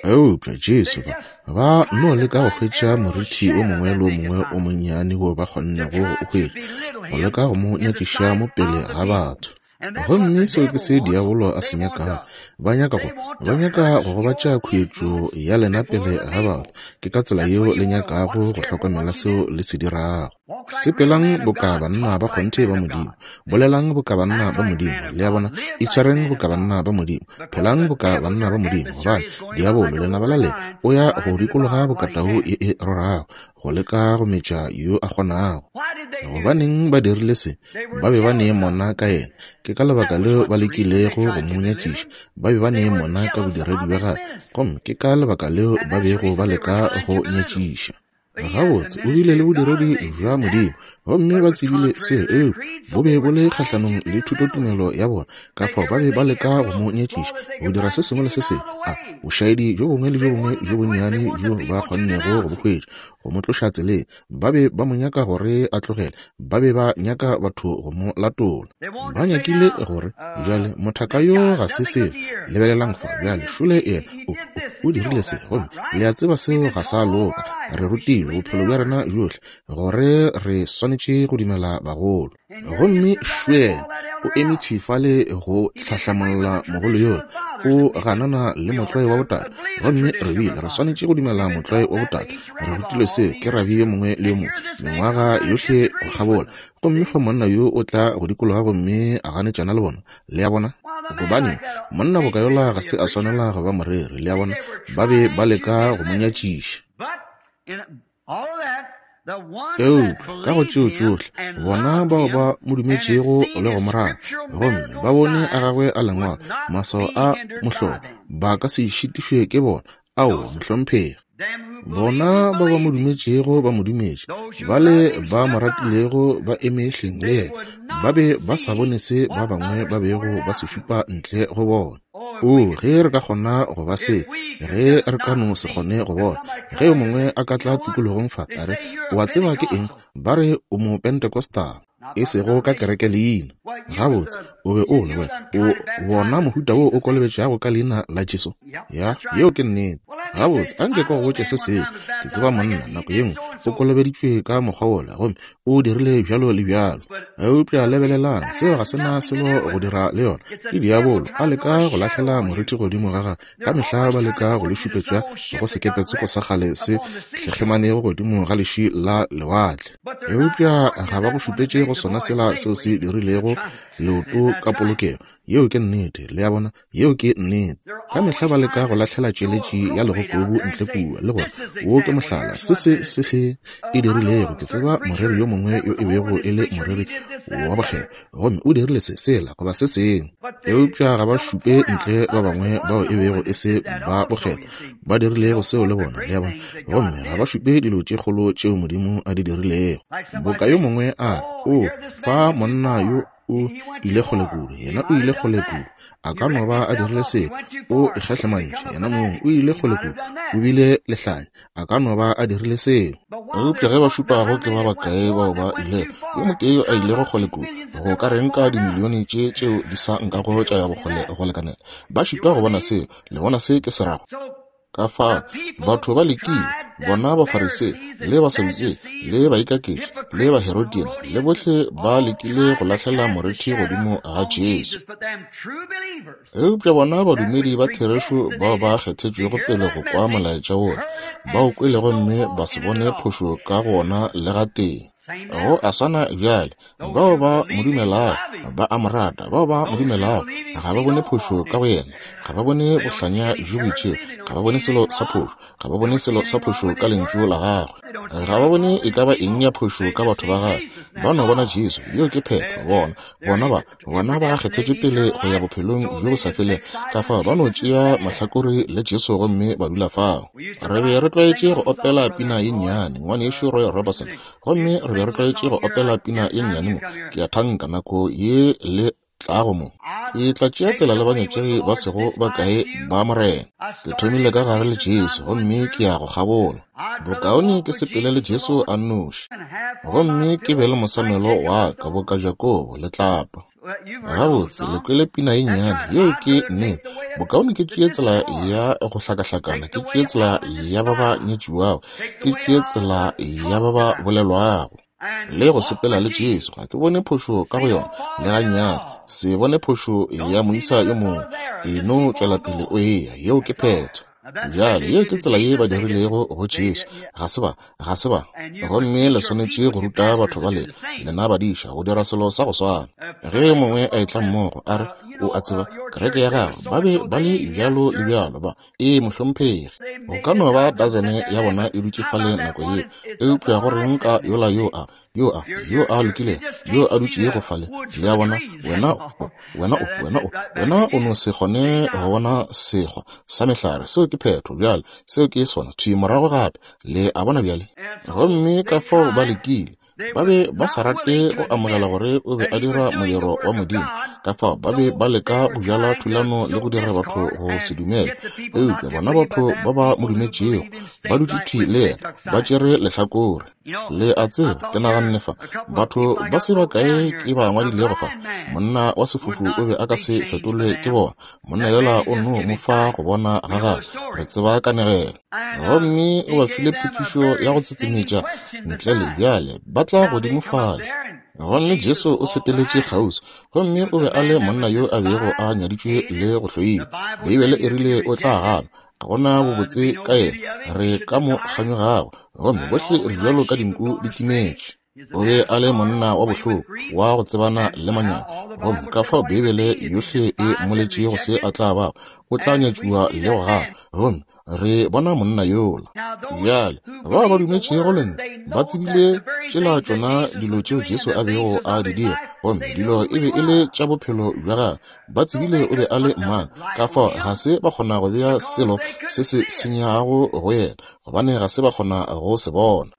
Speaker 1: Eupša Jesu ba ba no leka go hwetša moriti o mongwe le o mongwe o monnyane wo ba kgonnego go o hwetša, go leka go mo nyakiša mo pele ga batho. Gomme seo ke se diabolo a se nyakago. Ba nyaka go ba nyaka go gobatša khuetšo ya lena pele ga batho. Ke ka tsela yeo le nyakago go hlokomela seo le se dirago. Sepelang boka banna ba kgonthe ba Modimo, bolelang boka banna ba Modimo, le a bona, itshwareng boka banna ba Modimo, phelang boka banna ba Modimo, gobane diabolo lenaba la lena o ya go dikologa boka tau ye e rorago, go leka go metša yo a kgonago. Gobaneng ba dirile se? Ba be ba ne mona ka yena. Ke ka lebaka leo ba lekilego go mo nyatšiša. Ba be ba ne mona ka bodiredi bja gagwe, gomme ke ka lebaka leo ba bego ba leka go nyatšiša. Gabotse, o bile le bodiredi bja Modimo, gomme ba tsebile se, eupša bo be bo le kgahlanong le thutotumelo ya bona. Ka fao ba be ba leka go mo nyatšiša, go dira se sengwe le se sengwe, a bošaedi bjo bongwe le bjo bongwe bjo bonnyane bjo ba kgonnego go bo hwetša, go mo tloša tseleng. Ba be ba mo nyaka gore a tlogele, ba be ba nyaka batho go mo latola. Ba nyakile gore, bjale mothaka yo ga se selo, lebelelang fa, bjale šole yena o, o dirile se, gomme le a tseba seo ga sa loka. Re rutilwe bophelo bja rena bjohle gore re swanetše go dumela bagolo. Gomme šwena o eme thwi fale go hlahlamolla mogolo yola, o ganana le motlwae wa botate. Gomme re bile re swanetše go dumela motlwae wa botate. Re rutilwe seo ke rabi yo mongwe le yo mongwe mengwaga yohle go kgabola. Gomme fa monna yo o tla go dikologa gomme a ganetšana le bona, le a bona? Gobane monna boka yola ga se a swanela go ba moreri, le a bona? Ba be ba leka go mo nyatšiša. Eupša ka go tšeo tšohle, bona bao ba mo dumetšego le go mo rata, gomme ba bone a gagwe a lengwalo, maswao a mohlolo, ba ka se šitišwe ke bona. Aowa, mohlomphegi. Bona ba ba mo dumetšego ba mo dumetše, bale ba mo ratilego ba eme hleng le yena, ba be ba sa bone se ba bangwe ba bego ba se šupa ntle go bona. O, ge re ka kgona go ba se, ge re ka no se kgone go bona. Ge yo mongwe a ka tla tikologong fa, a re, o a tseba ke eng? Ba re o mo Pentecostal, e sego ka kereke leina. Gabotse, o be o le wena, o bona mohuta wo o kolobetšago ka leina la Jesu. Ya, yeo ke nnete. Gabotse, anke ke go botše se sengwe. Ke tseba monna nako ye nngwe o kolobeditšwe ka mokgwa wola, gomme o dirile bjalo le bjalo. Eupša lebelelang, seo ga se na selo go dira le yona. Ke diabolo a leka go lahlela moriti godimo ga gagwe. Ka mehla ba leka go le šupetša go sekepetsoko sa kgale se hlekgemanego godimo ga leši la lewatle. Eupša ga ba go šupetše go sona sela seo se dirilego leoto ka polokego. Yeo ke nnete, le a bona, yeo ke nnete. Ka mehla ba leka go lahlela tšeletši ya legokobu ntle kua, le gore wo ke mohlala, se se se se e dirilego. Ke tseba moreri yo mongwe yo e bego e le moreri wa bokgethwa, gomme o dirile se sela goba se sengwe. Eupša ga ba šupe ntle ba bangwe bao e bego e se ba bokgethwa ba dirilego seo le bona, le a bona, gomme ga ba šupe dilo tše kgolo tšeo Modimo a di dirilego. Boka yo mongwe a re, o fa monna yo o ile kgole kudu, yena o ile kgole kudu, a ka no ba a dirile se, o ikgahlemantše yena mong, o ile kgole kudu, o bile lehlanya, a ka no ba a dirile seo. Eupša ge ba šupago ke ba bakae bao ba ilego, yo motee yo a ilego kgole kudu, go ka reng ka dimilione tše tšeo di sa nkago tša ya bokgole go lekanela? Ba šitwa go bona seo, le bona se ke se rago. Ka fao batho ba lekile, bona Bafarisei le Basadutsei le baikaketši le Baherodian le bohle ba lekile go lahlela moriti godimo ga Jesu. Eupša bona badumedi ba therešo bao ba kgethetšwego pele go kwa molaetša wola, ba o kwele gomme ba se bone phošo ka gona le gatee. Go a swana bjale, bao ba mo dumelago ba a mo rata, bao ba mo dumelago ga ba bone phošo ka go yena, ga ba bone bohlanya bjo bo itšego, ga ba bone selo sa phošo, ga ba bone selo sa phošo ka lentšu la gagwe, ga ba bone e ka ba eng ya phošo ka batho ba gagwe. Ba no bona Jesu, yeo ke phetho. Bona, bona ba, bona ba kgethetšwe pele go ya bophelong bjo bo sa felego, ka fao ba no tšea mahlakore le Jesu gomme ba dula fao. Re be re tlwaetše go opela pina ye nnyane, ngwanešu Roy Robertson, gomme re be re tlwaetše go opela pina ye nnyane mo, ke a thanka nako ye le tlago mo. Ke tla tšea tsela le banyatšegi ba sego bakae ba Morena. Ke thomile ka gare le Jesu, gomme ke ya go kgabola. Bokaone ke sepele le Jesu a nnoši, gomme ke be le mosamelo wa ka boka Jakobo le tlapa. Gabotse, le kwele pina ye nnyane, yeo ke nnete. Bokaone ke tšee tsela ya go hlakahlakana, ke tšee tsela ya ba ba nyetšiwago, ke tšee tsela ya ba ba bolelwago, le go sepela le Jesu. Ga ke bone phošo ka go yona le gannyane. Se bone phošo ya moisa yo mongwe, e no tšwela pele o eya, yeo ke phetho. Bjale yeo ke tsela ye ba dirilego go Jesu. Ga se ba, ga se ba. Gomme le swanetše go ruta batho ba lena, lena badiša, go dira selo sa go swana. Ge yo mongwe a etla mmogo a re, o a tseba, kereke ya gago, ba be ba le bjalo le bjalo ba. Ee, mohlomphegi. Go ka no ba dazene ya bona e dutše fale nako yeo, eupša go reng ka yola yo a, yo a, yo a lokilego, yo a dutšego fale? Le a bona, wena o, wena o, wena o, wena o no se kgone go bona sekgwa sa mehlare. Seo ke phetho bjale, seo ke sona, thwi morago gape. Le a bona bjale? Gomme ka fao ba lekile. Ba be ba sa rate go amogela gore o be a dira modiro wa Modimo, ka fao ba be ba leka go bjala thulano le go dira batho go se dumele. Eupša bona batho ba ba mo dumetšego ba dutše thwi le yena, ba tšere lehlakore. Le a tseba, ke naganne fa, batho ba se bakae ke ba ngwadilego fa, monna wa sefofu o be a ka se fetolwe ke bona. Monna yola o no mo fa go bona ga gagwe. Re tseba kanegelo. Gomme o ba file potšišo ya go tsetsemetša ntle le bjale ba tla godimo fale. Gomme Jesu o sepeletše kgauswi, gomme o be a le monna yo a bego a nyaditšwe le go hloilwe. Beibele e rile o tla ganwa, ga gona bobotse ka yena, re ka mo kganyogago, gomme bohle re bjalo ka dinku di timetše. O be a le monna wa bohloko, wa go tsebana le manyami, gomme ka fao Beibele yohle e mmoletšego se a tla bago, o tla nyatšiwa le go ganwa. Gomme re bona monna yola. Bjale, bao ba dumetšego lentšu ba tsebile tšela tšona dilo tšeo Jesu a bego a di dira, gomme dilo e be e le tša bophelo bja gagwe. Ba tsebile o be a le mang, ka fao ga se ba kgona go bea selo se se senyago go yena, gobane ga se ba kgona go se bona.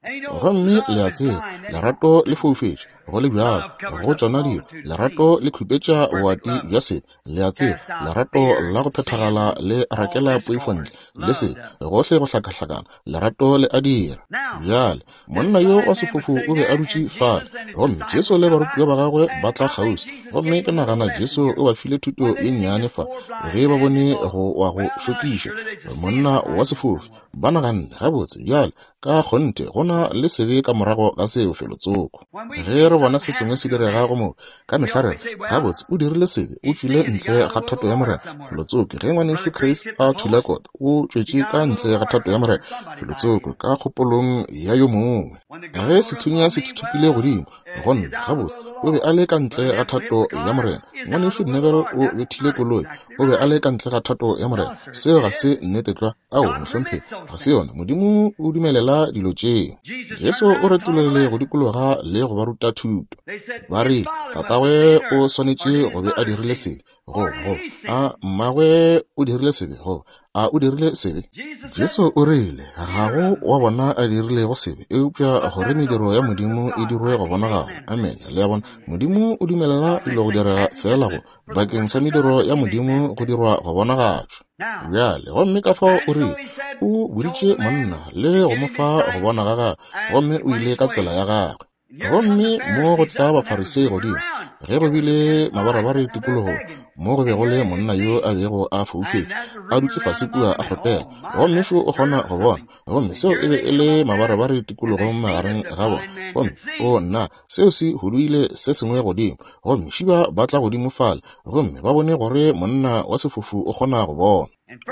Speaker 1: Gomme le a tseba, lerato le foufetše, go le bjalo, go tšona dilo, lerato le khupetša boati bja sebe. Le a tseba, lerato la go phethagala le rakela poifo ntle le sebe, gohle go hlakahlakana, lerato le a dira. Bjale, monna yo wa sefofu o be a dutše fale, gomme Jesu le barutiwa ba gagwe ba tla kgauswi. Gomme ke nagana Jesu o ba file thuto ye nnyane fa, ge ba bone go wa go šokiša monna wa sefofu. Ba naganne, gabotse bjale, ka kgonthe go na le sebe ka morago ga seo felotsoko. Ge re bona se sengwe se direga go mo, ka mehla re re, gabotse o dirile sebe, o tšwile ntle ga thato ya Morena felotsoko. Ge ngwanešu Chris a thula kota, o tšwetše ka ntle ga thato ya Morena felotsoko, ka kgopolong ya yo mongwe. Ge sethunya se thuthupile godimo, gomme gabotse o be a le ka ntle ga thato ya Morena. Ngwanešu Neville o bethile koloi, o be a le ka ntle ga thato ya Morena. Seo ga se nnete tlwa. Ao, mohlomphegi, ga se yona. Modimo o dumelela dilo tšeo. Jesu o retologile go dikologa le go ba ruta thuto. Ba rile, tatagwe o swanetše go be a dirile sebe, goba goba a mmagwe o dirile sebe, goba a o dirile sebe. Jesu o rile, ga go wa bona a dirilego sebe, eupša gore mediro ya Modimo e dirwe go bonagala. Amen. Le a bona, Modimo o dumelela dilo go direga fela go bakeng sa mediro ya Modimo go dirwa go bonagatšwa. Bjale, gomme ka fao o rile, o boditše monna le go mo fa go bona ga gagwe, gomme o ile ka tsela ya gagwe. Gomme mo go tla Bafarisei godimo, ge go bile mabarabare tikologong, mo go bego le monna yo a bego a foufetše, a dutše fase kua a kgopela, gomme šo o kgona go bona. Gomme seo e be e le mabarabare tikologong magareng ga bona. Gomme o nna, seo se huduile se sengwe godimo. Gomme šiba ba tla godimo fale, gomme ba bone gore monna wa sefofu o kgona go bona.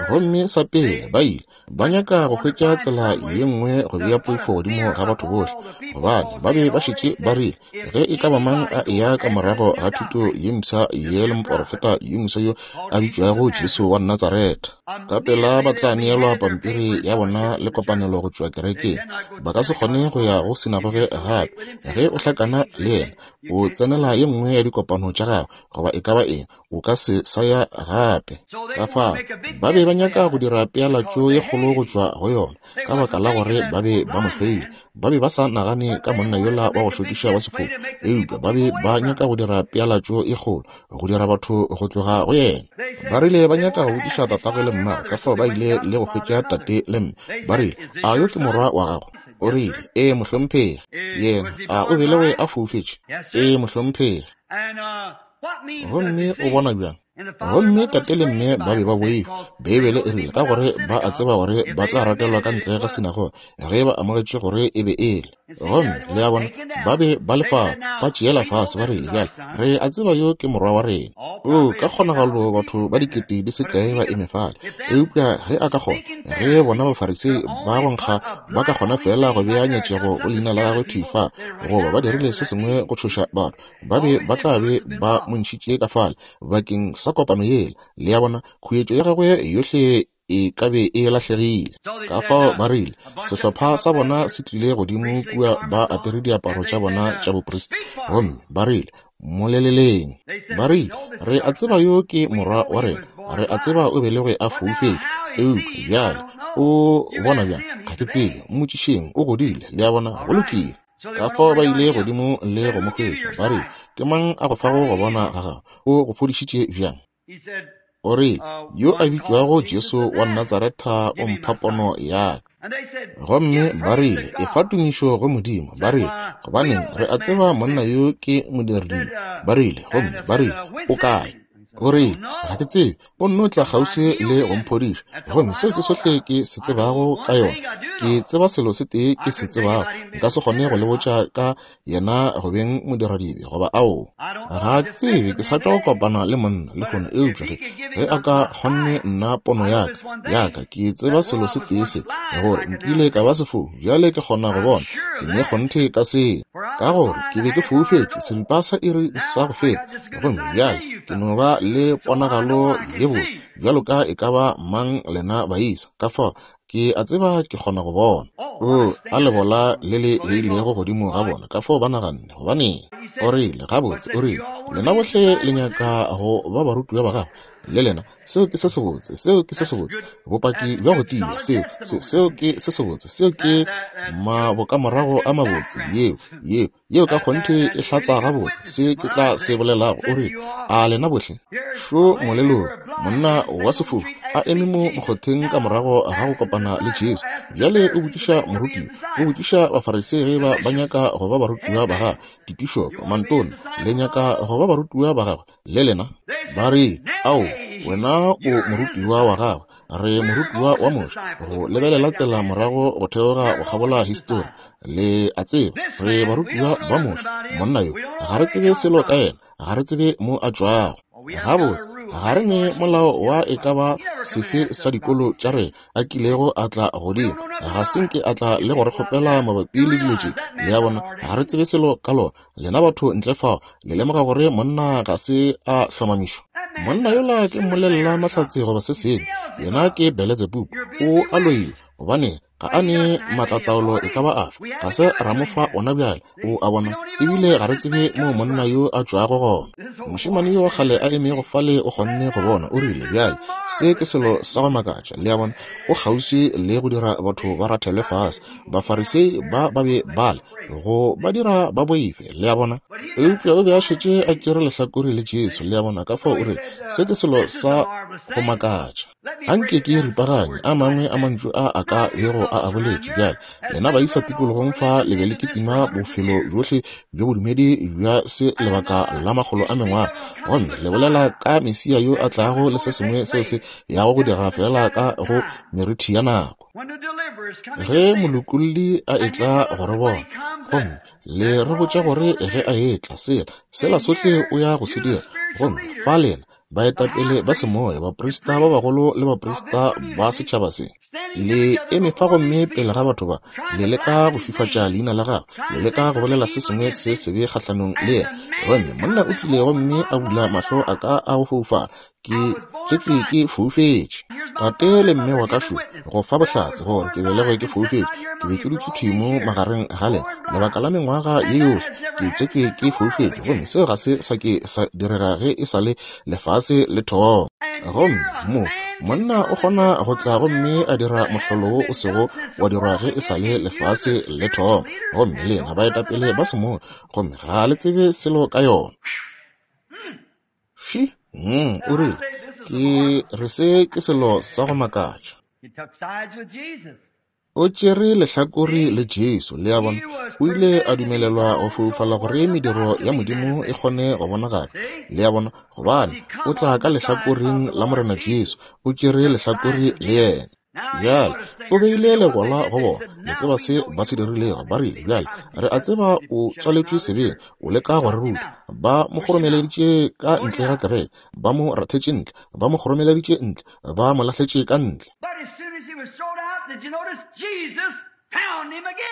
Speaker 1: Gomme sa pele ba ile ba nyaka go hwetša tsela ye nngwe go bea poifo godimo ga batho bohle, gobane ba be ba šetše ba rile, ge e ka ba mang a eya ka morago ga thuto ye mpsha ye le moporofeta yo moswa yo a bitšwago Jesu wa Natsaretha, ka pela ba tla neelwa pampiri ya bona le kopanelo go tšwa kerekeng. Ba ka se kgone go ya go sinagoge gape. Ge o hlakana le yena, o tsenela ye nngwe ya dikopano tša gagwe, goba e ka ba eng, o ka se sa ya gape. Ka fao ba be ba nyaka go dira pealatšo ye kgolo go tšwa go yona, ka baka la gore ba be ba mo hloile. Ba be ba sa nagane ka monna yola wa go šokiša wa sefofu, eupša ba be ba nyaka go dira pealatšo ye kgolo, go dira batho go tloga go yena. Ba rile ba nyaka go botšiša tatagwe le mmagwe, ka fao ba ile le go hwetša tate le mme. Ba rile, a yo ke morwa wa gago? O rile, ee, mohlomphegi. Yena, a o belegwe a foufetše? Ee, mohlomphegi. Gomme o bona bjang? Gomme tate le mme ba be ba boifa. Beibele e rile, ka gore ba a tseba gore ba tla rakelwa ka ntle ga sinagoge ge ba amogetše gore e be e le. Gomme le a bona, ba be ba le fao, ba tšeela fase, ba rile, bjale re a tseba yo ke morwa wa rena. O ka kgonagalo batho ba dikete di se kae ba eme fale, eupša ge a ka kgona, ge bona Bafarisei ba go nkga ba ka kgona fela go bea nyatšego go leina la gagwe thwi fa, goba ba dirile se sengwe go tšhoša batho, ba be ba tla be ba mo mo ntšhitše ka fale bakeng sa kopano yela. Le a bona, khuetšo ya gagwe yohle e ka be e lahlegile. Ka fao ba rile, sehlopha sa bona se tlile godimo kua ba apere diaparo tša bona tša boprista, gomme ba rile, moleleleng. Ba rile, re a tseba yo ke morwa wa rena, re a tseba o belegwe a foufetše, eupša bjale o bona bjang? Ga ke tsebe, mmotšišeng, o godile. Le a bona, go lokile. Ka fao ba ile godimo le go mo hwetša. Ba rile, ke mang a go fago go bona ga gago? O go fodišitše bjang? O rile, yo a bitšwago Jesu wa Natsaretha o mpha pono ya ka. Gomme ba rile, efa tumišo go Modimo. Ba rile, gobaneng, re a tseba monna yo ke modiradibe. Ba rile, gomme ba rile, o kae? O rile, ga ke tsebe, o nno tla kgauswi le go mphodiša. Gomme seo ke sohle ke se tsebago ka yona. Ke tseba selo se tee ke se tsebago. Nka se kgone go le botša ka yena go beng modiradibe goba ao. Ga ke tsebe, ke sa tšwa go kopana le monna lehono, eupša ge ge a ka kgonne nna pono ya ka, ya ka, ke tseba selo se tee se, gore nkile ka ba sefofu, bjale ke kgona go bona. Ke ne kgonthe ka se, ka gore ke be ke foufetše seripa sa iri sa go feta, gomme bjale ke no ba le ponagalo ye botse bjalo ka e ka ba mang lena baisa. Ka fao ke a tseba ke kgona go bona. O a lebola le le beilego godimo ga bona. Ka fao ba naganne, gobaneng? O rile, gabotse, o rile, lena bohle le nyaka go ba barutiwa ba gagwe, le lena. Seo ke se sebotse, seo ke se sebotse, bopaki bja go tia, seo, seo, seo ke se sebotse, seo ke mabokamorago a mabotse, yeo, yeo, yeo ka kgonthe e hlatsa gabotse se ke tla se bolelago. O rile, a lena bohle? Šo molelong, monna wa sefofu a eme mo mokgotheng ka morago ga go kopana le Jesu. Bjale o botšiša morutiwa, o botšiša Bafarisei ge ba ba nyaka go ba barutiwa ba gagwe, dipišopo, mantona, le nyaka go ba barutiwa ba gagwe, le lena? Ba re, ao, wena o morutiwa wa gagwe, re morutiwa wa Moshe. Go lebelela tsela morago go theoga go kgabola histori, le a tseba, re barutiwa ba Moshe. Monna yo, ga re tsebe selo ka yena, ga re tsebe mo a tšwago. Gabotse, ga re ne molao wa e ka ba sefe sa dikolo tša rena a kilego a tla godimo, ga se nke a tla le go re kgopela mabapi le dilo tše. Le a bona, ga re tsebe selo ka lona. Lena batho ntle fao, le lemoga gore monna ga se a hlomamišwa. Monna yola ke mmolelela mahlatse goba se sengwe, yena ke Beletsebubu, o a loiwa, gobane ga a ne maatlataolo e ka ba afe, ga se ra mo fa ona bjale. O a bona, ebile ga re tsebe mo monna yo a tšwago gona. Mošemane yo wa kgale a emego fale o kgonne go bona. O rile, bjale se ke selo sa go makatša. Le a bona, o kgauswi le go dira batho ba rathelwe fase. Bafarisei ba ba be bale go ba dira ba boife. Le a bona, eupša o be a šetše a tšere lehlakore le Jesu. Le a bona, ka fao o rile, se ke selo sa go makatša. Anke ke ripaganye a mangwe a mantšu a a ka bego a a boletše. Bjale lena baisa tikologong fa le be le kitima bofelo bjohle bjo bodumedi bja se lebaka la makgolo a mengwaga, gomme le bolela ka Mesia yo a tlago le se sengwe seo se yago go dira fela ka go merithi ya nako. Ge molokolli a etla go re bona, gomme le re botša gore ge a etla sela, sela sohle o ya go se dira, gomme fa lena baetapele ba semoya, baprista ba bagolo le baprista ba setšhaba se, le eme fa gomme pele ga batho ba, le leka go fifatša leina la gagwe, le leka go bolela se sengwe se sebe kgahlanong le yena. Gomme monna o tlile gomme a bula mahlo a ka a go foufala, ke tswetšwe ke foufetše. Tate le mme wa ka šo go fa bohlatse gore ke belegwe ke foufetše. Ke be ke dutše thwi mo magareng ga lena lebaka la mengwaga ye yohle, ke tswetšwe ke foufetše, gomme seo ga se sa ke sa direga ge e sa le lefase le thoma. Gomme mo monna o kgona go tla gomme a dira mohlolo wo o sego wa dirwa ge e sa le lefase le thoma, gomme lena baetapele ba semoya, gomme ga le tsebe selo ka yona. Shi, mm, o rile, ke re se ke selo sa go makatša. O tšere lehlakore le Jesu. Le a bona, o ile a dumelelwa go foufala gore mediro ya Modimo e kgone go bonagala. Le a bona, gobane o tla ka lehlakoreng la Morena Jesu, o tšere lehlakore le yena. Bjale o beile legola go bona. Le tseba se ba se dirilego. Ba rile, bjale re a tseba o tswaletšwe sebeng, o leka go re ruta. Ba mo kgoromeleditše ka ntle ga kereke, ba mo rathetše ntle, ba mo kgoromeleditše ntle, ba mo lahletše ka ntle.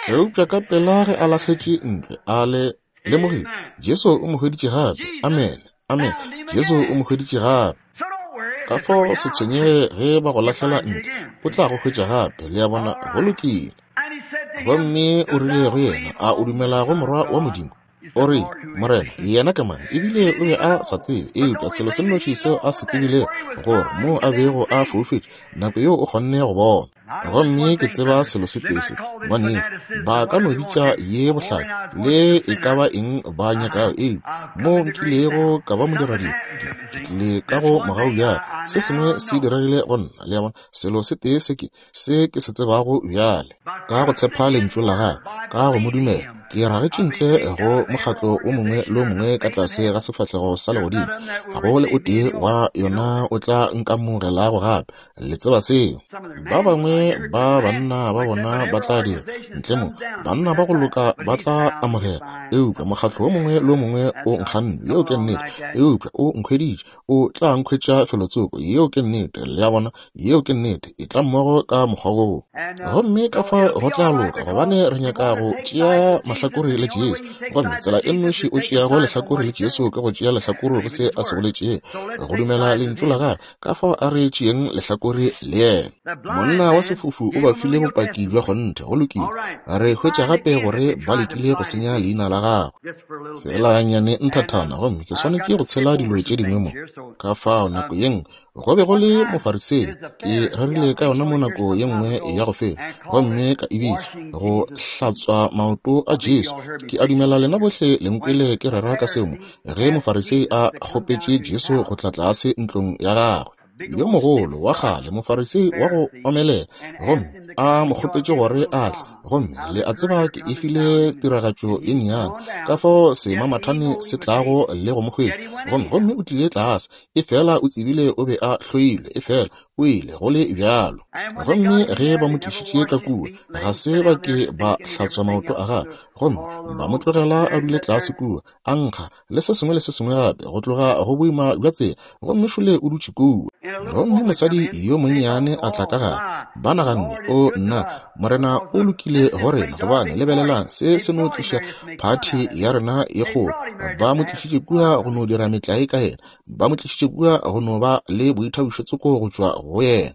Speaker 1: Eupša ka pela ge a lahletše ntle, a le lemogile, Jesu o mo hweditše gape. Amen. Amene. Jesu o mo hweditše gape. Ka fao se tshwenyege ge ba go lahlela ntle, o tla go hwetša gape. Le a bona? Go lokile. Gomme o rile go yena, a o dumela go Morwa wa Modimo? O rile, Morena, yena ke mang? Ebile o be a sa tsebe, eupša selo se nnoši seo a se tsebilego, gore mo a bego a foufetše, nako yeo o kgonne go bona. Gomme ke tseba selo se tee se, ngwanešu, ba ka no bitša ye bohlale le e ka ba eng ba nyakago, eupša mo nkilego ka ba modiradibe, ke tlile ka go mogau bjale. Se sengwe se diregile go nna, le a bona, selo se tee se ke se ke se tsebago bjale. Ka go tshepa lentšu la gagwe, ka go mo dumela, ke ragetše ntle go mokgatlo o mongwe le o mongwe ka tlase ga sefahlego sa legodimo. Ga go le o tee wa yona o tla nkamogelago gape. Le tseba seo. Ba bangwe ba banna ba bona ba tla dira ntle mo, banna ba go loka ba tla amogela, eupša mokgatlo o mongwe le o mongwe o nkganne. Yeo ke nnete. Eupša o nkhweditše, o tla nkhwetša felotsoko. Yeo ke nnete. Le a bona? Yeo ke nnete. E tla mmogo ka mokgwa woo. Gomme ka fao go tla loka, gobane re nyaka go tšea mahlakore le Jesu. Gomme tsela e nnoši o tšeago lehlakore le Jesu ke go tšea lehlakore go se a se boletšego, go dumela lentšu la gagwe. Ka fao a re tšeeng lehlakore le yena. Monna wa sefofu o ba file bopaki bja kgonthe. Go lokile. Re hwetša gape gore ba lekile go senya leina la gagwe. Fela gannyane nthathana, gomme ke swanetše go tshela dilo tše dingwe mo. Ka fao nako ye nngwe go be go le Mofarisei, ke rerile ka yona mo nako ye nngwe ya go feta, gomme ka e bitša go hlatswa maoto a Jesu. Ke a dumela lena bohle le nkwele ke rera ka seo mo, ge Mofarisei a kgopetše Jesu go tla tlase ntlong ya gagwe. Yo mogolo wa kgale Mofarisei wa go omelela, gomme a mo kgopetše gore a tle. Gomme le a tseba ke e file tiragatšo ye nnyane, ka fao semamathane se tlago le go mo hwetša. Gomme gomme o tlile tlase, efela o tsebile o be a hloilwe, efela o ile go le bjalo. Gomme ge ba mo tlišitše ka kua, ga se ba ke ba hlatswa maoto a gagwe, gomme ba mo tlogela a dule tlase kua, a nkga le se sengwe le se sengwe gape, go tloga go boima bja tsela. Gomme šole o dutše kua. Gomme mosadi yo monnyane a tla ka gare. Ba naganne, o nna, Morena o lokile go rena, gobane lebelelang, se se no tliša phathi ya rena ye kgolo. Ba mo tlišitše kua go no dira metlae ka yena. Ba mo tlišitše kua go no ba le boithabišo tsoko go tšwa go yena.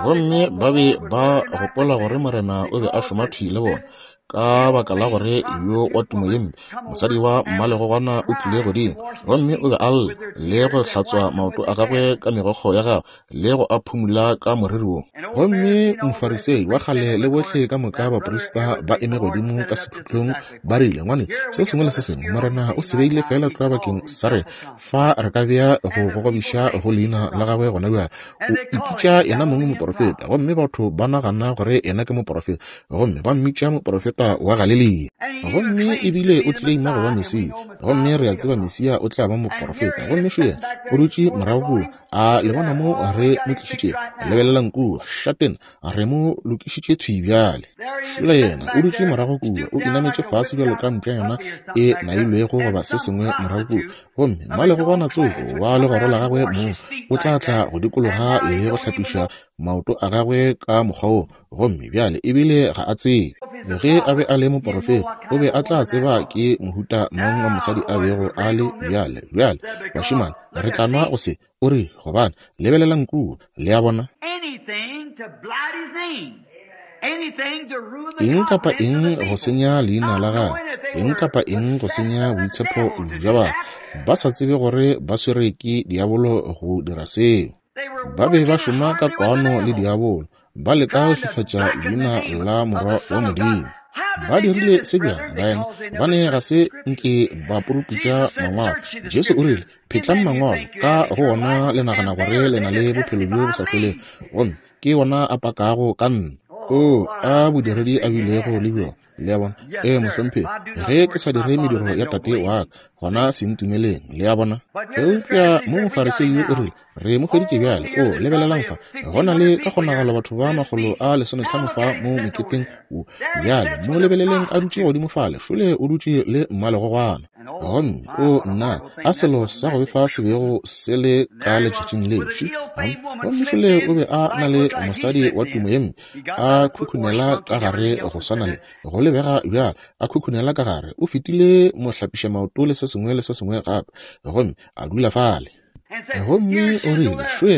Speaker 1: Gomme ba be ba gopola gore Morena o be a šoma thwi le bona, ka baka la gore yo wa tumo ye mpe, mosadi wa mmalegogwana, o tlile godimo. Gomme o be a lla le go hlatswa maoto a gagwe ka megokgo ya gagwe le go a phumula ka moriri wo. Gomme Mofarisei wa kgale le bohle ka moka baprista ba eme godimo ka sekhutlong, ba rile, ngwane, se sengwe le se sengwe Morena o se beile fela tlwa bakeng sa rena. Fa re ka bea go gogobiša go leina la gagwe gona bjale. O ipitša yena mong moporofeta, gomme batho ba nagana gore yena ke moporofeta, gomme ba mmitša moporofeta wa Galilea. Gomme ebile o tleleima go ba Mesia, gomme re a tseba Mesia o tla ba moporofeta. Gomme šo yena o dutše morago kua. A le bona mo re mo tlišitšego? Lebelelang kua, šatena, re mo lokišitše thwi bjale. Šola yena o dutše morago kua, o inametše fase bjalo ka mpša yona e nailwego goba se sengwe morago kua. Gomme mmalegogwana tsoko wa legoro la gagwe mo o tla tla go dikologa le go hlapiša maoto a gagwe ka mokgwa wo. Gomme bjale ebile ga a tsebe. Ge a be a le moporofeta, o be a tla tseba ke mohuta mang wa mosadi a bego a le bjale. Bjale, bašemane, re tla nwa go se. O re, gobane, lebelelang kua, le a bona? Eng kapa eng go senya leina la gagwe, eng kapa eng go senya boitshepo bja batho, ba sa tsebe gore ba swere ke diabolo go dira seo. Ba be ba šoma ka kwano le diabolo, ba leka go fifatša leina la Morwa wa Modimo. Ba dirile se bjang, baena? Gobane ga se nke ba puruputša mangwalo. Jesu o rile, phetlang mangwalo, ka go ona le nagana gore le na le bophelo bjo bo sa felego, gomme ke ona a pakago ka nna. O a bodiredi a bilego le bjona. Le a bona? Ee, mohlomphegi, ge ke sa dire mediro ya Tate wa ka, gona se ntumeleng. Le a bona? Eupša mo Mofarisei yo o rile, re mo hweditše bjale. O, lebelelang fa, go na le ka kgonagalo batho ba makgolo a lesometlhano fa mo moketeng wo. Bjale mo lebeleleng a dutše godimo fale, šole o dutše le mmalegogwana. Gomme o nna, a selo sa go befa se bego se le ka letšatšing leo. Gomme šole o be a na le mosadi wa tumo ye mpe, a khukhunela ka gare go swana le go lebega bjalo, a khukhunela ka gare. O fetile mohlapiša maoto le se sengwe le se sengwe gape, gomme a dula fale. Gomme o rile, šwe,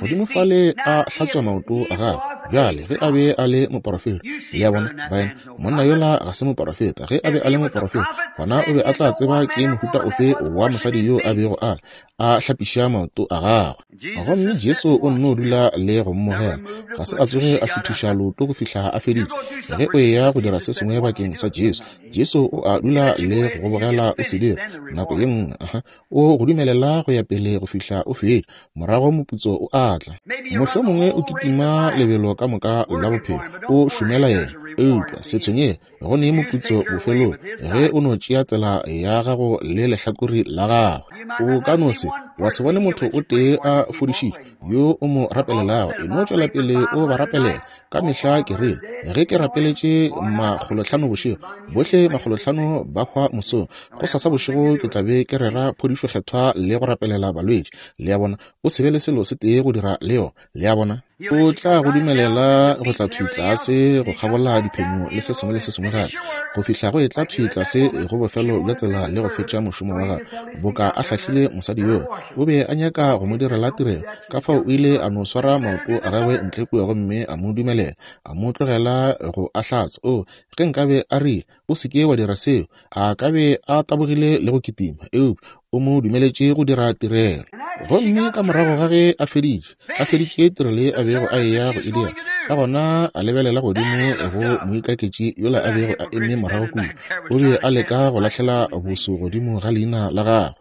Speaker 1: godimo fale a hlatswa maoto a gagwe. Bjale, ge a be a le moporofeta, le a bona, baena, monna yola ga se moporofeta. Ge a be a le moporofeta, gona o be a tla tseba ke mohuta ofe wa mosadi yo a bego a a hlapiša maoto a gagwe. Gomme Jesu o nno dula le go mmogela, ga se a tsoge a šuthiša leoto go fihla a feditše. Ge o eya go dira se sengwe bakeng sa Jesu, Jesu o a dula le go bogela o se dira nako ye nngwe, aha, o go dumelela go ya pele go fihla o fetša, morago moputso o a tla. Mohlomongwe o kitima lebelo ka moka la bophelo, o šomela yena, eupša se tshwenyege, go ne moputso bofelong ge o no tšea tsela ya gago le lehlakore la gagwe. O ka no se wa se bone motho o tee a fodišitšwe yo o mo rapelelago, e no tšwela pele o ba rapelela. Ka mehla ke rile, ge ke rapeletše makgolohlano bošego, bohle makgolohlano ba hwa mosong, go sasa bošego ke tla be ke rera phodišo kgethwa le go rapelela balwetši. Le a bona, o se be le selo se tee go dira le yona. Le a bona, o tla go dumelela go tla thwi tlase go kgabola diphenyo le se sengwe le se sengwe gape, go fihla go e tla thwi tlase go bofelo bja tsela le go fetša mošomo wa gagwe. Boka a hlahlile mosadi yoo, o be a nyaka go mo direla tirelo, ka fao o ile a no swara maoto a gagwe ntle kua gomme a mo dumelela, a mo tlogela go a hlatswa. O, ge nkabe a rile, o se ke wa dira seo, a ka be a tabogile le go kitima, eupša o mo dumeletše go dira tirelo. Gomme ka morago ga ge a feditše, a feditše tirelo ye a bego a eya go e dira, ka gona a lebelela godimo go moikaketši yola a bego a eme morago kua, o be a leka go lahlela boso godimo ga leina la gagwe.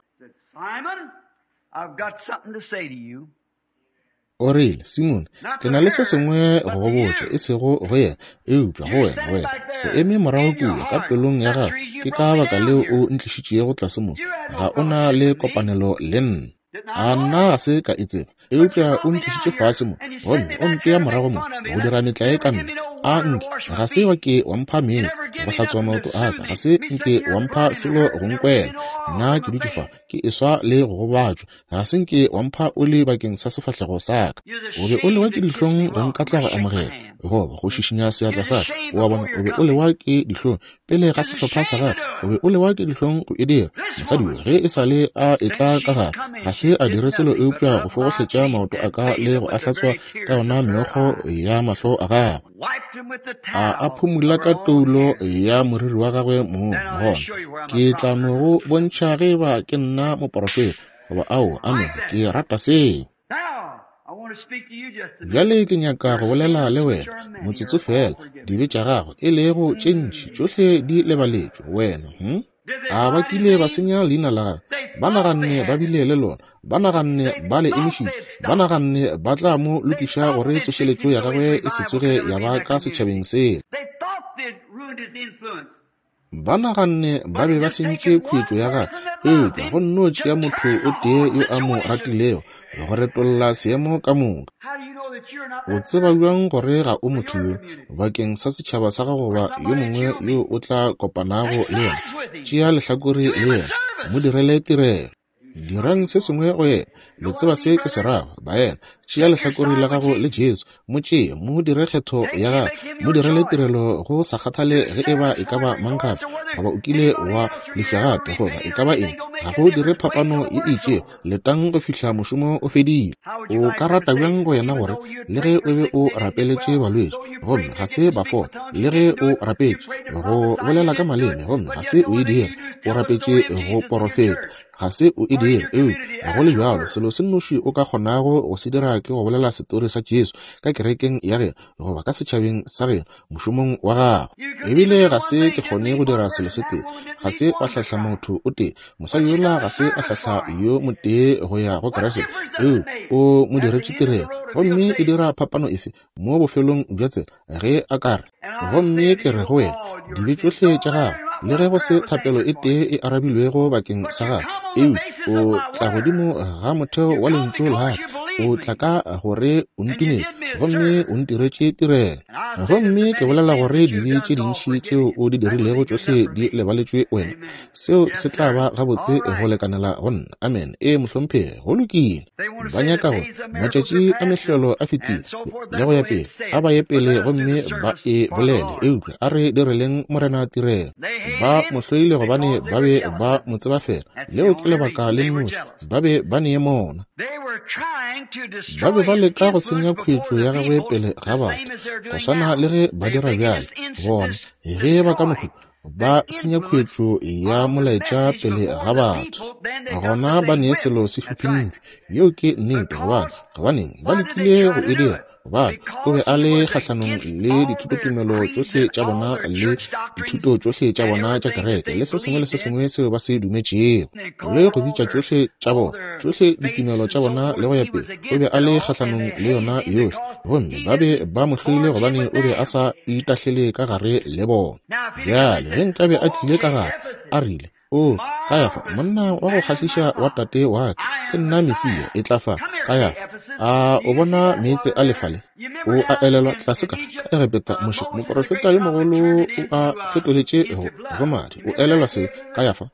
Speaker 1: O rile, Simone, ke na le se sengwe go go botša, e sego go yena, eupša go wena, wena o eme morago kua ka pelong ya gago. Ke ka baka leo o ntlišitšego tlase mo, ga o na le kopanelo le nna. A nna ga se ka e tseba, eupša o ntlišitše fase mo, gomme o mpea morago mo go dira metlae ka nna. A nke ga se wa ke wa mpha meetse go hlatswa maoto a ka, ga se nke wa mpha selo go nkwela. Nna ke dutše fa ke eswa le go gobatšwa, ga se nke wa mpha oli bakeng sa sefahlego sa ka. O be o lewa ke dihlong go nkatla go amogela goba go šišinya seatla sa ka. O a bona, o be o lewa ke dihlong pele ga sehlopha sa gagwe, o be o lewa ke dihlong go e dira. Mosadi yo ge e sa le a etla ka gare, ga se a dire selo eupša go fogohletša maoto a ka le go a hlatswa ka yona meokgo ya mahlo a gagwe, a a phumula ka toulo ya moriri wa gagwe mong. Gona ke tla no go bontšha ge eba ke nna moporofeta goba ao. Amen, ke rata seo. Bjale ke nyaka go bolela le wena motsotso fela. Dibe tša gago e lego tše ntši tšohle di lebaletšwe wena. Hm? A ba kile ba senya leina la gagwe, ba naganne ba bile le lona, ba naganne ba le emišitše, ba naganne ba tla mo lokiša gore tsošeletšo ya gagwe e se tsoge ya ba ka setšhabeng sela. Ba naganne ba be ba sentše khuetšo ya gagwe, eupša go nno tšea motho o tee yo a mo ratilego go retolla seemo ka moka. O tseba bjang gore ga o motho yo bakeng sa setšhaba sa gago goba yo mongwe yo o tla kopanago le yena? Tšea lehlakore le yena, mo direle tirelo. Dirang se sengwe go yena. Le tseba se ke se rago, baena. Tšea lehlakore la gago le Jesu, mo tšee, mo dire kgetho ya gago, mo direle tirelo go sa kgathale ge eba e ka ba mang gape, goba o kile wa lefša gape, goba e ka ba eng, ga go dire phapano ye e itšego. Letang go fihla mošomo o fedile. O ka rata bjang go yena gore le ge o be o rapeletše balwetši gomme ga se ba fola, le ge o rapetše go bolela ka maleme gomme ga se o e dire, o rapetše go porofeta, ga se o e dire, eupša go le bjalo selo se nnoši o ka kgonago go se dira ke go bolela setori sa Jesu ka kerekeng ya geno goba ka setšhabeng sa geno mošomong wa gago. Ebile ga se ke kgone go dira selo se tee, ga se wa hlahla motho o tee. Mosadi yola ga se a hlahla yo motee go ya go Kriste, eupša o mo diretše tirelo. Gomme e dira phapano efe mo bofelong bja tsela ge a ka re, gomme ke re go wena, dibe tšohle tša gago, le ge go se thapelo e tee e arabilwego bakeng sa gago, eupša o tla godimo ga motheo wa lentšu la ka, o tla ka gore o ntumetse gomme o ntiretše tirelo. Gomme ke bolela gore dibe tše dintši tšeo o di dirilego tšohle di lebaletšwe wena. Seo se tla ba gabotse go lekanela go nna. Amen. Ee, mohlomphegi, go lokile. Ba nyaka gore matšatši a mehlolo a fetile le go ya pele, a ba ye pele gomme ba e bolele, eupša a re direleng Morena tirelo. Ba mo hloile gobane ba be ba mo tseba fela. Leo ke lebaka le nnoši ba be ba ne mona. Ba be ba leka go senya khuetšo ya gagwe pele ga batho, go swana le ge ba dira bjale. Bona ge ba ka mohu ba senya khuetšo ya molaetša pele ga batho, gona ba ne selo se hluphintšwe. Yeo ke nnete. Gobane gobaneng ba lekile go e dira? Gobane o be a le kgahlanong le dithutotumelo tšohle tša bona le dithuto tšohle tša bona tša kereke le se sengwe le se sengwe seo ba se dumetšego, le go bitša tšohle tša bona, tšohle ditumelo tša bona le go ya pele. O be a le kgahlanong le yona yohle, gomme ba be ba mo hloile gobane o be a sa itahlele ka gare le bona. Bjale ge nkabe a tlile ka gare a rile, O Kayafa, monna wa go kgahliša wa tate wa ka, ke nna Mesia, e tla fa. Kayafa, a o bona meetse a lefale? O a elelwa tlase ka ka Egepeta, Moshe, moprofeta yo mogolo, o a fetoletše go, go madi. O elelwa se, Kayafa?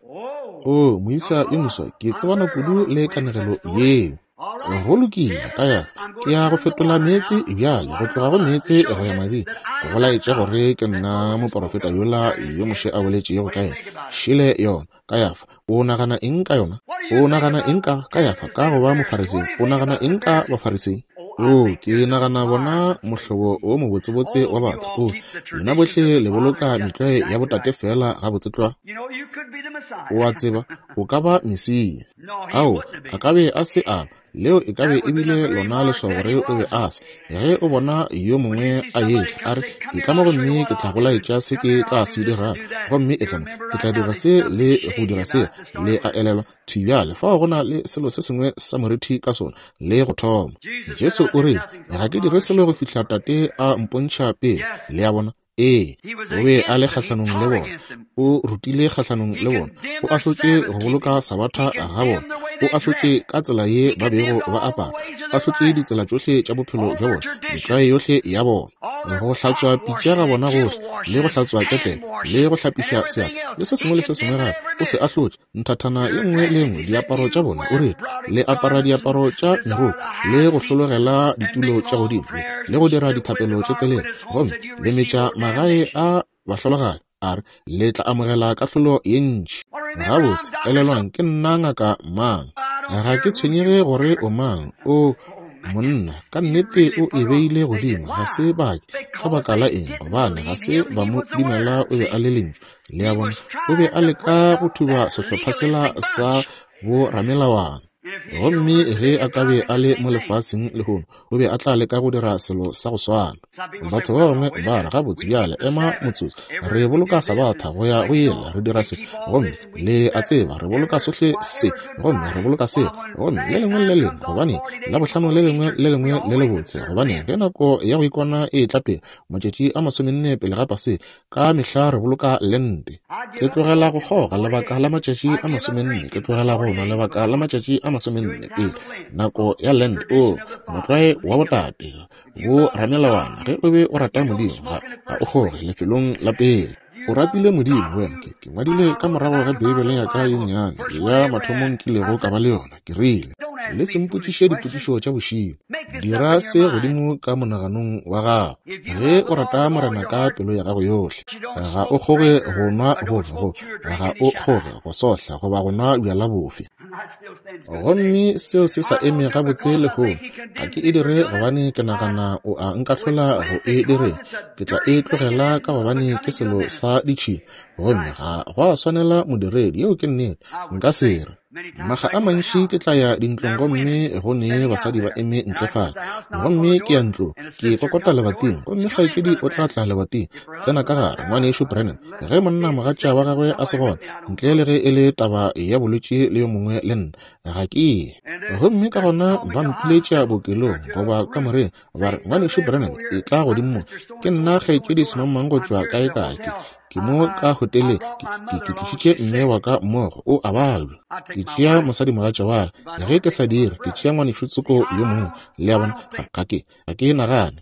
Speaker 1: O moisa yo moswa, ke tsebana kudu le kanegelo yeo. Go lokile, Kayafa, ke ya go fetola meetse bjale go tloga go meetse go ya mading, go laetša gore ke nna moprofeta yola yo Moshe a boletšego ka yena. Šele yona. Kayafa, o nagana eng ka yona? O nagana eng ka Kayafa ka go ba Mofarisei? O nagana eng ka Bafarisei? O, ke nagana bona mohlobo o mobotsebotse wa batho. O, lena bohle le boloka metlwae ya botate fela gabotse tlwa. O a tseba, o ka ba Mesia. Ao, a ka be a se a ba. Leo e ka be e bile lona leswao gore o be a se. Ge o bona yo mongwe a etla, a re, etla mo gomme ke tla go laetša se ke tla se dirago, gomme etla mo, ke tla dira se le go dira se. Le a elelwa thwi bjale, fao go na le selo se sengwe sa morithi ka sona, le go thoma. Jesu o rile, ga ke dire selo go fihla Tate a mpontšha pele. Le a bona? Ee, o be a le kgahlanong le bona, o rutile kgahlanong le bona, o ahlotše go boloka sabatha ga bona, o ahlotše ka tsela ye ba bego ba apara, o ahlotše ditsela tšohle tša bophelo bja bona, metlwae yohle ya bona, go hlatswa pitša ga bona gohle, le go hlatswa ketlele, le go hlapiša seatla, le se sengwe le se sengwe gape. O se ahlotše nthathana ye nngwe le nngwe diaparo tša bona. O rile, le apara diaparo tša meroko, le go hlologela ditulo tša godimo, le go dira dithapelo tše telele, gomme le metša magae a bahlologadi. A re, le tla amogela kahlolo ye ntši. Gabotse, elelwang, ke nna ngaka mang. Ga ke tshwenyege gore o mang. O monna, ka nnete o e beile godimo. Ga se bake. Ka baka la eng? Gobane ga se ba mo dumela o be a le lentšu. Le a bona, o be a leka go thuba sehlopha sela sa boramelawana. Gomme ge a ka be a le mo lefaseng lehono, o be a tla leka go dira selo sa go swana. Batho ba bangwe ba re, gabotse bjale, ema motsotso, re boloka sabatha go ya go yela, re dira se, gomme le a tseba, re boloka sohle se, gomme re boloka se, gomme le lengwe le lengwe, gobane la bohlano le lengwe le lengwe le lebotse, gobane ge nako ya go ikona e tla pele, matšatši a masomenne pele ga Paseka, ka mehla re boloka lente. Ke tlogela go kgoga lebaka la matšatši a masomenne, ke tlogela go nwa lebaka la matšatši a masomenne pele nako ya Lent. O motlwae wa botate bo ramelawana, ge o be o rata Modimo, ga, ga o kgoge lefelong la pele. O ratile Modimo wena. Ke, ke ngwadile ka morago ga Beibele ya ka ye nnyane ya mathomong kilego ka ba le yona. Ke rile, le se mpotšiše dipotšišo tša bošego. Dira se godimo ka monaganong wa gago. Ge o rata Morena ka pelo ya gago yohle, ga o kgoge go nwa goba go, ga o kgoge go sohla goba go nwa bjala bofe. Gomme seo se sa eme gabotse lehono. Ga ke e dire gobane ke nagana o a nkahlola go e direng. Ke tla e tlogela ka gobane ke selo sa ditšhila, gomme ga go a swanela modiredi. Yeo ke nnete. Nka se re maga a mantši ke tla ya dintlong gomme go ne basadi ba eme ntle fale, gomme ke ya ntlong, ke kokota lebating, gomme kgaetšedi o tla tla lebating, tsena ka gare, ngwanešu Brennan. Ge monna mogatša wa gagwe a se gona, ntle le ge e le taba ya bolwetši le yo mongwe le nna, ga ke ye. Gomme ka gona ba mpiletša bookelong goba kamoreng, ba re, ngwanešu Brennan, e tla godimo mo, ke nna kgaetšedi semangmang go tšwa kae kae, ke Ke mo ka hoteleng, ke, ke tlišitše mme wa ka mmogo, o a babja. Ke tšea mosadimogatša wa ka. Ge ke sa dire, ke tšea ngwanešu tsoko yo mongwe. Le a bona? Ga, ga ke, ga ke nagane.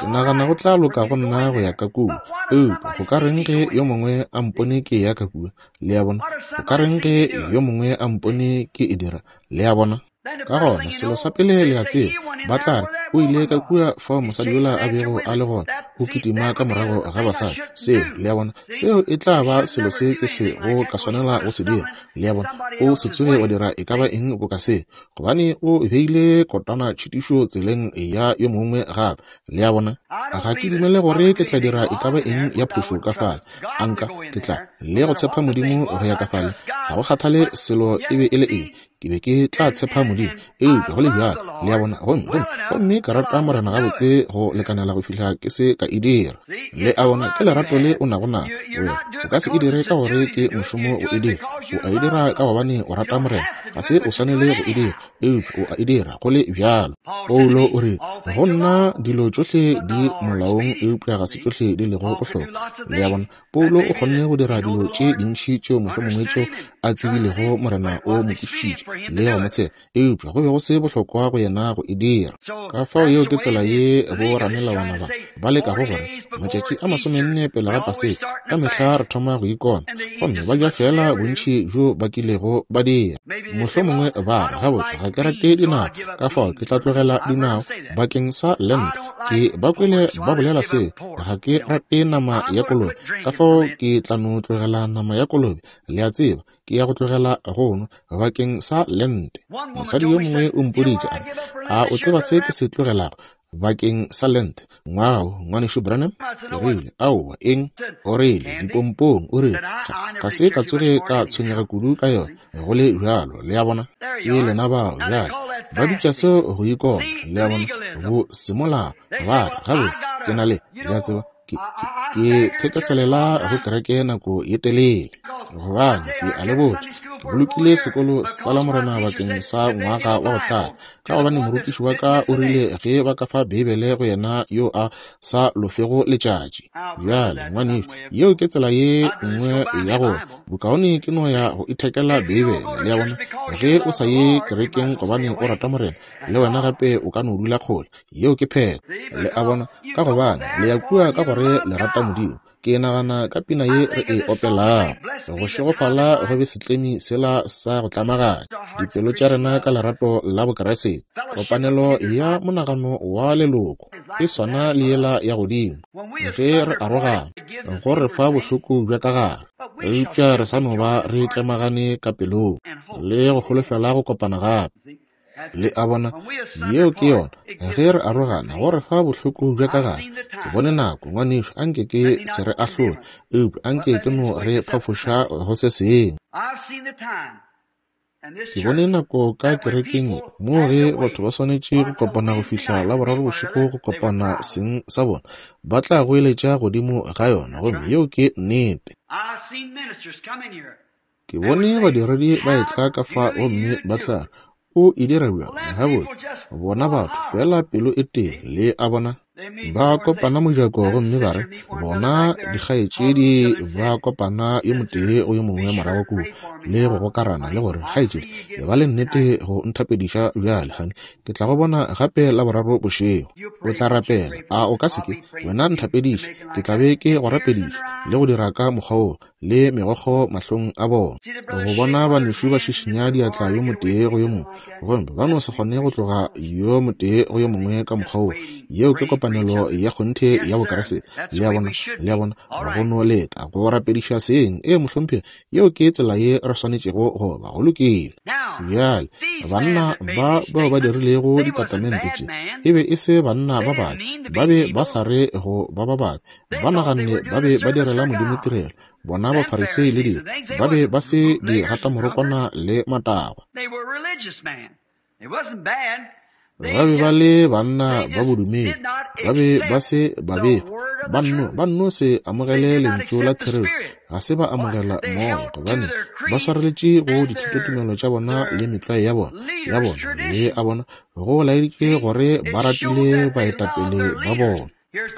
Speaker 1: Ke nagana go tla loka go nna go ya ka kua. Eupša go ka reng ge yo mongwe a mpone ke ya ka kua? Le a bona? Go ka reng ge yo mongwe a mpone ke e dira? Le a bona? Ka gona, selo sa pele le a tseba, ba tla re, o ile ka kua fao mosadi yola a bego a le gona, o kitima ka morago ga basadi. Seo, le a bona, seo e tla ba selo se ke se go ka swanela go se dira. Le a bona, o se tsoge wa dira e ka ba eng boka se, gobane o beile kotana tšhitišo tseleng ya yo mongwe gape. Le a bona, ga ke dumele gore ke tla dira e ka ba eng ya phošo ka fale. A nka, ke tla le go tshepa Modimo go ya ka fale. Ga go kgathale selo e be e le eng, ke be ke tla tshepa Modimo. Eupša go le bjalo, le a bona, gomme, gomme, gomme ka rata Morena gabotse go lekanela go fihla ke se ka e dira. Le a bona, ke lerato le o nago nalo. Wena o ka se e dire ka gore ke mošomo go e dira. O a e dira ka gobane o rata Morena. Ga se o swanele go e dira, eupša o a e dira go le bjalo. Paulo o re, go nna dilo tšohle di molaong, eupša ga se tšohle di lego bohlokwa. Le a bona, Paulo o kgonne go dira dilo tše dintši tšeo mohlomongwe tšeo a tsebilego Morena o mo kwešišitše le go mo tshepa, eupša go be go se bohlokwa go yena go e dira. Ka fao yeo ke tsela ye boramelawana ba ba lekago gore matšatši a masomenne pele ga Paseka ka mehla re thoma go ikona, gomme ba ja fela bontši bjo ba kilego ba dira. Mohlomongwe ba re, gabotse ga ke rate dinao, ka fao ke tla tlogela dinao bakeng sa Lent. Ke ba kwele ba bolela seo, ga ke rate nama ya kolobe, ka fao ke tla no tlogela nama ya kolobe. Le a tseba, ke ya go tlogela go nwa bakeng sa Lent. Mosadi yo mongwe o mpoditše a re, a o tseba se ke se tlogelago bakeng sa Lent ngwaga wo, ngwanešu Branham? Ke rile, aowa, eng? O rile, dipompong. O rile, ga se ka tsoge ka tshwenyega kudu ka yona, go le bjalo. Le a bona, ke lena bao bjale ba bitša seo go ikona. Le a bona, bo semolao. Ba re, gabotse, ke na le, le a tseba, ke, ke, ke thekeselela go kereke nako ye telele, gobane ke a le botša, ke bolokile sekolo sa Lamorena bakeng sa ngwaga wa go tlala, ka gobane morutiši wa ka o rile ge ba ka fa Beibele go yena yo a sa lofego letšatši. Bjale, ngwanešu, yeo ke tsela ye nngwe ya gore bokaone ke no ya go ithekela Beibele. Le a bona, ge o sa ye kerekeng gobane o rata Morena, le wena gape o ka no dula kgole. Yeo ke phetho. Le a bona, ka gobane le ya kua ka gore le rata Modimo. Ke nagana ka pina ye re e opelago, go šegofala go be setlemi sela sa go tlamaganya dipelo tša rena ka lerato la Bokriste. Kopanelo ya monagano wa leloko e swana le yela ya godimo. Ge re arogana, go re fa bohloko bja ka gare, eupša re sa no ba re tlemagane ka pelong le go holofela go kopana gape. Le a bona, yeo ke yona. Ge re arogana, go re fa bohloko bja ka gare. Ke bone nako, ngwanešu, anke ke se re ahlole, eupša anke ke no re phafoša go se sengwe. Ke bone nako ka kerekeng ye moo ge batho ba swanetše go kopana go fihla Laboraro bošego go kopana seng sa bona, ba tla goeletša godimo ga yona, gomme yeo ke nnete. Ke bone badiredi ba etla ka fa gomme ba tla re, o e dira bjang? Gabotse, bona batho fela pelo e tee. Le a bona, ba kopana mojako gomme ba re, bona dikgaetšedi ba kopana yo motee go yo mongwe morago kua le go gokarana le gore, kgaetšedi, e ba le nnete go nthapediša bjale, honey, ke tla go bona gape Laboraro bošego. O tla rapela, a o ka se ke? Wena nthapediše, ke tla be ke go rapediša le go dira ka mokgwa wo, le megokgo mahlong a bona. Go bona banešu ba šišinya diatla yo motee go yo mongwe, gomme ba no se kgone go tloga yo motee go yo mongwe ka mokgwa wo. Yeo ke kopanelo ya kgonthe ya Bokriste. Le a bona, le a bona, go no leta go rapediša seng. Ee, mohlomphegi, yeo ke tsela ye re swanetšego go ba. Go lokile. Bjale, banna ba bao ba dirilego ditatamente tše e be e se banna ba babe, ba be ba sa re go ba ba babe, ba naganne ba be ba direla Modimo tirelo. Bona Bafarisei le dilo, ba be ba se di gatamorokwana le matagwa. Ba be ba le banna ba bodumedi, ba be ba se babefa, ba nno ba nno se amogele lentšu la therešo, ga se ba amogela moya, gobane ba swareletše go dithutotumelo tša bona le metlwae ya bona ya bona. Le a bona, go laeditše gore ba ratile baetapele ba bona.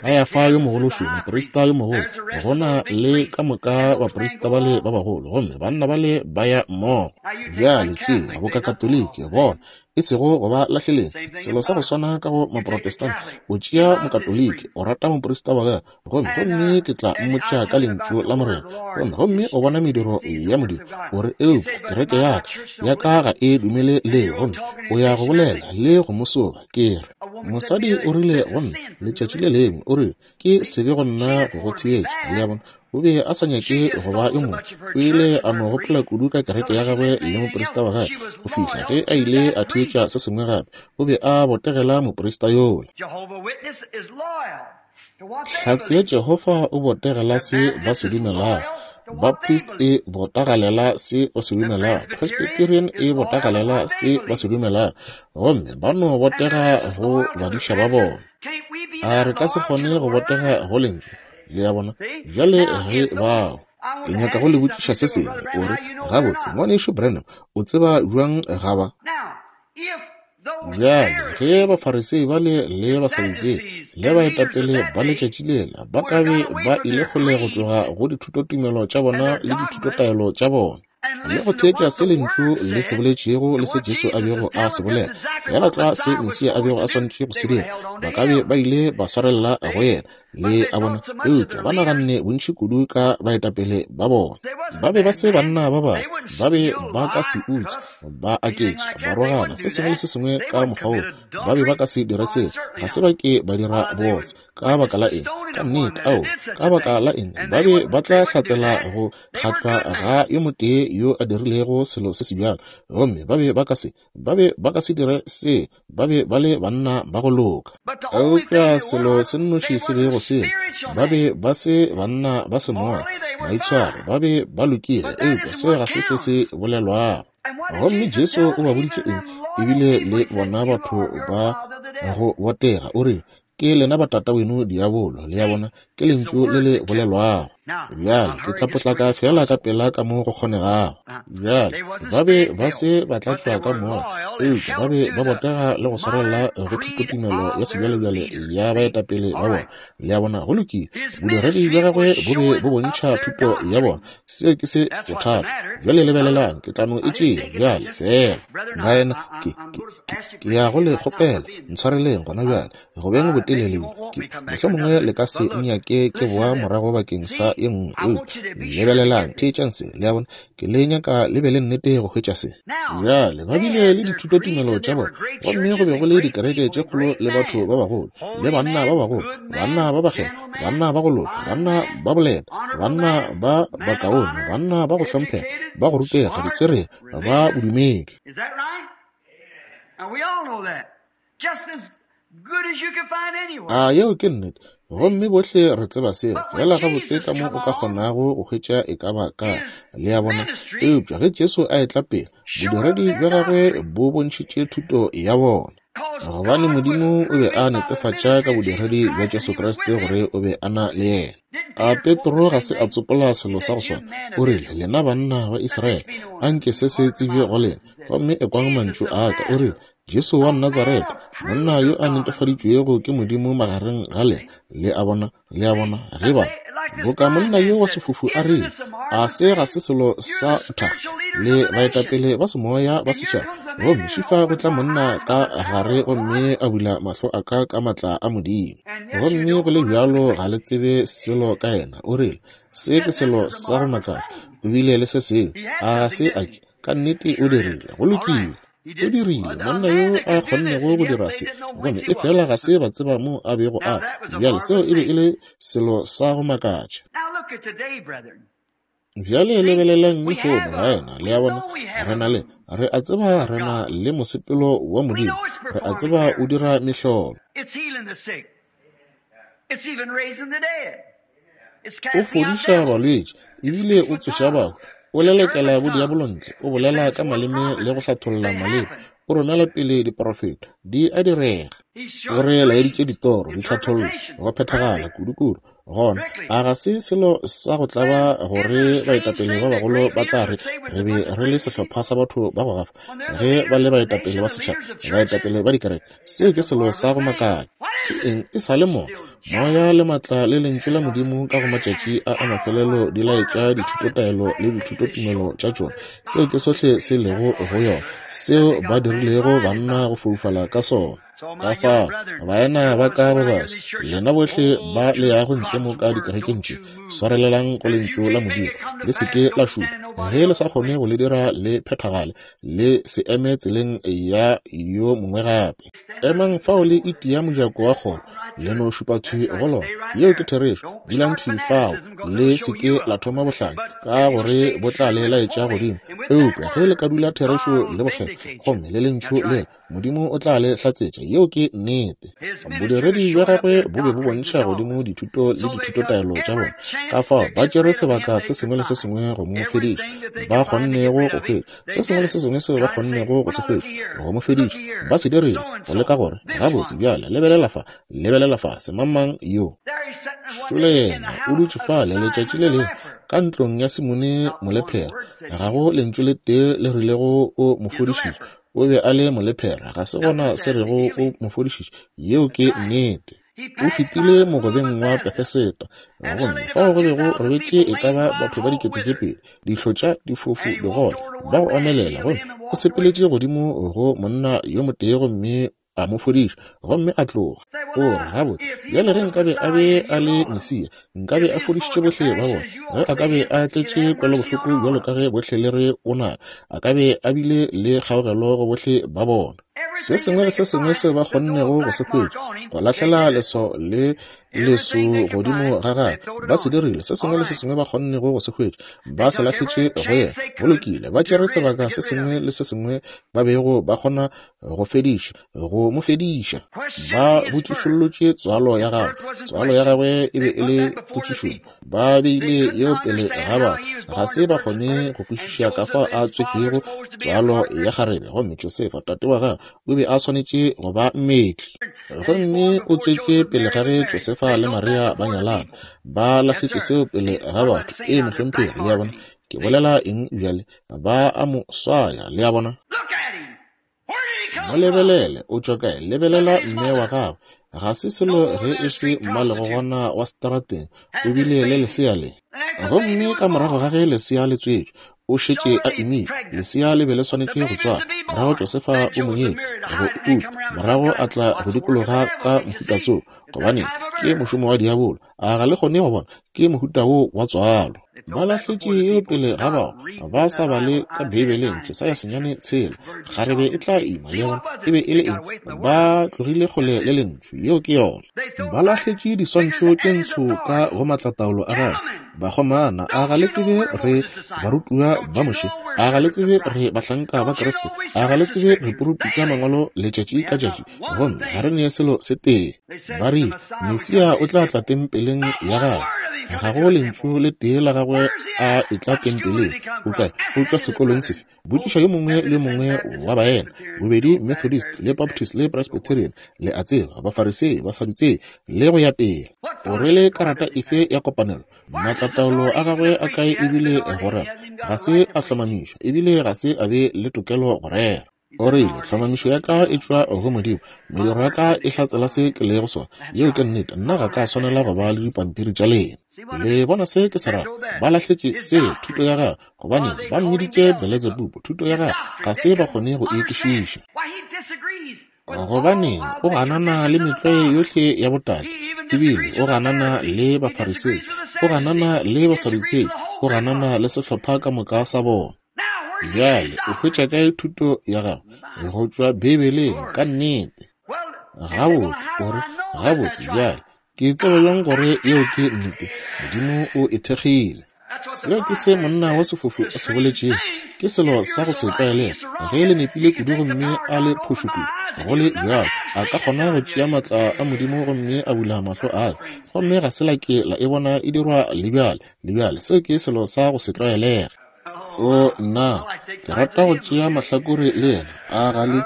Speaker 1: Kayafa yo mogolo šo, moprista yo mogolo, gona le ka moka baprista bale ba bagolo, gomme banna bale ba ya mmogo. Bjale tšea bokatoliki, bona, e sego go ba lahleleng, selo sa go swana ka go Maprotestant. O tšea Mokatoliki, o rata moprista wa gagwe, gomme gomme ke tla mmotša ka lentšu la Morena, gomme gomme o bona mediro ya Modimo, o re, eupša kereke ya ka, ya ka ga e dumele leo, gomme o ya go bolela le go mo soba. Ke re, mosadi o rile go nna letšatši le lengwe, o rile, ke sebe go nna go go theetša. Le a bona, o be a sa nyake go ba yo mongwe. O ile a no gopola kudu ka kereke ya gagwe le moprista wa gagwe go fihla ge a ile a theetša se sengwe gape. O be a botegela moprista yola. Hlatse ya Jehofa o botegela se ba se dumelago. Baptist e botagalela se ba se dumelago. Presbyterian e botagalela se ba se dumelago. Gomme ba no botega go badiša ba bona. A re ka se kgone go botega go lentšu? Le a bona? Bjale ge bao, ke nyaka go le botšiša se sengwe. O re, gabotse, ngwanešu Branham, o tseba bjang ga ba? Bjale ge Bafarisei bale le Basadutsei le baetapele ba letšatši lela ba ka be ba ile kgole go tloga go dithutotumelo tša bona le dithutotaelo tša bona, le go theetša se lentšu le se boletšego le se Jesu a bego a se bolela, fela tlwa se Mesia a bego a swanetše go se dira, ba ka be ba ile ba swarelela go yena. Le a bona? Eupša ba naganne bontši kudu ka baetapele ba bona. Ba be ba se banna ba babe, ba be ba ka se utswe, ba aketše, ba rogana, se sengwe le se sengwe ka mokgwa woo. Ba be ba ka se dire seo, ga se ba ke ba dira bootswa. Ka baka la eng? Ka nnete, ao, ka baka la eng? Ba be ba tla hlatsela go kgatlwa ga yo motee yo a dirilego selo se se bjalo, gomme ba be ba ka se, ba be ba ka se dire se, ba be ba le banna ba go loka. Eupša selo se nnoši se bego se, ba be ba se banna ba semoya, maitshwaro, ba be ba lokile, eupša se ga se se se bolelwago. Gomme Jesu o ba boditše eng? Ebile le bona batho ba go botega, o re, ke lena batata weno diabolo. Le a bona, ke lentšu le le bolelwago. Bjale ke tla potlaka fela ka pela ka mo go kgonegago. Bjale ba be ba se ba tlatšwa ka moya, eupša ba be ba botega le go swarelela go thutotumelo ya sebjalebjale ya baetapele ba bona. Le a bona, go lokile. Bodiredi bja gagwe bo be bo bontšha thuto ya bona. Seo ke se bothata. Bjale lebelelang, ke tla no e tšea bjale fela. Baena, ke, ke, ke, ke ya go le kgopela, ntshwareleng gona bjale, go beng botelele bjo. Ke, mohlomongwe le ka se nnyake ke boa morago bakeng sa ye nngwe. Eupša lebelelang, theetšang se. Le a bona, ke le nyaka le be le nnete go hwetša se. Bjale ba bile le dithutotumelo tša bona, gomme go be go le dikereke tše kgolo le batho ba bagolo, le banna ba bagolo, banna ba bakgethwa, banna ba go loka, banna ba boleta, banna ba bakaone, banna ba go hlomphega, ba go rutega, ditswerere, ba bodumedi.
Speaker 2: Is that right? And we all know that. Just as good as you can find anywhere.
Speaker 1: A yeo ke nnete. Gomme bohle re tseba seo, fela gabotse ka mo o ka kgonago go hwetša e ka ba ka. Le a bona? Eupša ge Jesu a etla pele, bodiredi bja gagwe bo bontšhitše thuto ya bona. Gobane Modimo o be a netefatša ka bodiredi bja Jesu Kriste gore o be a na le yena. A Petro ga se a tsopola selo sa go swana? O rile, lena banna ba Israele, anke se se tsebje go lena, gomme ekwang mantšu a ka. O rile, Jesu wa Nazareta, monna yo a netefaditšwego ke Modimo magareng ga lena. Le a bona, le a bona, ge ba boka monna yo wa sefofu a rile, a se ga se selo sa thakga le baetapele ba semoya ba setšhaba. Gomme šifa go tla monna ka gare gomme a bula mahlo a ka ka matla a Modimo. Gomme go le bjalo ga le tsebe selo ka yena. O rile, se ke selo sa go makatša. O bile le se sengwe, a ga se a ke? Ka nnete o dirile, go lokile. O dirile, monna yo a kgonnego go dira se, gomme e fela ga se ba tseba mo a bego a. Bjale seo e be e le selo sa go makatša.
Speaker 2: Now look at today, brethren.
Speaker 1: Bjale lebelelang lehono, baena. Le a bona, re na le, re a tseba re na le mosepelo wa Modimo, re a tseba o dira mehlolo.
Speaker 2: It's healing the sick. It's even raising the dead. It's
Speaker 1: O
Speaker 2: casting out
Speaker 1: fodiša
Speaker 2: devils.
Speaker 1: balwetši, ebile o tsoša bahu, o lelekela bodiabolo ntle, o bolela ka maleme le go hlatholla maleme, o romela pele diprofeto, di a direga.
Speaker 2: He
Speaker 1: O
Speaker 2: showed
Speaker 1: re laeditše
Speaker 2: dreams,
Speaker 1: ditoro, ditlhathollo,
Speaker 2: interpretation,
Speaker 1: go phethagala
Speaker 2: perfect.
Speaker 1: kudu-kudu. Gona a ga se selo sa go tlaba gore baetapele ba bagolo ba tla re re be re le sehlopha sa batho ba go gafa ge ba le baetapele ba setšhaba, baetapele ba dikereke. Seo ke selo sa go makatša. Ke eng e sa le mo? Moya le maatla le lentšu la Modimo ka go matšatši a a mafelelo di laetša dithutotaelo le dithutotumelo tša tšona. Seo ke sohle se lego go yona, seo ba dirilego banna go foufala ka sona. Ka fao, baena ba ka ba baswa, lena bohle ba le yago ntle mo ka dikerekeng tše, swarelelang go lentšu la Modimo, le se ke la šupa. Ge le sa kgone go le dira le phethagale, le se eme tseleng ya yo mongwe gape. Emang fao le itia mojako wa kgoro, le no šupa thwi go lona. Yeo ke therešo. Dulang thwi fao, le se ke la thoma bohlanya, ka gore bo tla le laetša godimo. Eupša ge le ka dula therešo le bokgethwa, gomme le lentšu lela, Modimo o tla le hlatsetša. Yeo ke nnete. Bodiredi bja gagwe bo be bo bontšha godimo dithuto le dithutotaelo tša bona. Ka fao ba tšere sebaka se sengwe le se sengwe go mo fediša ba kgonnego go hwetša, se sengwe le se sengwe seo ba kgonnego go se hwetša go mo fediša, ba se dirile go leka gore gabotse bjale lebelela fa, lebelela fa, semangmang yo. Šole yena o dutše fale letšatši le lengwe ka ntlong ya Simone molephera. Ga go lentšu le tee le rilego o mo fodišitše. O be a le molephera, ga se gona se rego o mo fodišitše. Yeo ke nnete. O fetile mogobeng wa Betheseda, gomme fao go be go robetše e ka ba batho ba dikete tše pedi, dihlotša, difofu, digole, ba go omelela. Gomme o sepeletše godimo go monna yo motee gomme a mo fodiša, gomme a tloga. O re, gabotse bjale ge nkabe a be a le Mesia, nkabe a fodišitše bohle ba bona. Ge a ka be a tletše kwelobohloko bjalo ka ge bohle le re o na, a ka be a bile le kgaogelo go bohle ba bona. Se sengwe le se sengwe seo ba kgonnego go se hwetša, go lahlela leso le leso godimo ga gagwe, ba se dirile. Se sengwe le se sengwe ba kgonnego go se hwetša, ba se lahletše go yena. Go lokile, ba tšere sebaka se sengwe le se sengwe ba bego ba kgona go fediša, go mo fediša. Ba botšišollotše tswalo ya gagwe. Tswalo ya gagwe e be e le potšišong. Ba beile yeo pele ga batho. Ga se ba kgone go kwešiša ka fao a tswetšwego tswalo ya kgarebe, gomme Josefa tate wa gagwe o be a swanetše go ba mmetli. Gomme o tswetšwe pele ga ge Josefa le Maria ba nyalana. Ba lahletše seo pele ga batho. Ee, mohlomphegi, le a bona. Ke bolela eng bjale? Ba a mo swaya, le a bona. Mo lebelele, o tšwa kae? Lebelela mme wa gagwe. Ga se selo ge e se mmalegogwana wa seterateng. O bile le lesea le. Gomme ka morago ga ge lesea le tswetšwe, o šetše a imile. Lesea le be le swanetše go tswala. Morago Josefa o mo nyetše go uta, morago a tla go dikologa ka mohuta tsoo, gobane ke mošomo wa diabolo. A ga le kgone go bona? Ke mohuta wo wa tswalo. Ba lahletše yeo pele ga bao ba sa bale ka Beibeleng. Jesaya senyane tshela, kgarebe e tla ima, le bona e be e le eng? Ba tlogile kgole le lentšu. Yeo ke yona. Ba lahletše diswantšho tše ntsho ka go maatlataolo a gagwe. Bakgomana, a ga le tsebe re barutiwa ba Moshe? A ga le tsebe re bahlanka ba Kriste? A ga le tsebe re poruputša mangwalo letšatši ka tšatši? Gomme ga re ne selo se tee. Ba rile Mesia o tla tla tempeleng ya gagwe. Ga go lentšu le tee la gagwe a etla tempeleng. O kae? O tšwa sekolong sefe? Botšiša yo mongwe le yo mongwe wa baena, bobedi Methodist le Baptist le Presbyterian, le a tseba, Bafarisei, Basadutsei, le go ya pele. O rwele karata efe ya kopanelo? Maatlataolo a gagwe a kae ebile go rera? Ga se a hlomamišwa, ebile ga se a be le tokelo go rera. O rile, tlhomamišo ya ka e tšwa go Modimo, mediro ya ka e hlatsela se ke lego sona. Yeo ke nnete. Nna ga ka swanela go ba le dipampiri tša lena. Le bona se ke se rago? Ba lahletše se, thuto ya gagwe, gobane ba mmiditše Beletsebubu. Thuto ya gagwe ga se ba kgone go e kwešiša. Gobaneng o ganana le metlwae yohle ya botate, ebile o ganana le Bafarisei, o ganana le Basadutsei, o ganana le sehlopha ka moka sa bona. Bjale o hwetša kae thuto ya gago? Go tšwa Beibeleng, ka nnete. Gabotse, o re, gabotse bjale ke tseba bjang gore yeo ke nnete? Modimo o e thekgile. Seo ke se monna wa sefofu a se boletšego. Ke selo sa go se tlwaelege. Ge le nepile kudu gomme a le phošo kudu, go le bjalo a ka kgona go tšea maatla a Modimo gomme a bula mahlo a ka, gomme ga se la ke la e bona e dirwa le bjale le bjale. Seo ke selo sa go se tlwaelege. O nna, ke rata go tšea mahlakore le yena. A ga le?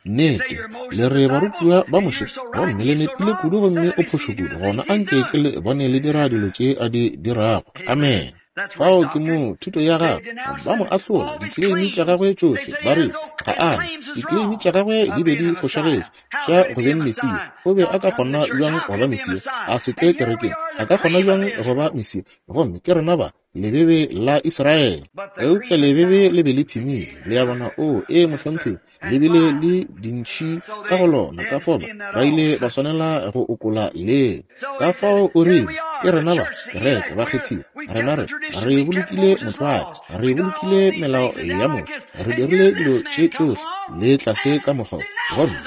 Speaker 1: Nnete, le re barutiwa ba Moshe, gomme le nepile kudu gomme o phošo kudu, gona anke ke le bone le dira dilo tše a di dirago. Amen. Fao ke mo thuto ya gagwe, ba mo ahlola, dikleimi tša gagwe tšohle, ba re ga a na, dikleimi tša gagwe di be di fošagetše tša go beng Mesia. O be a ka kgona bjang go ba Mesia a se tle kerekeng? A ka kgona bjang go ba Mesia? Gomme ke rena ba lebebe la Israele. Eupša lebebe le be le thimile, le a bona. O ee, mohlomphegi, le bile le dintšhi ka go lona, ka fao ba ile ba swanela go okola leo. Ka fao o rile, ke rena ba kereke ba kgethiwa, rena re re bolokile motlwae, re bolokile melao ya Moshe, re dirile dilo tše tšohle le tlase ka mokgwa. Gomme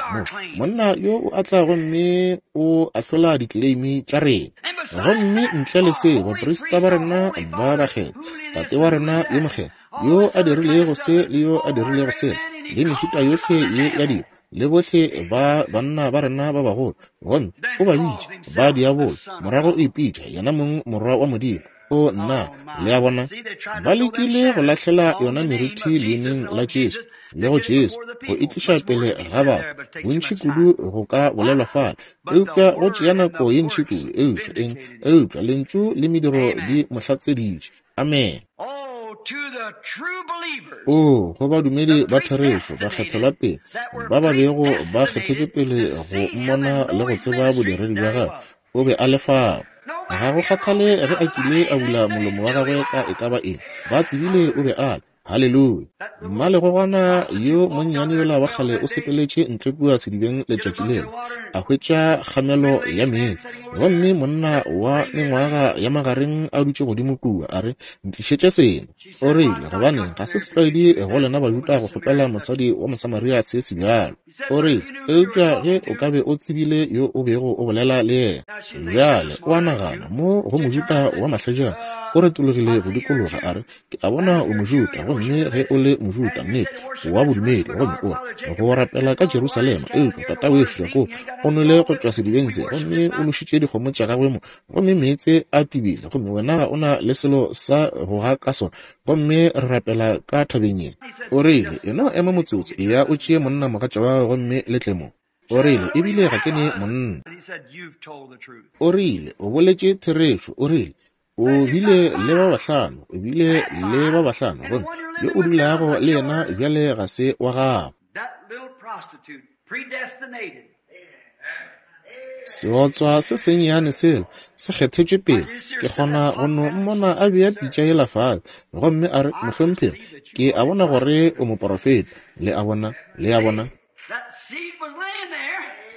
Speaker 1: mo monna yo o a tla gomme o ahlola dikleimi tša rena. Gomme ntle le seo, baprista ba rena ba bakgethwa, tate wa rena yo mokgethwa, yo a dirilego se le yo a dirilego sela, le mehuta yohle ye ya dilo, le bohle ba banna ba rena ba bagolo, gomme o ba bitša ba diabolo, morago o ipitša yena mong morwa wa Modimo. O nna, le a bona, ba lekile go lahlela yona meriti leineng la Jesu le go Jesu, go e tliša pele ga batho. Bontši kudu go ka bolelwa fale, eupša go tšea nako ye ntši kudu. Eupša eng? Eupša lentšu le mediro di mo hlatseditše. Amen. O go badumedi ba therešo, bakgethelwa pele, ba ba bego ba kgethetšwe pele go mmona le go tseba bodiredi bja gagwe, o be a le fao. Ga go kgathale ge a kile a bula molomo wa gagwe ka e ka ba eng, ba tsebile o be a le. Haleluya. Mmalegogwana yo monnyane yola wa kgale o sepeletše ntle kua sedibeng letšatši lela, a hwetša kgamelo ya meetse, gomme monna wa mengwaga ya magareng a dutše godimo kua, a re, ntlišetše seno. O rile, gobaneng, ga se setlwaedi go lena Bajuda go kgopela mosadi wa Mosamaria se se bjalo. O rile, eupša ge o ka be o tsebile yo o bego o bolela le yena. Bjale o a nagana, mo go Mojuda wa mahlajana, o retologile go dikologa, a re, ke a bona o Mojuda, gomme ge o le Mojuda, nnete, wa bodumedi, gomme o re go rapela ka Jerusalema, eupša tata wešo Jakobo o nwele go tšwa sedibeng se, gomme o nošitše dikgomo tša gagwe mo, gomme meetse a tibile, gomme wena ga o na le selo sa go ga ka sona, gomme re rapela ka thabeng ye. O rile, eno ema motsotso, eya o tšee monna mogatša wa gago gomme le tle mo. O rile, ebile ga ke ne monna. O rile, o boletše therešo. O rile, o bile le ba bahlano, o bile le ba bahlano, gomme yo o dulago le yena bjale ga se wa gago. Seotswa se sennyane sela se kgethetšwe pele. Ke kgona go no mmona a bea pitša yela fale, gomme a re, mohlomphegi, ke a bona gore o moporofeta. Le a bona, le a bona.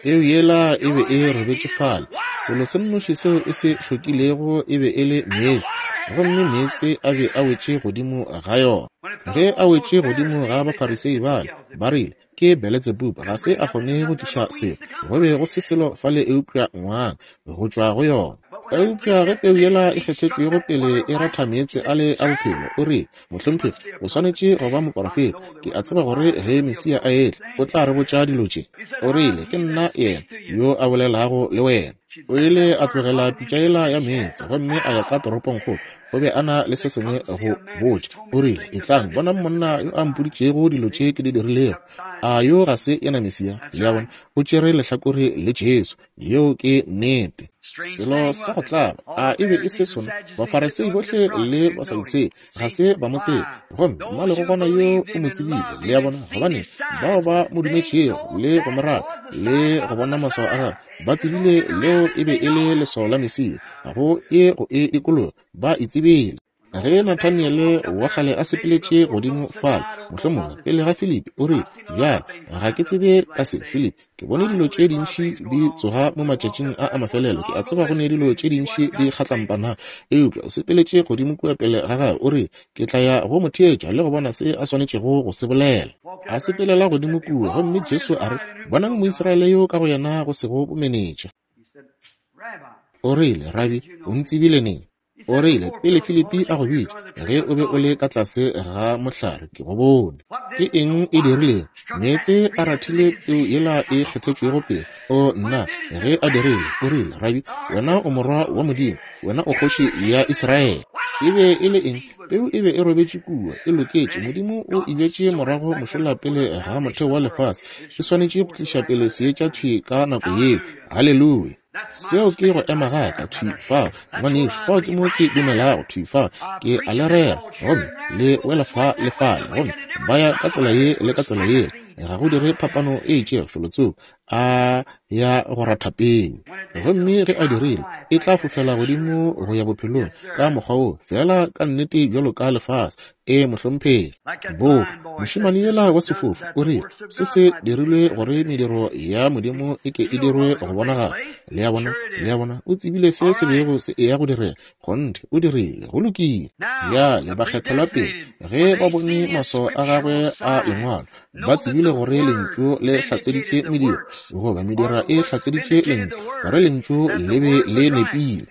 Speaker 1: Peu yela e be e robetše fale. Selo se nnoši seo e se hlokilego e be e le meetse, gomme meetse a be a wetše godimo ga yona. Ge a wetše godimo ga Bafarisei bale, ba rile, ke Beletsebubu, ga se a kgone go tliša selo, go be go se selo fale eupša ngwang go tšwa go yona. Eupša ge peu yela e kgethetšwego pele e ratha meetse a le a bophelo, o rile, mohlomphegi, o swanetše go ba moporofeta. Ke a tseba gore ge Mesia a etla, o tla re botša dilo tše. O rile, ke nna yena yo a bolelago le wena. O ile a tlogela pitša yela ya meetse gomme a ya ka toropongkgolo. O be a na le se sengwe go botša. O rile, etlang, bonang monna yo a mpoditšego dilo tše ke di dirilego. A yo ga se yena Mesia? Le a bona, o tšere lehlakore le Jesu. Yeo ke nnete. Selo sa go tlaba, a e be e se sona? Bafarisei bohle le Basadutsei ga se ba mo tsebe, gomme mmalegogwana yo o mo tsebile. Le a bona, gobane bao ba mo dumetšego le go mo rata le go bona maswao a gagwe, ba tsebile leo e be e le leswao la Mesia. Go e go e dikologa, ba e tsebile. Ge Nathaniele wa kgale a sepeletše godimo fale, mohlomongwe pele ga Filipi, o rile, bjale ga ke tsebe ka se, Filipi, ke bone dilo tše dintši di tsoga mo matšatšing a a mafelelo, ke a tseba go ne dilo tše dintši di kgatlampana, eupša o sepeletše godimo kua pele ga gagwe, o rile, ke tla ya go mo theetša le go bona se a swanetšego go se bolela. A sepelela godimo kua, gomme Jesu a re, bonang Moisraele yo ka go yena go sego bomenetša. O rile, Rabi, o ntsebile neng? O rile, pele Filipi a go bitša, ge o be o le ka tlase ga mohlare, ke go bone. Ke eng e dirilego? Meetse a rathile peu yela e kgethetšwego pele. O nna, ge a dirile, o rile, Rabi, wena o morwa wa Modimo, wena o kgoši ya Israele. E be e le eng? Peu e be e robetše kua, e loketše. Modimo o e bjetše morago mošola pele ga motheo wa lefase. E swanetše go tliša pele seetša thwi ka nako yeo. Haleluya! Seo ke go ema ga ka thwi fao, ngwanešu. Fao ke mo ke dumelago thwi fao. Ke a le rera, gomme le wela fa le fale, gomme ba ya ka tsela ye le ka tsela yela. Ga go dire phapano e itšego felotsoko, a ya go ratha peu. Gomme ge a dirile, e tla fofela godimo go ya bophelong ka mokgwa wo, fela ka nnete bjalo ka lefase. E mohlomphegi. Bo mošemane yola wa sefofu o rile, se se dirilwe gore mediro ya Modimo e ke e dirwe go bonagala. Le a bona, le a bona, o tsebile se se bego se eya go direga. Kgonthe, o dirile, go lokile. Bjale bakgethelwa pele, ge ba bone maswao a gagwe a lengwalo, ba tsebile gore lentšu le hlatseditše mediro, goba mediro e hlatseditše lentšu, gore lentšu le be le nepile.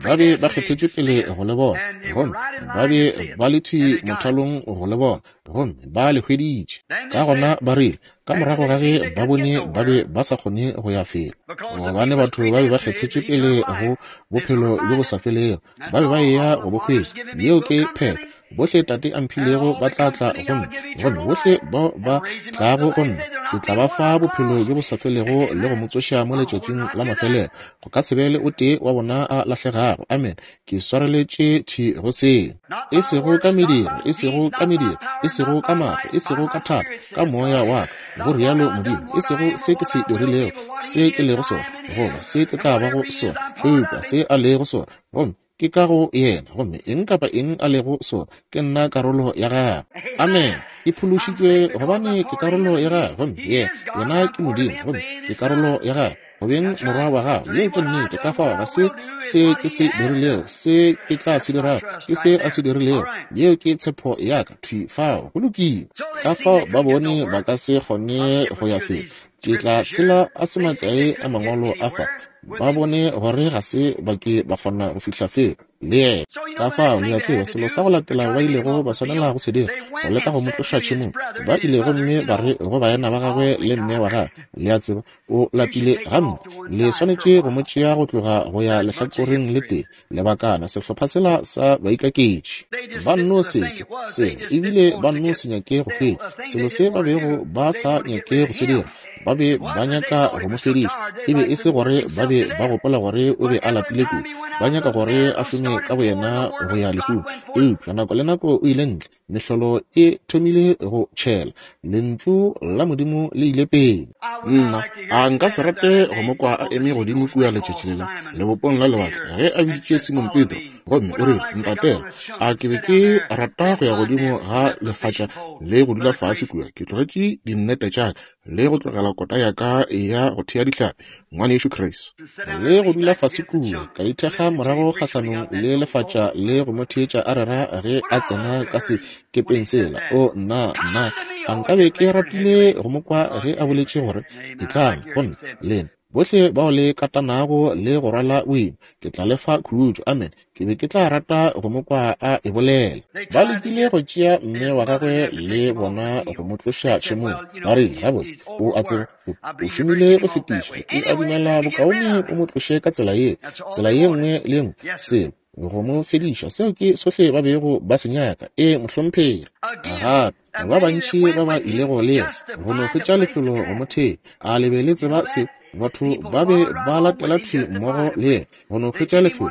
Speaker 1: Ba be ba kgethetšwe pele go le bona, gomme ba be ba le thwi mothalong go le bona, gomme ba le hweditše. Ka gona ba rile, ka morago ga ge ba bone ba be ba sa kgone go ya felo, gobane batho ba be ba kgethetšwe pele go bophelo bjo bo sa felego, ba be ba eya go bo hwetša. Yeo ke phetho. Bohle Tate a mphilego ba tla tla go nna, gomme bohle bao ba tlago go nna ke tla ba fa bophelo bjo bo sa felego le go mo tsoša mo letšatšing la mafelelo. Go ka se be le o tee wa bona a lahlegago. Amen. Ke swareletše thwi go seo. E sego ka mediro, e sego ka mediro, e sego ka maatla, e sego ka thata, ka moya wa ka, go rialo Modimo. E sego se ke se dirilego, se ke lego sona, goba se ke tla bago sona, eupša se a lego sona, gomme ke ka go yena, gomme eng kapa eng a lego sona, ke nna karolo ya gagwe. Amen. Ke phološitšwe gobane ke karolo ya gagwe, gomme yena, yena ke Modimo, gomme ke karolo ya gagwe. Go beng morwa wa gagwe. Yeo ke nnete. Ka fao ga se se ke se dirilego, se ke tla se dirago, ke se a se dirilego. Yeo ke tshepo ya ka thwi fao. Go lokile. Ka fao ba bone ba ka se kgone go ya felo. Ke tla tshela a se makae a mangwalo a fa. Ba bone gore ga se ba ke ba kgona go fihla felo le yena. Ka fao le a tseba selo sa go latela ba ilego ba swanela go se dira, go leka go mo tloša tšhemong. Ba ile gomme ba re go baena ba gagwe le mme wa gagwe, le a tseba, o lapile gampe, le swanetše go mo tšea go tloga go ya lehlakoreng le tee lebakana. Sehlopha sela sa baikaketši ba nno seke selo, ebile ba nno se nyake go hwetša selo se ba bego ba sa nyake go se dira. Ba be ba nyaka go mo fediša. E be e se gore ba be ba gopola gore o be a lapile kudu, ba nyaka gore a šome ka boyena go ya lehung. Eupša nako le nako o ile ntle, mehlolo e thomile go tšhela, lentšu la Modimo le ile pele. Nna a nka se rate go mo kwa a eme godimo kua letšatši lela lebopong la lewatle ge a biditše Simon Petro, gomme o rile, ntatela. A ke be ke rata go ya godimo ga lefatša le go dula fase kua, ke tlogetše dinnete tša ka le go tlogela kota ya ka ya go thea dihlapi, ngwanešu Chris, le go dula fase kua, ka ithekga morago kgahlanong le lefatša le go mo theetša a rera ge a tsena ka sekepeng sela. O nna, nna, a nkabe ke ratile go mo kwa ge a boletše gore, etlang go nna lena bohle bao le katanago le go rwala boima, ke tla le fa khutšo. Amen. Ke be ke tla rata go mo kwa a e bolela. Ba lekile go tšea mme wa gagwe le bona go mo tloša tšhemong. Ba rile, gabotse, o a tseba, o šomile go fetiša, ke a dumela bokaone o mo tloše ka tsela ye, tsela ye nngwe le nngwe, selo go mo fediša. Seo ke sohle ba bego ba se nyaka. E mohlomphegi. Gape ba bantši ba ba ilego le yena go no hwetša lefelo go mo thea. A le be le tseba se? Batho ba be ba latela thwi mmogo le yena go no hwetša lefelo,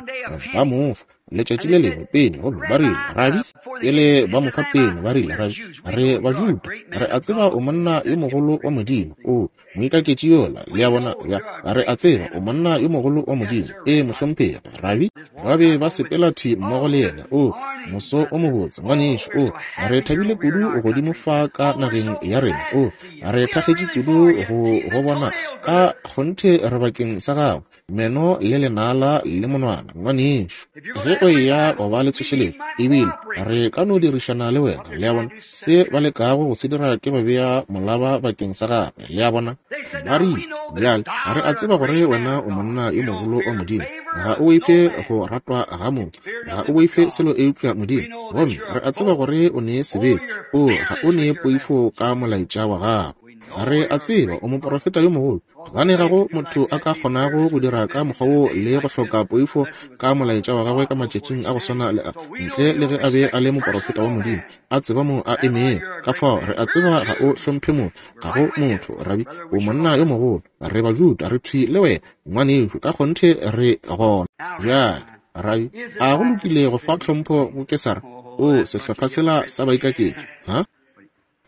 Speaker 1: ba mo fa letšatši le lengwe pene, gomme ba rile, Rabi, pele ba mo fa pene, ba rile, Rabi, re Bajuda, re a tseba o monna yo mogolo wa Modimo. O moikaketši yola, le a bona, ya, re a tseba o monna yo mogolo wa Modimo. E mohlomphegi, Rabi. Ba be ba sepela thwi mmogo le yena. O moso o mobotse, ngwanešu. O re thabile kudu godimo fa ka nageng ya rena. O re thakgetše kudu go go bona. Ka kgonthe re bakeng sa gago, meno le lenala le monwana, ngwanešu. Ge o eya go ba le tsošeletšo, ebile re ka no dirišana le wena. Le a bona, se ba lekago go se dira ke ba bea molaba bakeng sa gagwe. Le a bona, ba rile, bjale re a tseba gore wena o monna yo mogolo wa Modimo. Ga o boife go ratwa ga motho, ga o boife selo eupša Modimo. Gomme re a tseba gore o ne sebete, o ga o ne poifo ka molaetša wa gago. Re a tseba o moprofeta yo mogolo, gobane ga go motho a ka kgonago go dira ka mokgwa wo le go hloka poifo ka molaetša wa gagwe ka matšatšing a go swana le a, ntle le ge a be a le moprofeta wa Modimo, a tseba mo a emego. Ka fao re a tseba ga o hlomphe motho, ga go motho, Rabi, o monna yo mogolo. Re Bajuda, re thwi le wena, ngwanešu, ka kgonthe re gona. Bjale, Rabi, a go lokile go fa tlhompho go Kesara? O sehlopha sela sa baikaketši, ha?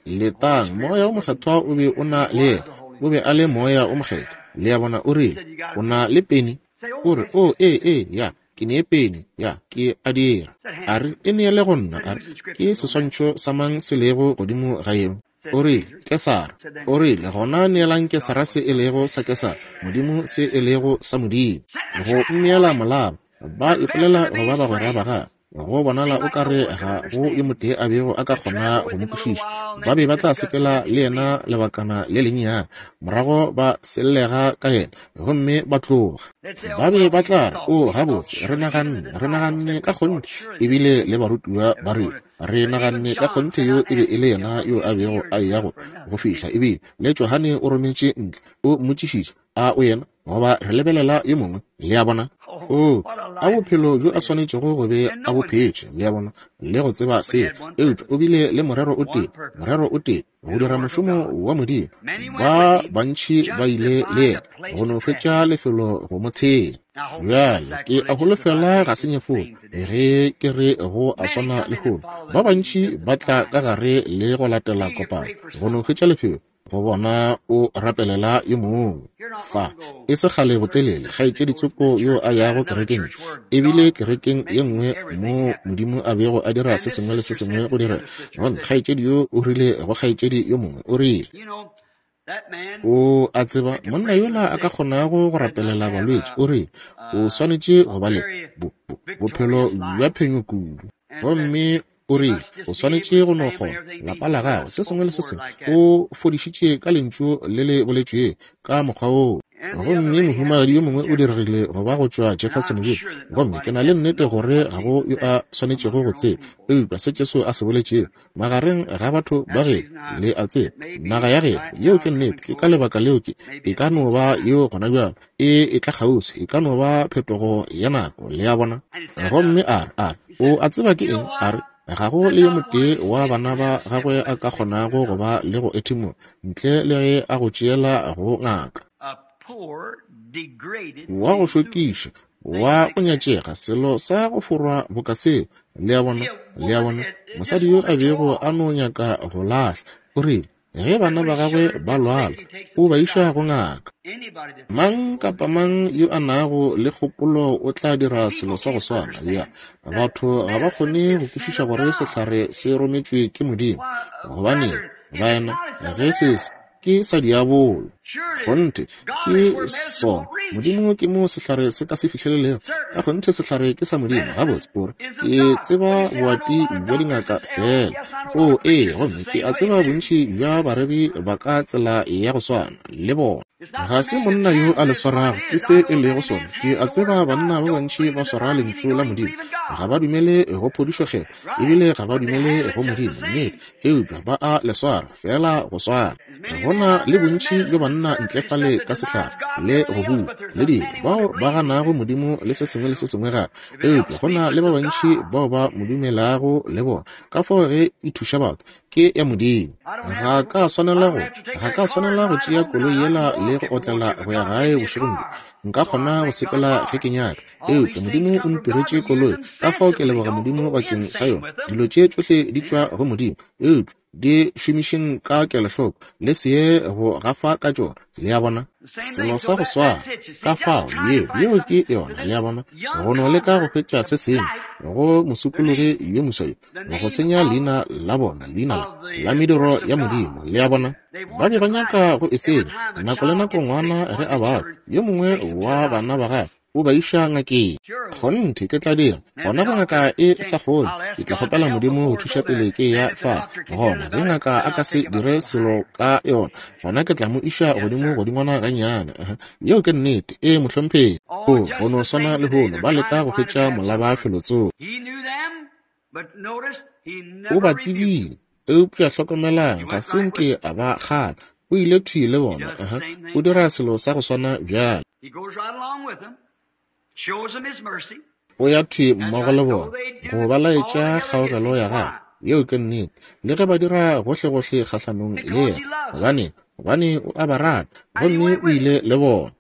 Speaker 1: Letang, Moya o Mokgethwa o be o na le yena, o be a le Moya o Mokgethwa. Le a bona, o rile, o na le peni? O re, o, ee, ee, ya, ke ne peni, ya, ke a dira. A re, e neele go nna. A re, ke seswantšho sa mang se lego godimo ga yeo? O rile, Kesara. O rile, gona neelang Kesara se e lego sa Kesara, Modimo se e lego sa Modimo. Go mmeela molaba, ba ipolela go ba bagwera ba gagwe. Go bonala o ka re ga go yo motee a bego a ka kgona go mo kwešiša. Ba be ba tla sepela le yena lebakana le lennyane, morago ba sellega ka yena gomme ba tloga. Ba be ba tla re, o, gabotse, re naganne, re naganne ka kgonthe, ebile le barutiwa ba rile, re naganne ka kgonthe yo e be e le yena yo a bego a eya go go fihla, ebile le Johane o rometše ntle, o mmotšišitše, a o yena, goba re lebelela yo mongwe? Le a bona? O, a bophelo bjo a swanetšego go be a bo phetše, le a bona, le go tseba seo. Eupša o bile le morero o tee, morero o tee, go dira mošomo wa Modimo. Ba bantši ba ile le yena go no hwetša lefelo go mo thea. Bjale ke a holofela ga se nyefolo ge ke re go a swana lehono. Ba bantši ba tla ka gare le go latela kopano go no hwetša lefelo go bona o rapelela yo mongwe. Fa e se kgale botelele, kgaetšedi tsoko yo a yago kerekeng, ebile kerekeng ye nngwe mo Modimo a bego a dira se sengwe le se sengwe go dira. Gomme kgaetšedi yo o rile go kgaetšedi yo mongwe, o rile, o a tseba monna yola a ka kgonago go rapelela balwetši, o rile, o swanetše go ba le bophelo bja phenyo kudu. Gomme o rile, o swanetše go no kgona lapa la gagwe, se sengwe le se sengwe, o fodišitše ka lentšu le le boletšwego ka mokgwa woo. Gomme mohumagadi yo mongwe o diregile go ba go tšwa Jeffersonville, gomme ke na le nnete gore ga go yo a swanetšego go tseba eupša se Jesu a se boletšego magareng ga batho ba geno, le a tseba, naga ya geno. Yeo ke nnete. Ke ka lebaka leo ke e ka no ba yeo gona bjalo e e tla kgauswi, e ka no ba phetogo ya nako, le a bona. Gomme a re, a re, o a tseba ke eng? A re, ga go le yo motee wa bana ba gagwe a ka kgonago go ba le go ethimola ntle le ge a go tšeela go ngaka. Wa go šokiša, wa go nyatšega, selo sa go forwa boka seo, le a bona, le a bona. Mosadi yo a bego a no nyaka go lahla, o rile, ge bana ba gagwe ba lwala, o ba iša go ngaka. Mang kapa mang yo a nago le kgopolo o tla dira selo sa go swana. Ya, batho ga ba kgone go kwešiša gore sehlare se rometšwe ke Modimo, gobane baena ge se se ke sa diabolo. Kgonthe ke sona. Modimo ke mo sehlare se ka se fihlelelego. Ka kgonthe sehlare ke sa Modimo. Gabotse, o re, ke tseba boati bja dingaka fela. O, ee, gomme ke a tseba bontši bja bareri ba ka tsela ya go swana le bona. Ga se monna yo a le swarago, ke se e lego sona. Ke a tseba banna ba bantši ba swara lentšu la Modimo, ga ba dumele go phodišo kgethwa, ebile ga ba dumele go Modimo, nnete, eupša ba a le swara fela go swana. Go na le bontši bja banna ntle fale ka sehlare le go bua le dilo, bao ba ganago Modimo le se sengwe le se sengwe gape, eupša go na le ba bantši bao ba mo dumelago le bona. Ka fao ge e thuša batho, ke ya Modimo. Ga ka swanela go ga ka swanela go tšea koloi yela le go otlela go ya gae bošegong bjo. Nka kgona go sepela ge ke nyaka, eupša Modimo o ntiretše koloi, ka fao ke leboga Modimo bakeng sa yona. Dilo tše tšohle di tšwa go Modimo, eupša di šomišeng ka kelohloko, le se ye go gafa ka tšona, le a bona. Selo sa go swana, ka fao yeo yeo ke yona, le a bona, go no leka go hwetša se sengwe go mosokologi yo moswa yo, go senya leina la bona, leina la la mediro ya Modimo, le a bona. Ba be ba nyaka go e senya. Nako le nako ngwana ge a bala, yo mongwe wa bana ba gagwe o ba iša ngakeng. Kgonthe ke tla dira gona ge ngaka e sa kgone, ke tla kgopela Modimo go thuša pele ke ya fa. Gona ge ngaka a ka se dire selo ka yona, gona ke tla mo iša godimo godingwana gannyane. Yeo ke nnete. E mohlomphegi. O go no swana lehono, ba leka go hwetša molaba felotsoko. O ba tsebile, eupša hlokomelang, ga se nke a ba kgala. O ile thwi le bona. Aha. O dira selo sa go swana bjale. O ya thwi mmogo le bona, go ba laetša kgaogelo ya gagwe. Yeo ke nnete. Le ge ba dira gohlegohle kgahlanong le yena, gobane gobane o a ba rata, gomme o ile le bona.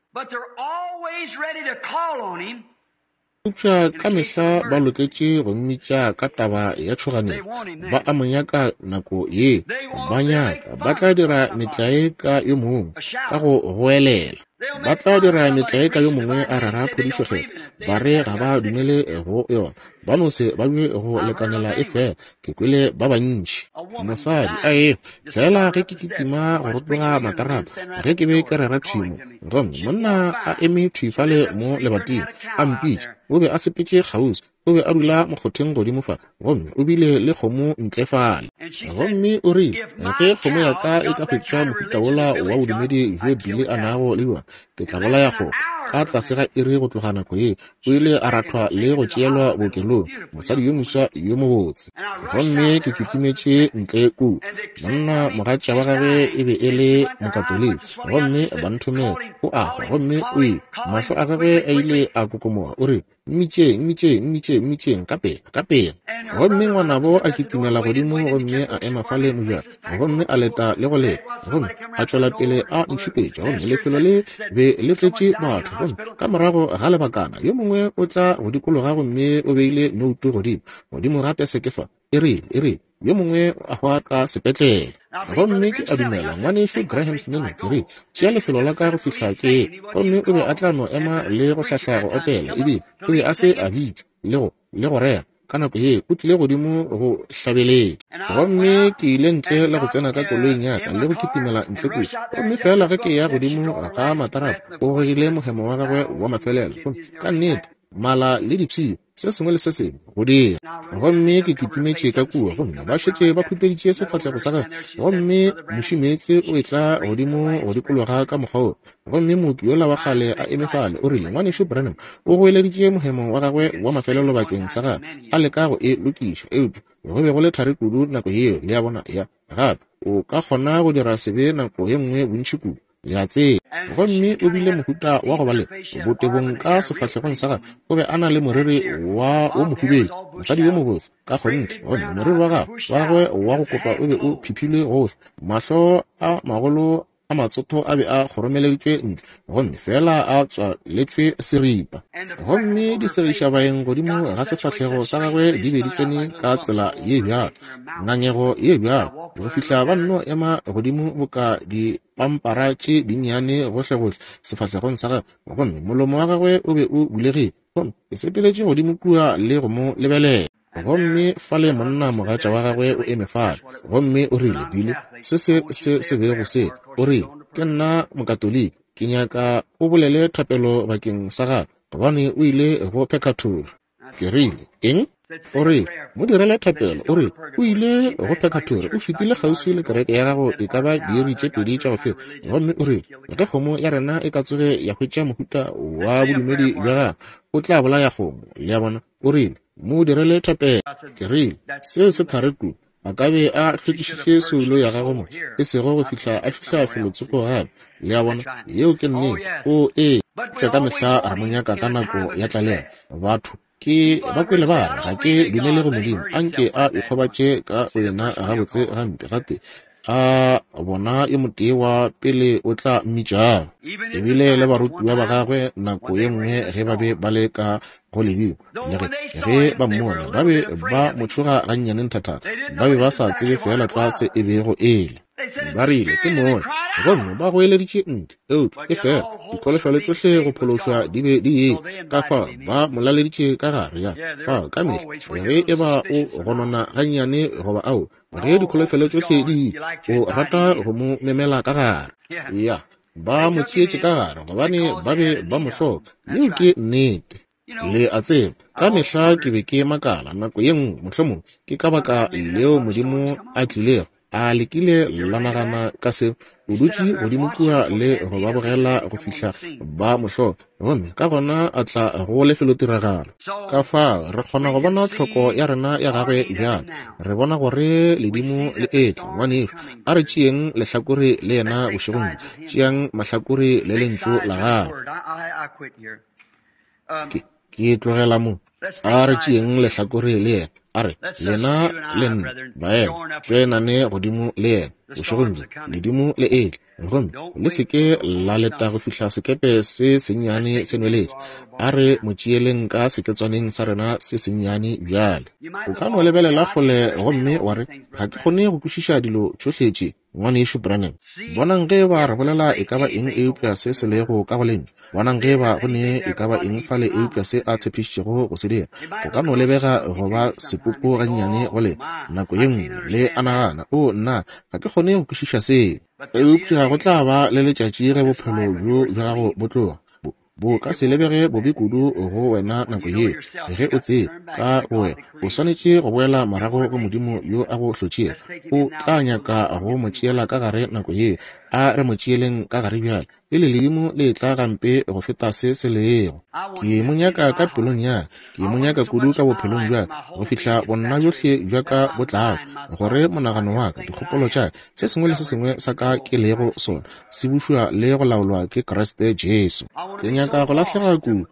Speaker 1: Eupša ka mehla ba loketše go mmitša ka taba ya tšhoganetšo. Ba a mo nyaka nako ye. Ba nyaka, ba tla dira metlae ka yo mongwe ka go goelela. Ba tla dira metlae ka yo mongwe a rera phodišo kgethwa. Ba re ga ba dumele go yona. Ba no se ba be go lekanela efela. Ke kwele ba bantši. Mosadi a ehwa fela ge ke kitima go rotoga matarapa, ge ke be ke rera thwi mo. Gomme monna a eme thwi fale mo lebating, a mpitša. O be a sepetše kgauswi. O be a dula mokgotheng godimo fa, gomme o bile le kgomo ntle fale. Gomme o rile, ge kgomo ya ka e ka hwetša mohuta wola wa bodumedi bjo Billy a nago le bjona, ke tla bolaya kgomo. Ka tlase ga iri go tloga nako ye, o ile a rathwa le go tšeelwa bookelong, mosadi yo moswa yo mobotse. Gomme ke kitimetše ntle kua. Monna mogatša wa gagwe e be e le Mokatoliki, gomme ba nthomela. O a hwa, gomme o ile. Mahlo a gagwe a ile a kokomoga. O rile, mmitšeng, mmitšeng, mmitšeng, mmitšeng, ka pela, ka pela. Gomme ngwanabo a kitimela godimo gomme a ema fale mojako, gomme a leta le go leta, gomme a tšwela pele a ntšhupetša. Gomme lefelo le be le tletše batho. Gomme ka morago ga lebakana, yo mongwe o tla go dikologa gomme o beile noutu godimo, godimo ga teseke fa. E rile, e rile, yo mongwe a hwa ka sepetlele. Gomme ke a dumela ngwanešu Graham Snell, ke rile, tšea lefelo la ka go fihla ke ye. Gomme o be a tla no ema le go hlahla go opela, ebile o be a se a bitšwa le go le go rera. Ka nako ye o tlile godimo go hlabeletša. Gomme ke ile ntle le go tsena ka koloing ya ka le go kitimela ntle kua. Gomme fela ge ke ya godimo ga matarapa, o gogile mohemo wa gagwe wa mafelelo. Gomme ka nnete, mala le dipshio, se sengwe le se sengwe go dira. Gomme ke kitimetše ka kua, gomme ba šetše ba khupeditše sefahlego sa gagwe. Gomme mošimeetse o etla godimo go dikologa ka mokgwa wo. Gomme mooki yola wa kgale a eme fale, o rile, ngwanešu Branham o goeleditše mohemo wa gagwe wa mafelelo bakeng sa gagwe, a leka go e lokiša, eupša go be go le thari kudu nako yeo. Le a bona? Ya gape o ka kgona go dira sebe nako ye nngwe bontši kudu, le a tseba. Gomme o bile mohuta wa go ba le botebong ka sefahlegong sa gagwe. O be a na le moriri wa wo mohubedu, mosadi yo mobotse ka kgonthe. Gomme moriri wa gagwe wa gagwe wa go kopa o be o phiphilwe gohle, mahlo a magolo a matsotho a be a kgoromeleditšwe ntle, gomme fela a tswaletšwe seripa. Gomme disegišabaeng godimo ga sefahlego sa gagwe di be di tsene ka tsela ye bjalo, ngangego ye bjalo, go fihla ba nno ema godimo boka dipampara tše dinnyane gohlegohle sefahlegong sa gagwe. Gomme molomo wa gagwe o be o bulegile. Gomme ke sepeletše godimo kua le go mo lebelela. Gomme fale monna mogatša wa gagwe o eme fale, gomme o rile, Billy, se se se se bego se. O rile, ke nna Mokatoliki, ke nyaka o bolele thapelo bakeng sa gagwe, gobane o ile go purgatory. Ke rile, eng? O rile, mo direle thapelo. O rile, o ile go purgatory, o fetile kgauswi le kereke ya gago e ka ba diiri tše pedi tša go feta. Gomme o rile, ge kgomo ya rena e ka tsoge ya hwetša mohuta wa bodumedi bja gagwe, o tla bolaya kgomo. Le a bona? O rile, mo direle thapelo. Ke rile, seo se thari kudu. A ka be a hlwekišitše soulo ya gagwe mo, e sego go fihla a fihla felotsoko gape. Le a bona? Yeo ke nnete. O ee, ka mehla re mo nyaka ka nako ya tlalelo. Batho ke ba kwele ba re, ga ke dumele go Modimo, anke a ikgobatše ka boyena gabotse gampe gate a bona yo motee wa pele o tla mmitšago. Ebile le barutiwa ba gagwe nako ye nngwe ge ba be ba le ka go ledimo, le ge ge ba mmone, ba be ba mo tšhoga gannyane nthathana. Ba be ba sa tsebe fela tlwa se e bego e le. Ba rile ke moya, gomme ba goeleditše ntle, eupša e fela dikholofelo tšohle go phološwa di be di ye. Ka fao ba mo laleditše ka gare ya fao ka mehla ge e ba o gonona gannyane goba ao, ge dikholofelo tšohle di o rata go mo memela ka gare. Ya, ba mo tšeetše ka gare gobane ba be ba mo hloka. Yeo ke nnete. Le a tseba, ka mehla ke be ke makala nako ye nngwe, mohlomongwe ke ka baka leo Modimo a tlilego a lekile la nagana ka seo. O dutše godimo kua le go ba bogela go fihla ba mo hloka, gomme ka gona a tla go lefelotiragalo. Ka fao re kgona go bona tlhoko ya rena ya gagwe bjale. Re bona gore ledimo le etla, ngwanešu. A re tšeeng lehlakore le yena bošegong bjo. Tšeang mahlakore le lentšu la gagwe. Ke, ke tlogela mo. A re tšeeng lehlakore le yena. A re, lena le nna, baena, tšoenane godimo le yena bošegong bjo. Ledimo le etla, gomme le se ke la leta go fihla sekepe se sennyane se nweletše. A re mo tšeeleng ka seketswaneng sa rena se sennyane bjale. O ka no lebelela kgole gomme wa re, ga ke kgone go kwešiša dilo tšohle tše, ngwanešu Branham. Bonang ge ba re bolela e ka ba eng eupša se se lego ka go lentšu. Bonang ge ba go ne e ka ba eng fale eupša se a tshepišitšego go se dira. Go ka no lebega go ba sepoko gannyane go le nako ye nngwe le a nagana, o nna ga ke kgone go kwešiša seo. Eupša go tla ba le letšatši ge bophelo bjo bja gago bo tloga. Bo ka se lebege bobe kudu go wena nako yeo. Ge o tseba ka go wena, o swanetše go boela morago go Modimo yo a go hlotšego. O tla nyaka go mo tšeela ka gare nako yeo. A re mo tšeeleng ka gare bjale, pele ledimo le tla gampe go feta se se lego. Ke mo nyaka ka pelong ya ka, ke mo nyaka kudu ka bophelong bja ka, go fihla bonna bjohle bja ka bo tlago, gore monagano wa ka, dikgopolo tša ka, se sengwe le se sengwe sa ka ke lego sona, se bušwa le go laolwa ke Kriste Jesu. Ke nyaka go lahlega kudu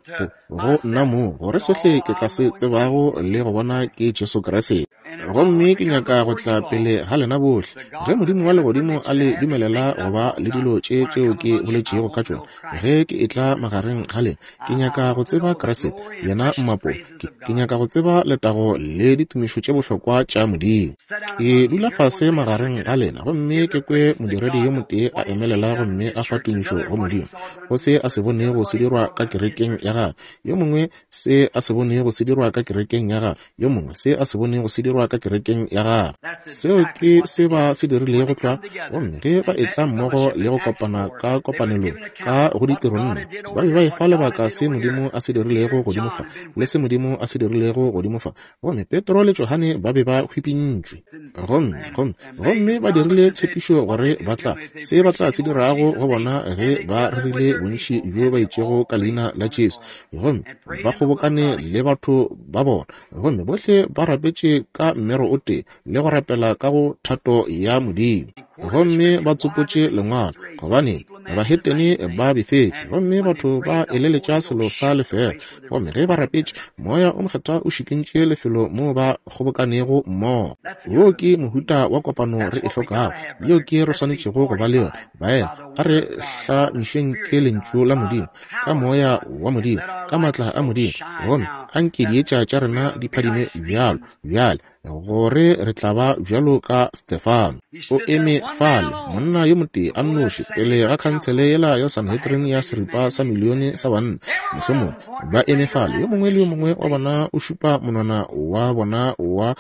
Speaker 1: go nna mo, gore sohle ke tla se tsebago le go bona ke Jesu Kriste. Gomme ke nyaka go tla pele ga lena bohle, ge Modimo wa legodimo a le dumelela go ba le dilo tše tšeo ke boletšego ka tšona. Ge ke etla magareng ga lena, ke nyaka go tseba Kriste, yena mmapo. Ke, ke nyaka go tseba letago le ditumišo tše bohlokwa tša Modimo. Ke dula fase magareng ga lena, gomme ke kwe modiredi yo motee a emelela gomme a fa tumišo go Modimo, go se a se bonego se dirwa ka kerekeng ya gagwe, yo mongwe se a se bonego se dirwa ka kerekeng ya gagwe, yo mongwe se a se bonego se dirwa ka kerekeng ya gagwe. Seo ke se ba se dirilego tlwa. Gomme ge ba etla mmogo le go kopana ka kopanelong ka go ditiro nne, ba be ba efa lebaka se Modimo a se dirilego godimo fa le se Modimo a se dirilego godimo fa. Gomme Petro le Johane ba be ba hwipintšwe, gomme gomme gomme ba dirile tshepišo gore ba tla se ba tla se dirago go bona ge ba rerile bontši bjo ba itšego ka leina la Jesu. Gomme ba kgobokane le batho ba bona, gomme bohle ba rapetše ka mmero o tee le go rapela ka go thato ya Modimo. Gomme ba tsopotše lengwalo, gobane bahetene ba befetše, gomme batho ba eleletša selo sa lefela. Gomme ge ba rapetše, Moya o Mokgethwa o šikintše lefelo moo ba kgobokanego mmogo. Wo ke mohuta wa kopano re e hlokago, yeo ke re swanetšego go ba le yona. Baena, a re hlamišweng ke lentšu la Modimo, ka Moya wa Modimo, ka maatla a Modimo, gomme anke dietša tša rena di phadime bjalo bjale, gore re tla ba bjalo ka Stefano. O eme fale, monna yo motee a nnoši, pele ga khansele yela ya Sanhedrin ya seripa sa milione sa banna, mohlomongwe ba eme fale, yo mongwe le yo mongwe wa bona o šupa monwana wa bona wa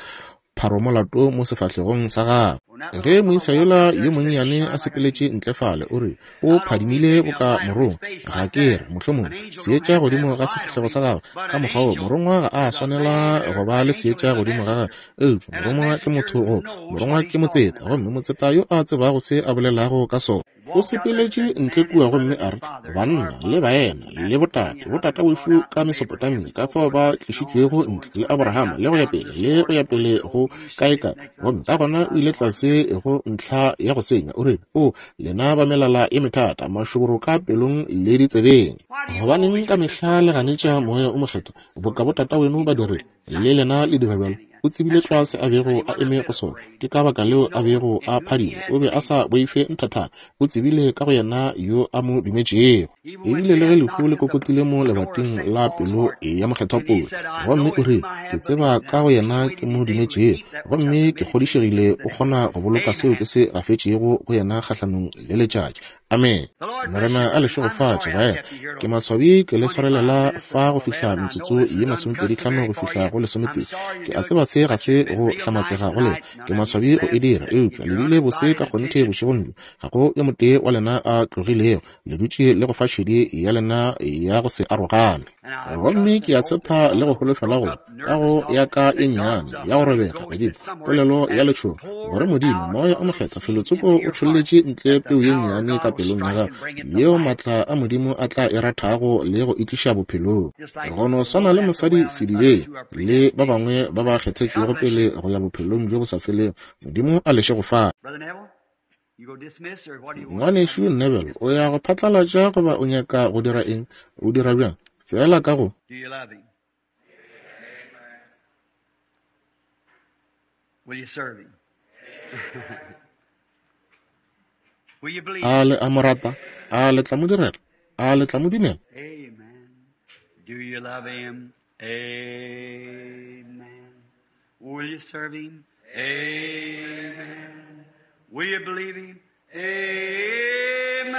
Speaker 1: pharomolato mo sefahlegong sa gagwe. Ge moisa yola yo monnyane a sepeletše ntle fale, o re o phadimile boka morongwa. Ga ke re mohlomongwe seetša godimo ga sefahlego sa gagwe ka mokgwa wo. Morongwa ga a swanela go ba le seetša godimo ga gagwe, eupša morongwa ke motho go morongwa ke motseta, gomme motseta yo a tsebago se a bolelago ka sona. O sepeletše ntle kua gomme a re, banna le baena le botate, botata wešo ka Mesopotamia, ka fao ba tlišitšwego ntle le Abrahama le go ya pele le go ya pele go kae kae. Gomme ka gona o ile tlase go ntlha ya go senya, o rile, o lena ba melala e methata, mašoboro ka pelong le ditsebeng. Gobaneng ka mehla le ganetša Moya o Mokgethwa, boka botata weno ba dirile, le lena le dira bjalo? O tsebile tlwa se a bego a eme go sona. Ke ka baka leo a bego a phadima. O be a sa boife nthathana. O tsebile ka go yena yo a mo dumetšego. Ebile le ge lehu le kokotile mo lebating la pelo ya Mokgethwa Paulo, gomme o rile, ke tseba ka go yena ke mo dumetšego, gomme ke kgodišegile o kgona go boloka seo ke se gafetšego go yena kgahlanong le letšatši. Amen. Morena a le šegofatše, baena. Ke maswabi ke le swarelela fa go fihla metsotso ye masomepedi tlhano go fihla go lesometee. Ke a tseba se ga se go hlamatsega go lena. Ke maswabi go e dira, eupša le bile bose ka kgonthe bošegong bjo. Ga go yo motee wa lena a tlogilego, le dutše le go fa šedi ya lena ya go se arogane. Gomme ke a tshepa le go holofela gore ka go ya ka e nnyane ya go robega godimo polelo ya letšhogo gore Modimo Moya o Mokgethwa felotsoko o tšholletše ntle peu ye nnyane ka pelong ya gago yeo maatla a Modimo a tla e rathago le go e tliša bophelong. Go no swana le mosadi sedibeng le ba bangwe ba ba kgethetšwego pele go ya bophelong bjo bo sa felego. Modimo a le šegofatše. Ngwanešu Neville, o ya go phatlalatša goba o nyaka go dira eng? O dira bjang? Fela ka go.
Speaker 2: Do you love him? Will you serve him? Will you believe?
Speaker 1: A le a mo rata? A le tla mo direla? A le tla mo dumela?
Speaker 2: Amen. Do you love him? Amen. Will you serve him? Amen. Will you believe him? Amen.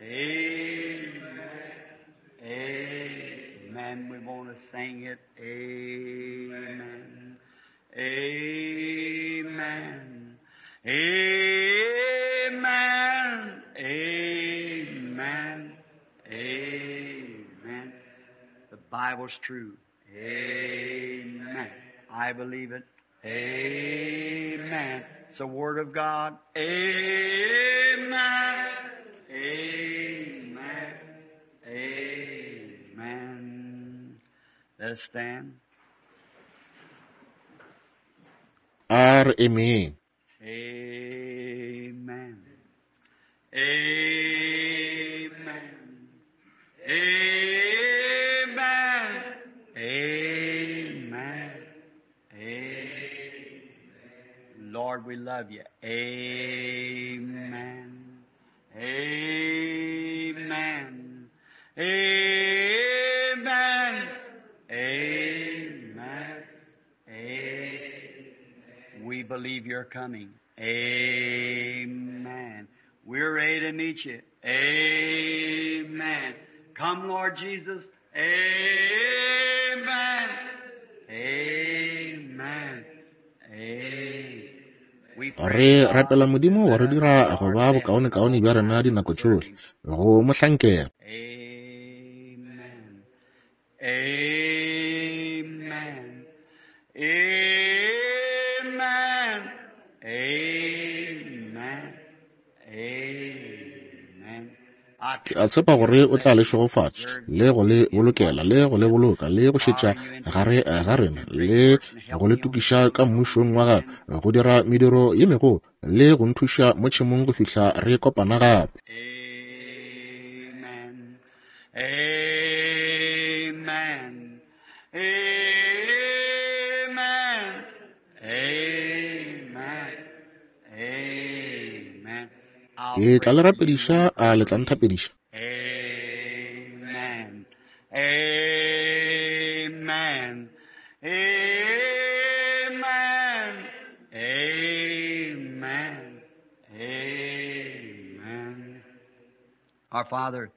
Speaker 2: Amen. Amen. We want to sing it. Amen. Amen. Amen. Amen. Amen. The Bible's true. Amen. I believe it. Amen. It's the Word of God. Amen. Amen. Amen. Let us stand.
Speaker 1: A re emeng.
Speaker 2: Amen. Amen. Amen. Amen. Amen. Lord, we love you. Amen. Amen. Amen. Amen. Amen. We believe you're coming. Amen. We're ready to meet you. Amen. Come, Lord Jesus. Amen. Amen. Amen. We pray,
Speaker 1: Re rapela
Speaker 2: God,
Speaker 1: Modimo
Speaker 2: that
Speaker 1: go re
Speaker 2: us
Speaker 1: dira
Speaker 2: do
Speaker 1: go
Speaker 2: our
Speaker 1: ba
Speaker 2: best
Speaker 1: bokaonekaone bja rena dinako
Speaker 2: to serve
Speaker 1: tšohle
Speaker 2: Him.
Speaker 1: go mo hlankela.
Speaker 2: Amen. Amen. Amen. Amen. Amen. I
Speaker 1: Ke a
Speaker 2: trust
Speaker 1: tshepa
Speaker 2: that
Speaker 1: gore
Speaker 2: you'll
Speaker 1: o tla
Speaker 2: bless
Speaker 1: le
Speaker 2: and
Speaker 1: šegofatša
Speaker 2: preserve
Speaker 1: le
Speaker 2: you
Speaker 1: go le
Speaker 2: in His
Speaker 1: bolokela le
Speaker 2: watchful
Speaker 1: go le
Speaker 2: care,
Speaker 1: boloka le go šetša
Speaker 2: firing you into
Speaker 1: gare
Speaker 2: the
Speaker 1: ga
Speaker 2: kingdom to
Speaker 1: rena
Speaker 2: do great
Speaker 1: le
Speaker 2: works and
Speaker 1: go
Speaker 2: help
Speaker 1: le
Speaker 2: me on the
Speaker 1: tokiša
Speaker 2: field
Speaker 1: ka
Speaker 2: of
Speaker 1: mmušong wa gagwe
Speaker 2: Amen.
Speaker 1: go dira mediro ye megolo le go nthuša mo tšhemong go fihla re kopana gape.
Speaker 2: Amen. Amen. Amen. Amen. Amen. I'll
Speaker 1: Ke tla
Speaker 2: pray
Speaker 1: le
Speaker 2: for you.
Speaker 1: rapediša
Speaker 2: Will you
Speaker 1: a
Speaker 2: pray
Speaker 1: le
Speaker 2: for
Speaker 1: tla
Speaker 2: me?
Speaker 1: nthapediša.
Speaker 2: Amen. Amen. Amen. Amen. Amen. Our Father,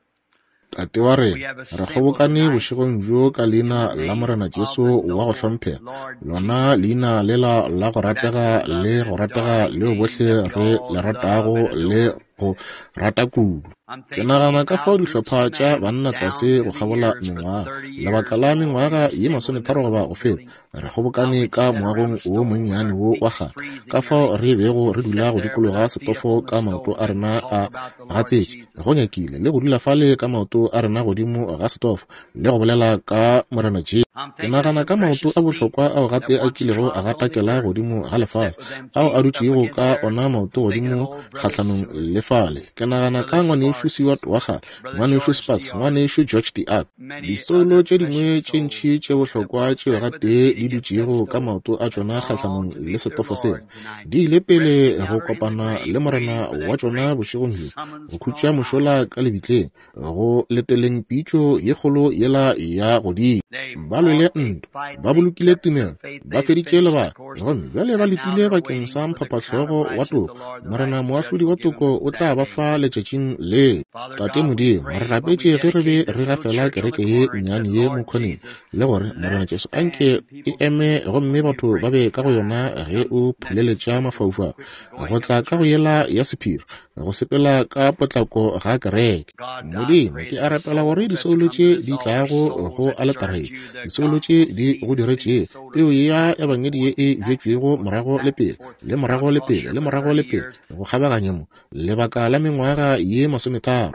Speaker 1: Tate wa
Speaker 2: we
Speaker 1: rena,
Speaker 2: have
Speaker 1: re
Speaker 2: assembled
Speaker 1: kgobokane
Speaker 2: tonight
Speaker 1: bošegong bjo ka
Speaker 2: in the
Speaker 1: leina la
Speaker 2: name
Speaker 1: Morena
Speaker 2: of
Speaker 1: Jesu
Speaker 2: the
Speaker 1: wa go
Speaker 2: noble
Speaker 1: hlomphega,
Speaker 2: Lord
Speaker 1: lona
Speaker 2: Jesus,
Speaker 1: leina lela la go
Speaker 2: that
Speaker 1: ratega le
Speaker 2: beloved
Speaker 1: go
Speaker 2: and
Speaker 1: ratega
Speaker 2: darling
Speaker 1: leo
Speaker 2: name
Speaker 1: bohle
Speaker 2: that we
Speaker 1: re
Speaker 2: all
Speaker 1: le
Speaker 2: love
Speaker 1: ratago
Speaker 2: and
Speaker 1: le
Speaker 2: adore.
Speaker 1: go rata kudu.
Speaker 2: I'm
Speaker 1: Ke
Speaker 2: thinking
Speaker 1: nagana ka
Speaker 2: how
Speaker 1: fao
Speaker 2: groups
Speaker 1: dihlopha
Speaker 2: of
Speaker 1: tša
Speaker 2: men
Speaker 1: banna
Speaker 2: down
Speaker 1: tlase go
Speaker 2: through the
Speaker 1: kgabola
Speaker 2: years for
Speaker 1: mengwaga,
Speaker 2: thirty
Speaker 1: lebaka
Speaker 2: years
Speaker 1: la
Speaker 2: more we've
Speaker 1: mengwaga ye
Speaker 2: assembled in this
Speaker 1: masometharo goba
Speaker 2: little
Speaker 1: go feta,
Speaker 2: building,
Speaker 1: re
Speaker 2: how
Speaker 1: kgobokane
Speaker 2: we'd
Speaker 1: ka
Speaker 2: sit around
Speaker 1: moagong
Speaker 2: a
Speaker 1: wo
Speaker 2: stove with
Speaker 1: monnyane
Speaker 2: our
Speaker 1: wo
Speaker 2: feet
Speaker 1: wa kgale,
Speaker 2: freezing
Speaker 1: ka
Speaker 2: and
Speaker 1: fao
Speaker 2: everything,
Speaker 1: re bego
Speaker 2: and
Speaker 1: re
Speaker 2: sit
Speaker 1: dula go
Speaker 2: there with
Speaker 1: dikologa
Speaker 2: our feet up
Speaker 1: setofo
Speaker 2: on the
Speaker 1: ka maoto
Speaker 2: stove
Speaker 1: a
Speaker 2: and
Speaker 1: rena
Speaker 2: talk
Speaker 1: a
Speaker 2: about the Lord
Speaker 1: gatsetše,
Speaker 2: Jesus.
Speaker 1: go nyakile le go dula fale ka maoto a rena godimo ga setofo le go bolela ka Morena Jesu.
Speaker 2: I'm
Speaker 1: Ke
Speaker 2: thinking of
Speaker 1: nagana
Speaker 2: some
Speaker 1: ka maoto
Speaker 2: precious
Speaker 1: a
Speaker 2: feet
Speaker 1: bohlokwa ao
Speaker 2: that
Speaker 1: gate a
Speaker 2: once
Speaker 1: kilego a
Speaker 2: trod on the
Speaker 1: gatakela
Speaker 2: earth
Speaker 1: godimo ga
Speaker 2: and sat
Speaker 1: lefase,
Speaker 2: with them
Speaker 1: ao a
Speaker 2: feet up
Speaker 1: dutšego
Speaker 2: against
Speaker 1: ka
Speaker 2: there,
Speaker 1: ona maoto
Speaker 2: thinking of
Speaker 1: godimo
Speaker 2: old Brother
Speaker 1: kgahlanong
Speaker 2: Seward,
Speaker 1: le fale. Ke nagana ka
Speaker 2: Brother
Speaker 1: ngwanešu
Speaker 2: Sparks,
Speaker 1: Seward wa kgale,
Speaker 2: Brother
Speaker 1: ngwanešu
Speaker 2: George
Speaker 1: Sparks,
Speaker 2: D. Art,
Speaker 1: ngwanešu George D. Art,
Speaker 2: many
Speaker 1: disoulo
Speaker 2: other
Speaker 1: tše dingwe
Speaker 2: precious
Speaker 1: tše ntši
Speaker 2: souls
Speaker 1: tše
Speaker 2: that
Speaker 1: bohlokwa
Speaker 2: once
Speaker 1: tšeo
Speaker 2: sat with their
Speaker 1: gatee
Speaker 2: feet
Speaker 1: di
Speaker 2: against that
Speaker 1: dutšego ka
Speaker 2: stove
Speaker 1: maoto a
Speaker 2: has
Speaker 1: tšona
Speaker 2: gone on
Speaker 1: kgahlanong
Speaker 2: to
Speaker 1: le
Speaker 2: meet their
Speaker 1: setofo sela,
Speaker 2: Lord tonight,
Speaker 1: di ile pele
Speaker 2: resting
Speaker 1: go
Speaker 2: out or in the
Speaker 1: kopana
Speaker 2: grave,
Speaker 1: le Morena
Speaker 2: waiting for
Speaker 1: wa
Speaker 2: that
Speaker 1: tšona
Speaker 2: great
Speaker 1: bošegong bjo,
Speaker 2: summons
Speaker 1: go
Speaker 2: from
Speaker 1: khutša
Speaker 2: on high.
Speaker 1: mošola ka lebitleng, go leteleng pitšo ye kgolo yela ya godimo.
Speaker 2: They
Speaker 1: Ba lwele
Speaker 2: fought a
Speaker 1: ntwa,
Speaker 2: fight,
Speaker 1: ba
Speaker 2: they
Speaker 1: bolokile
Speaker 2: kept the
Speaker 1: tumelo,
Speaker 2: faith,
Speaker 1: ba
Speaker 2: they
Speaker 1: feditše
Speaker 2: finished the
Speaker 1: lebaka,
Speaker 2: course,
Speaker 1: gomme bjale ba
Speaker 2: and now
Speaker 1: letile
Speaker 2: they're
Speaker 1: bakeng
Speaker 2: waiting
Speaker 1: sa
Speaker 2: for the crown of
Speaker 1: mphapahlogo wa
Speaker 2: righteousness the
Speaker 1: toko.
Speaker 2: Lord, the
Speaker 1: Morena
Speaker 2: righteous judge,
Speaker 1: moahlodi
Speaker 2: will
Speaker 1: wa
Speaker 2: give them
Speaker 1: toko o tla
Speaker 2: that
Speaker 1: ba
Speaker 2: day.
Speaker 1: fa letšatšing leo.
Speaker 2: Father
Speaker 1: Tate
Speaker 2: God, we
Speaker 1: Modimo, re
Speaker 2: prayed when we
Speaker 1: rapetše ge re be
Speaker 2: dedicated this
Speaker 1: re
Speaker 2: little
Speaker 1: gafela
Speaker 2: church on the
Speaker 1: kereke ye
Speaker 2: corner and said,
Speaker 1: nnyane ye
Speaker 2: Lord
Speaker 1: mokgoneng,
Speaker 2: Jesus,
Speaker 1: le gore
Speaker 2: let
Speaker 1: Morena
Speaker 2: it
Speaker 1: Jesu
Speaker 2: stand
Speaker 1: anke
Speaker 2: and
Speaker 1: e
Speaker 2: people
Speaker 1: eme
Speaker 2: be
Speaker 1: gomme
Speaker 2: when you
Speaker 1: batho ba
Speaker 2: bring
Speaker 1: be
Speaker 2: the
Speaker 1: ka go
Speaker 2: sky
Speaker 1: yona
Speaker 2: to
Speaker 1: ge
Speaker 2: come
Speaker 1: o
Speaker 2: that
Speaker 1: phuleletša
Speaker 2: schedule
Speaker 1: mafaufau
Speaker 2: quick
Speaker 1: go
Speaker 2: going of
Speaker 1: tla
Speaker 2: the
Speaker 1: ka go
Speaker 2: church.
Speaker 1: yela ya sephiri. go sepela ka potlako ga kereke. Modimo, ke a rapela gore disoulo tše di tlago go aletare, disoulo tše di go diretšego peo ya ebangedi ye e bjetšwego morago le pele le morago le pele le morago le pele go kgabaganya mo lebaka la mengwaga ye masometharo,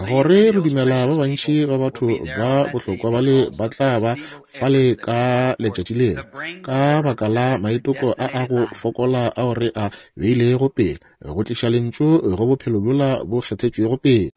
Speaker 1: gore re dumela ba bantši ba batho ba bohlokwa bale ba tla ba fale ka letšatši leo, ka baka la maitoko a a go fokola ao re a beilego pele go tliša lentšu go bophelo bjola bo kgethetšwego pele.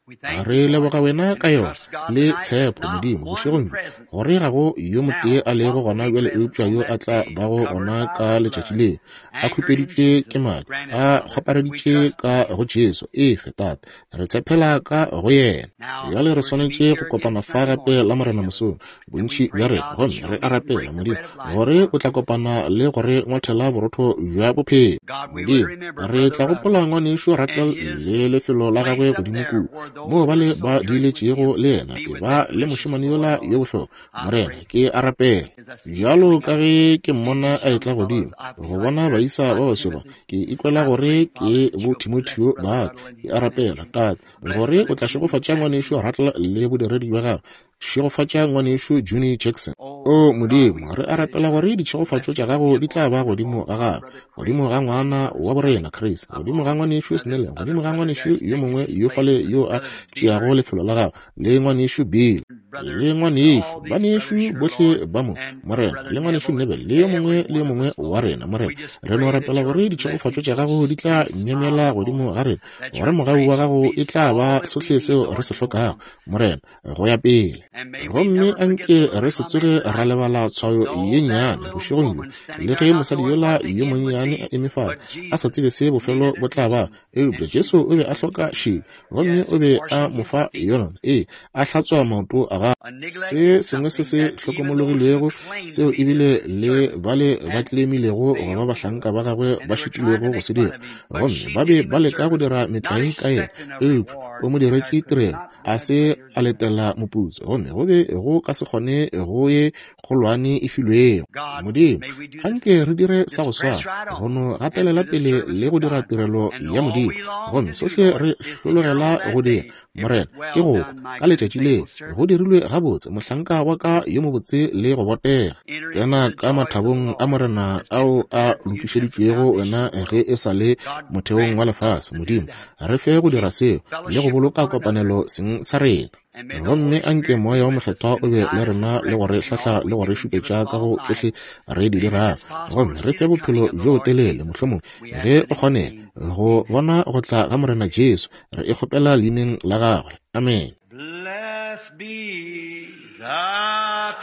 Speaker 1: Re leboga wena ka yona le tshepo, Modimo, bošegong bjo, gore ga go yo motee a lego gona bjale eupša yo a tla bago gona ka letšatši leo, a khupeditšwe ke madi, a kgopareditše ka go Jesu. Efe, Tate, re tshepela ka go yena. Bjale re swanetše go kopana fa gape la Morena mosong, bontši bja rena, gomme re a rapela, Modimo, gore o tla kopana le gore ngwathela borotho bja bophelo. Modimo, re tla gopola ngwanešu Rattle le lefelo la gagwe godimo kua moo bale ba diiletšego le yena, e ba le mošemane yola yo bohlokwa. Morena, ke a rapela bjalo ka ge ke mmona a etla godimo go bona baisa ba baswe ba, ke ikwela gore ke bo Timotheo ba ka. Ke a rapela, Tate, gore o tla šegofatša ngwanešu Rattle le bodiredi bja gagwe. Šegofatša ngwanešu Junior Jackson. O Modimo, re a rapela gore ditšhegofatšo tša gago di tla ba godimo ga gagwe, godimo ga ngwana wa borena Chris, godimo ga ngwanešu Snell, godimo ga ngwanešu yo mongwe yo fale yo a tšeago lefelo la gagwe, le ngwanešu Bill, le ngwanešu banešu bohle ba mo, Morena, le ngwanešu Nebel, le yo mongwe le yo mongwe wa rena. Morena, re no rapela gore ditšhegofatšo tša gago di tla myemyela godimo ga rena, gore mogau wa gago e tla ba sohle seo re se hlokago, Morena, go ya pele. Gomme anke re se tsoge ra lebala tshwayo ye nnyane bošegong bjo, le ge mosadi yola yo monnyane a eme fale a sa tsebe se bofelo bo tla ba, eupša Jesu o be a hloka šedi, gomme o be a mo fa yona, ee, a hlatswa maoto a gagwe. Se sengwe se se hlokomologilwego seo ebile le bale ba tlemilego go ba bahlanka ba gagwe ba šitilwego go se dira, gomme ba be ba leka go dira metlae ka yena, eupša o mo diretše tirelo, a se a letela moputso, gomme go be go ka se kgone go ye kgolwane e filwego. Modimo, anke re dire sa go swana, go no gatelela pele le go dira tirelo ya Modimo, gomme sohle re hlologela go dira, Morena, ke go kwa ka letšatši leo go dirilwe gabotse, mohlanka wa ka yo mobotse le go botega. Tsena ka mathabong a Morena ao a lokišeditšwego wena ge e sa le motheong wa lefase. Modimo, re fe go dira seo le go boloka kopanelo seng sa rena. Gomme anke moya wa Mokgethwa o be le rena le go re hlahla le go re šupetša ka go tšohle re di dirago, gomme re fe bophelo bjo botelele, mohlomong ge o kgonega, go bona go tla ga Morena Jesu. Re e kgopela leineng la gagwe. Amen.
Speaker 2: Blessed be the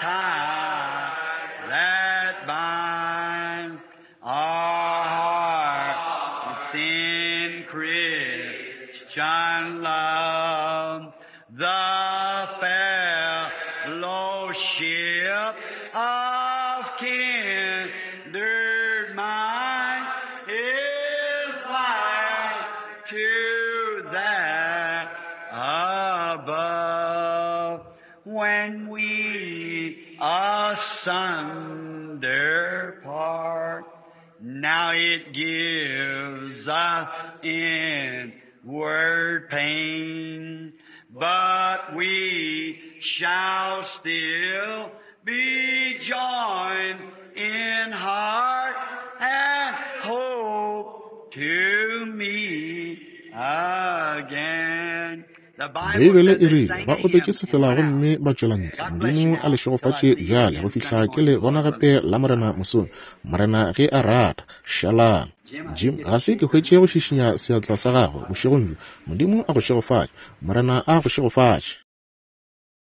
Speaker 2: tie that binds our hearts in Christian love, the fellowship of kindred mind is like to that above. When we asunder part, now it gives us inward pain, but we shall still be joined in heart and hope to meet again.
Speaker 1: Beibele e rile ba opetše sefela gomme ba tšwela ntle. Modimo a le šegofatše bjale go fihla ke le bona gape la Morena mosong, Morena ge a rata. Šalang. Jim, ga se ke hwetše go šišinya seatla sa gago bošegong bjo. Modimo a go šegofatše. Morena a go šegofatše.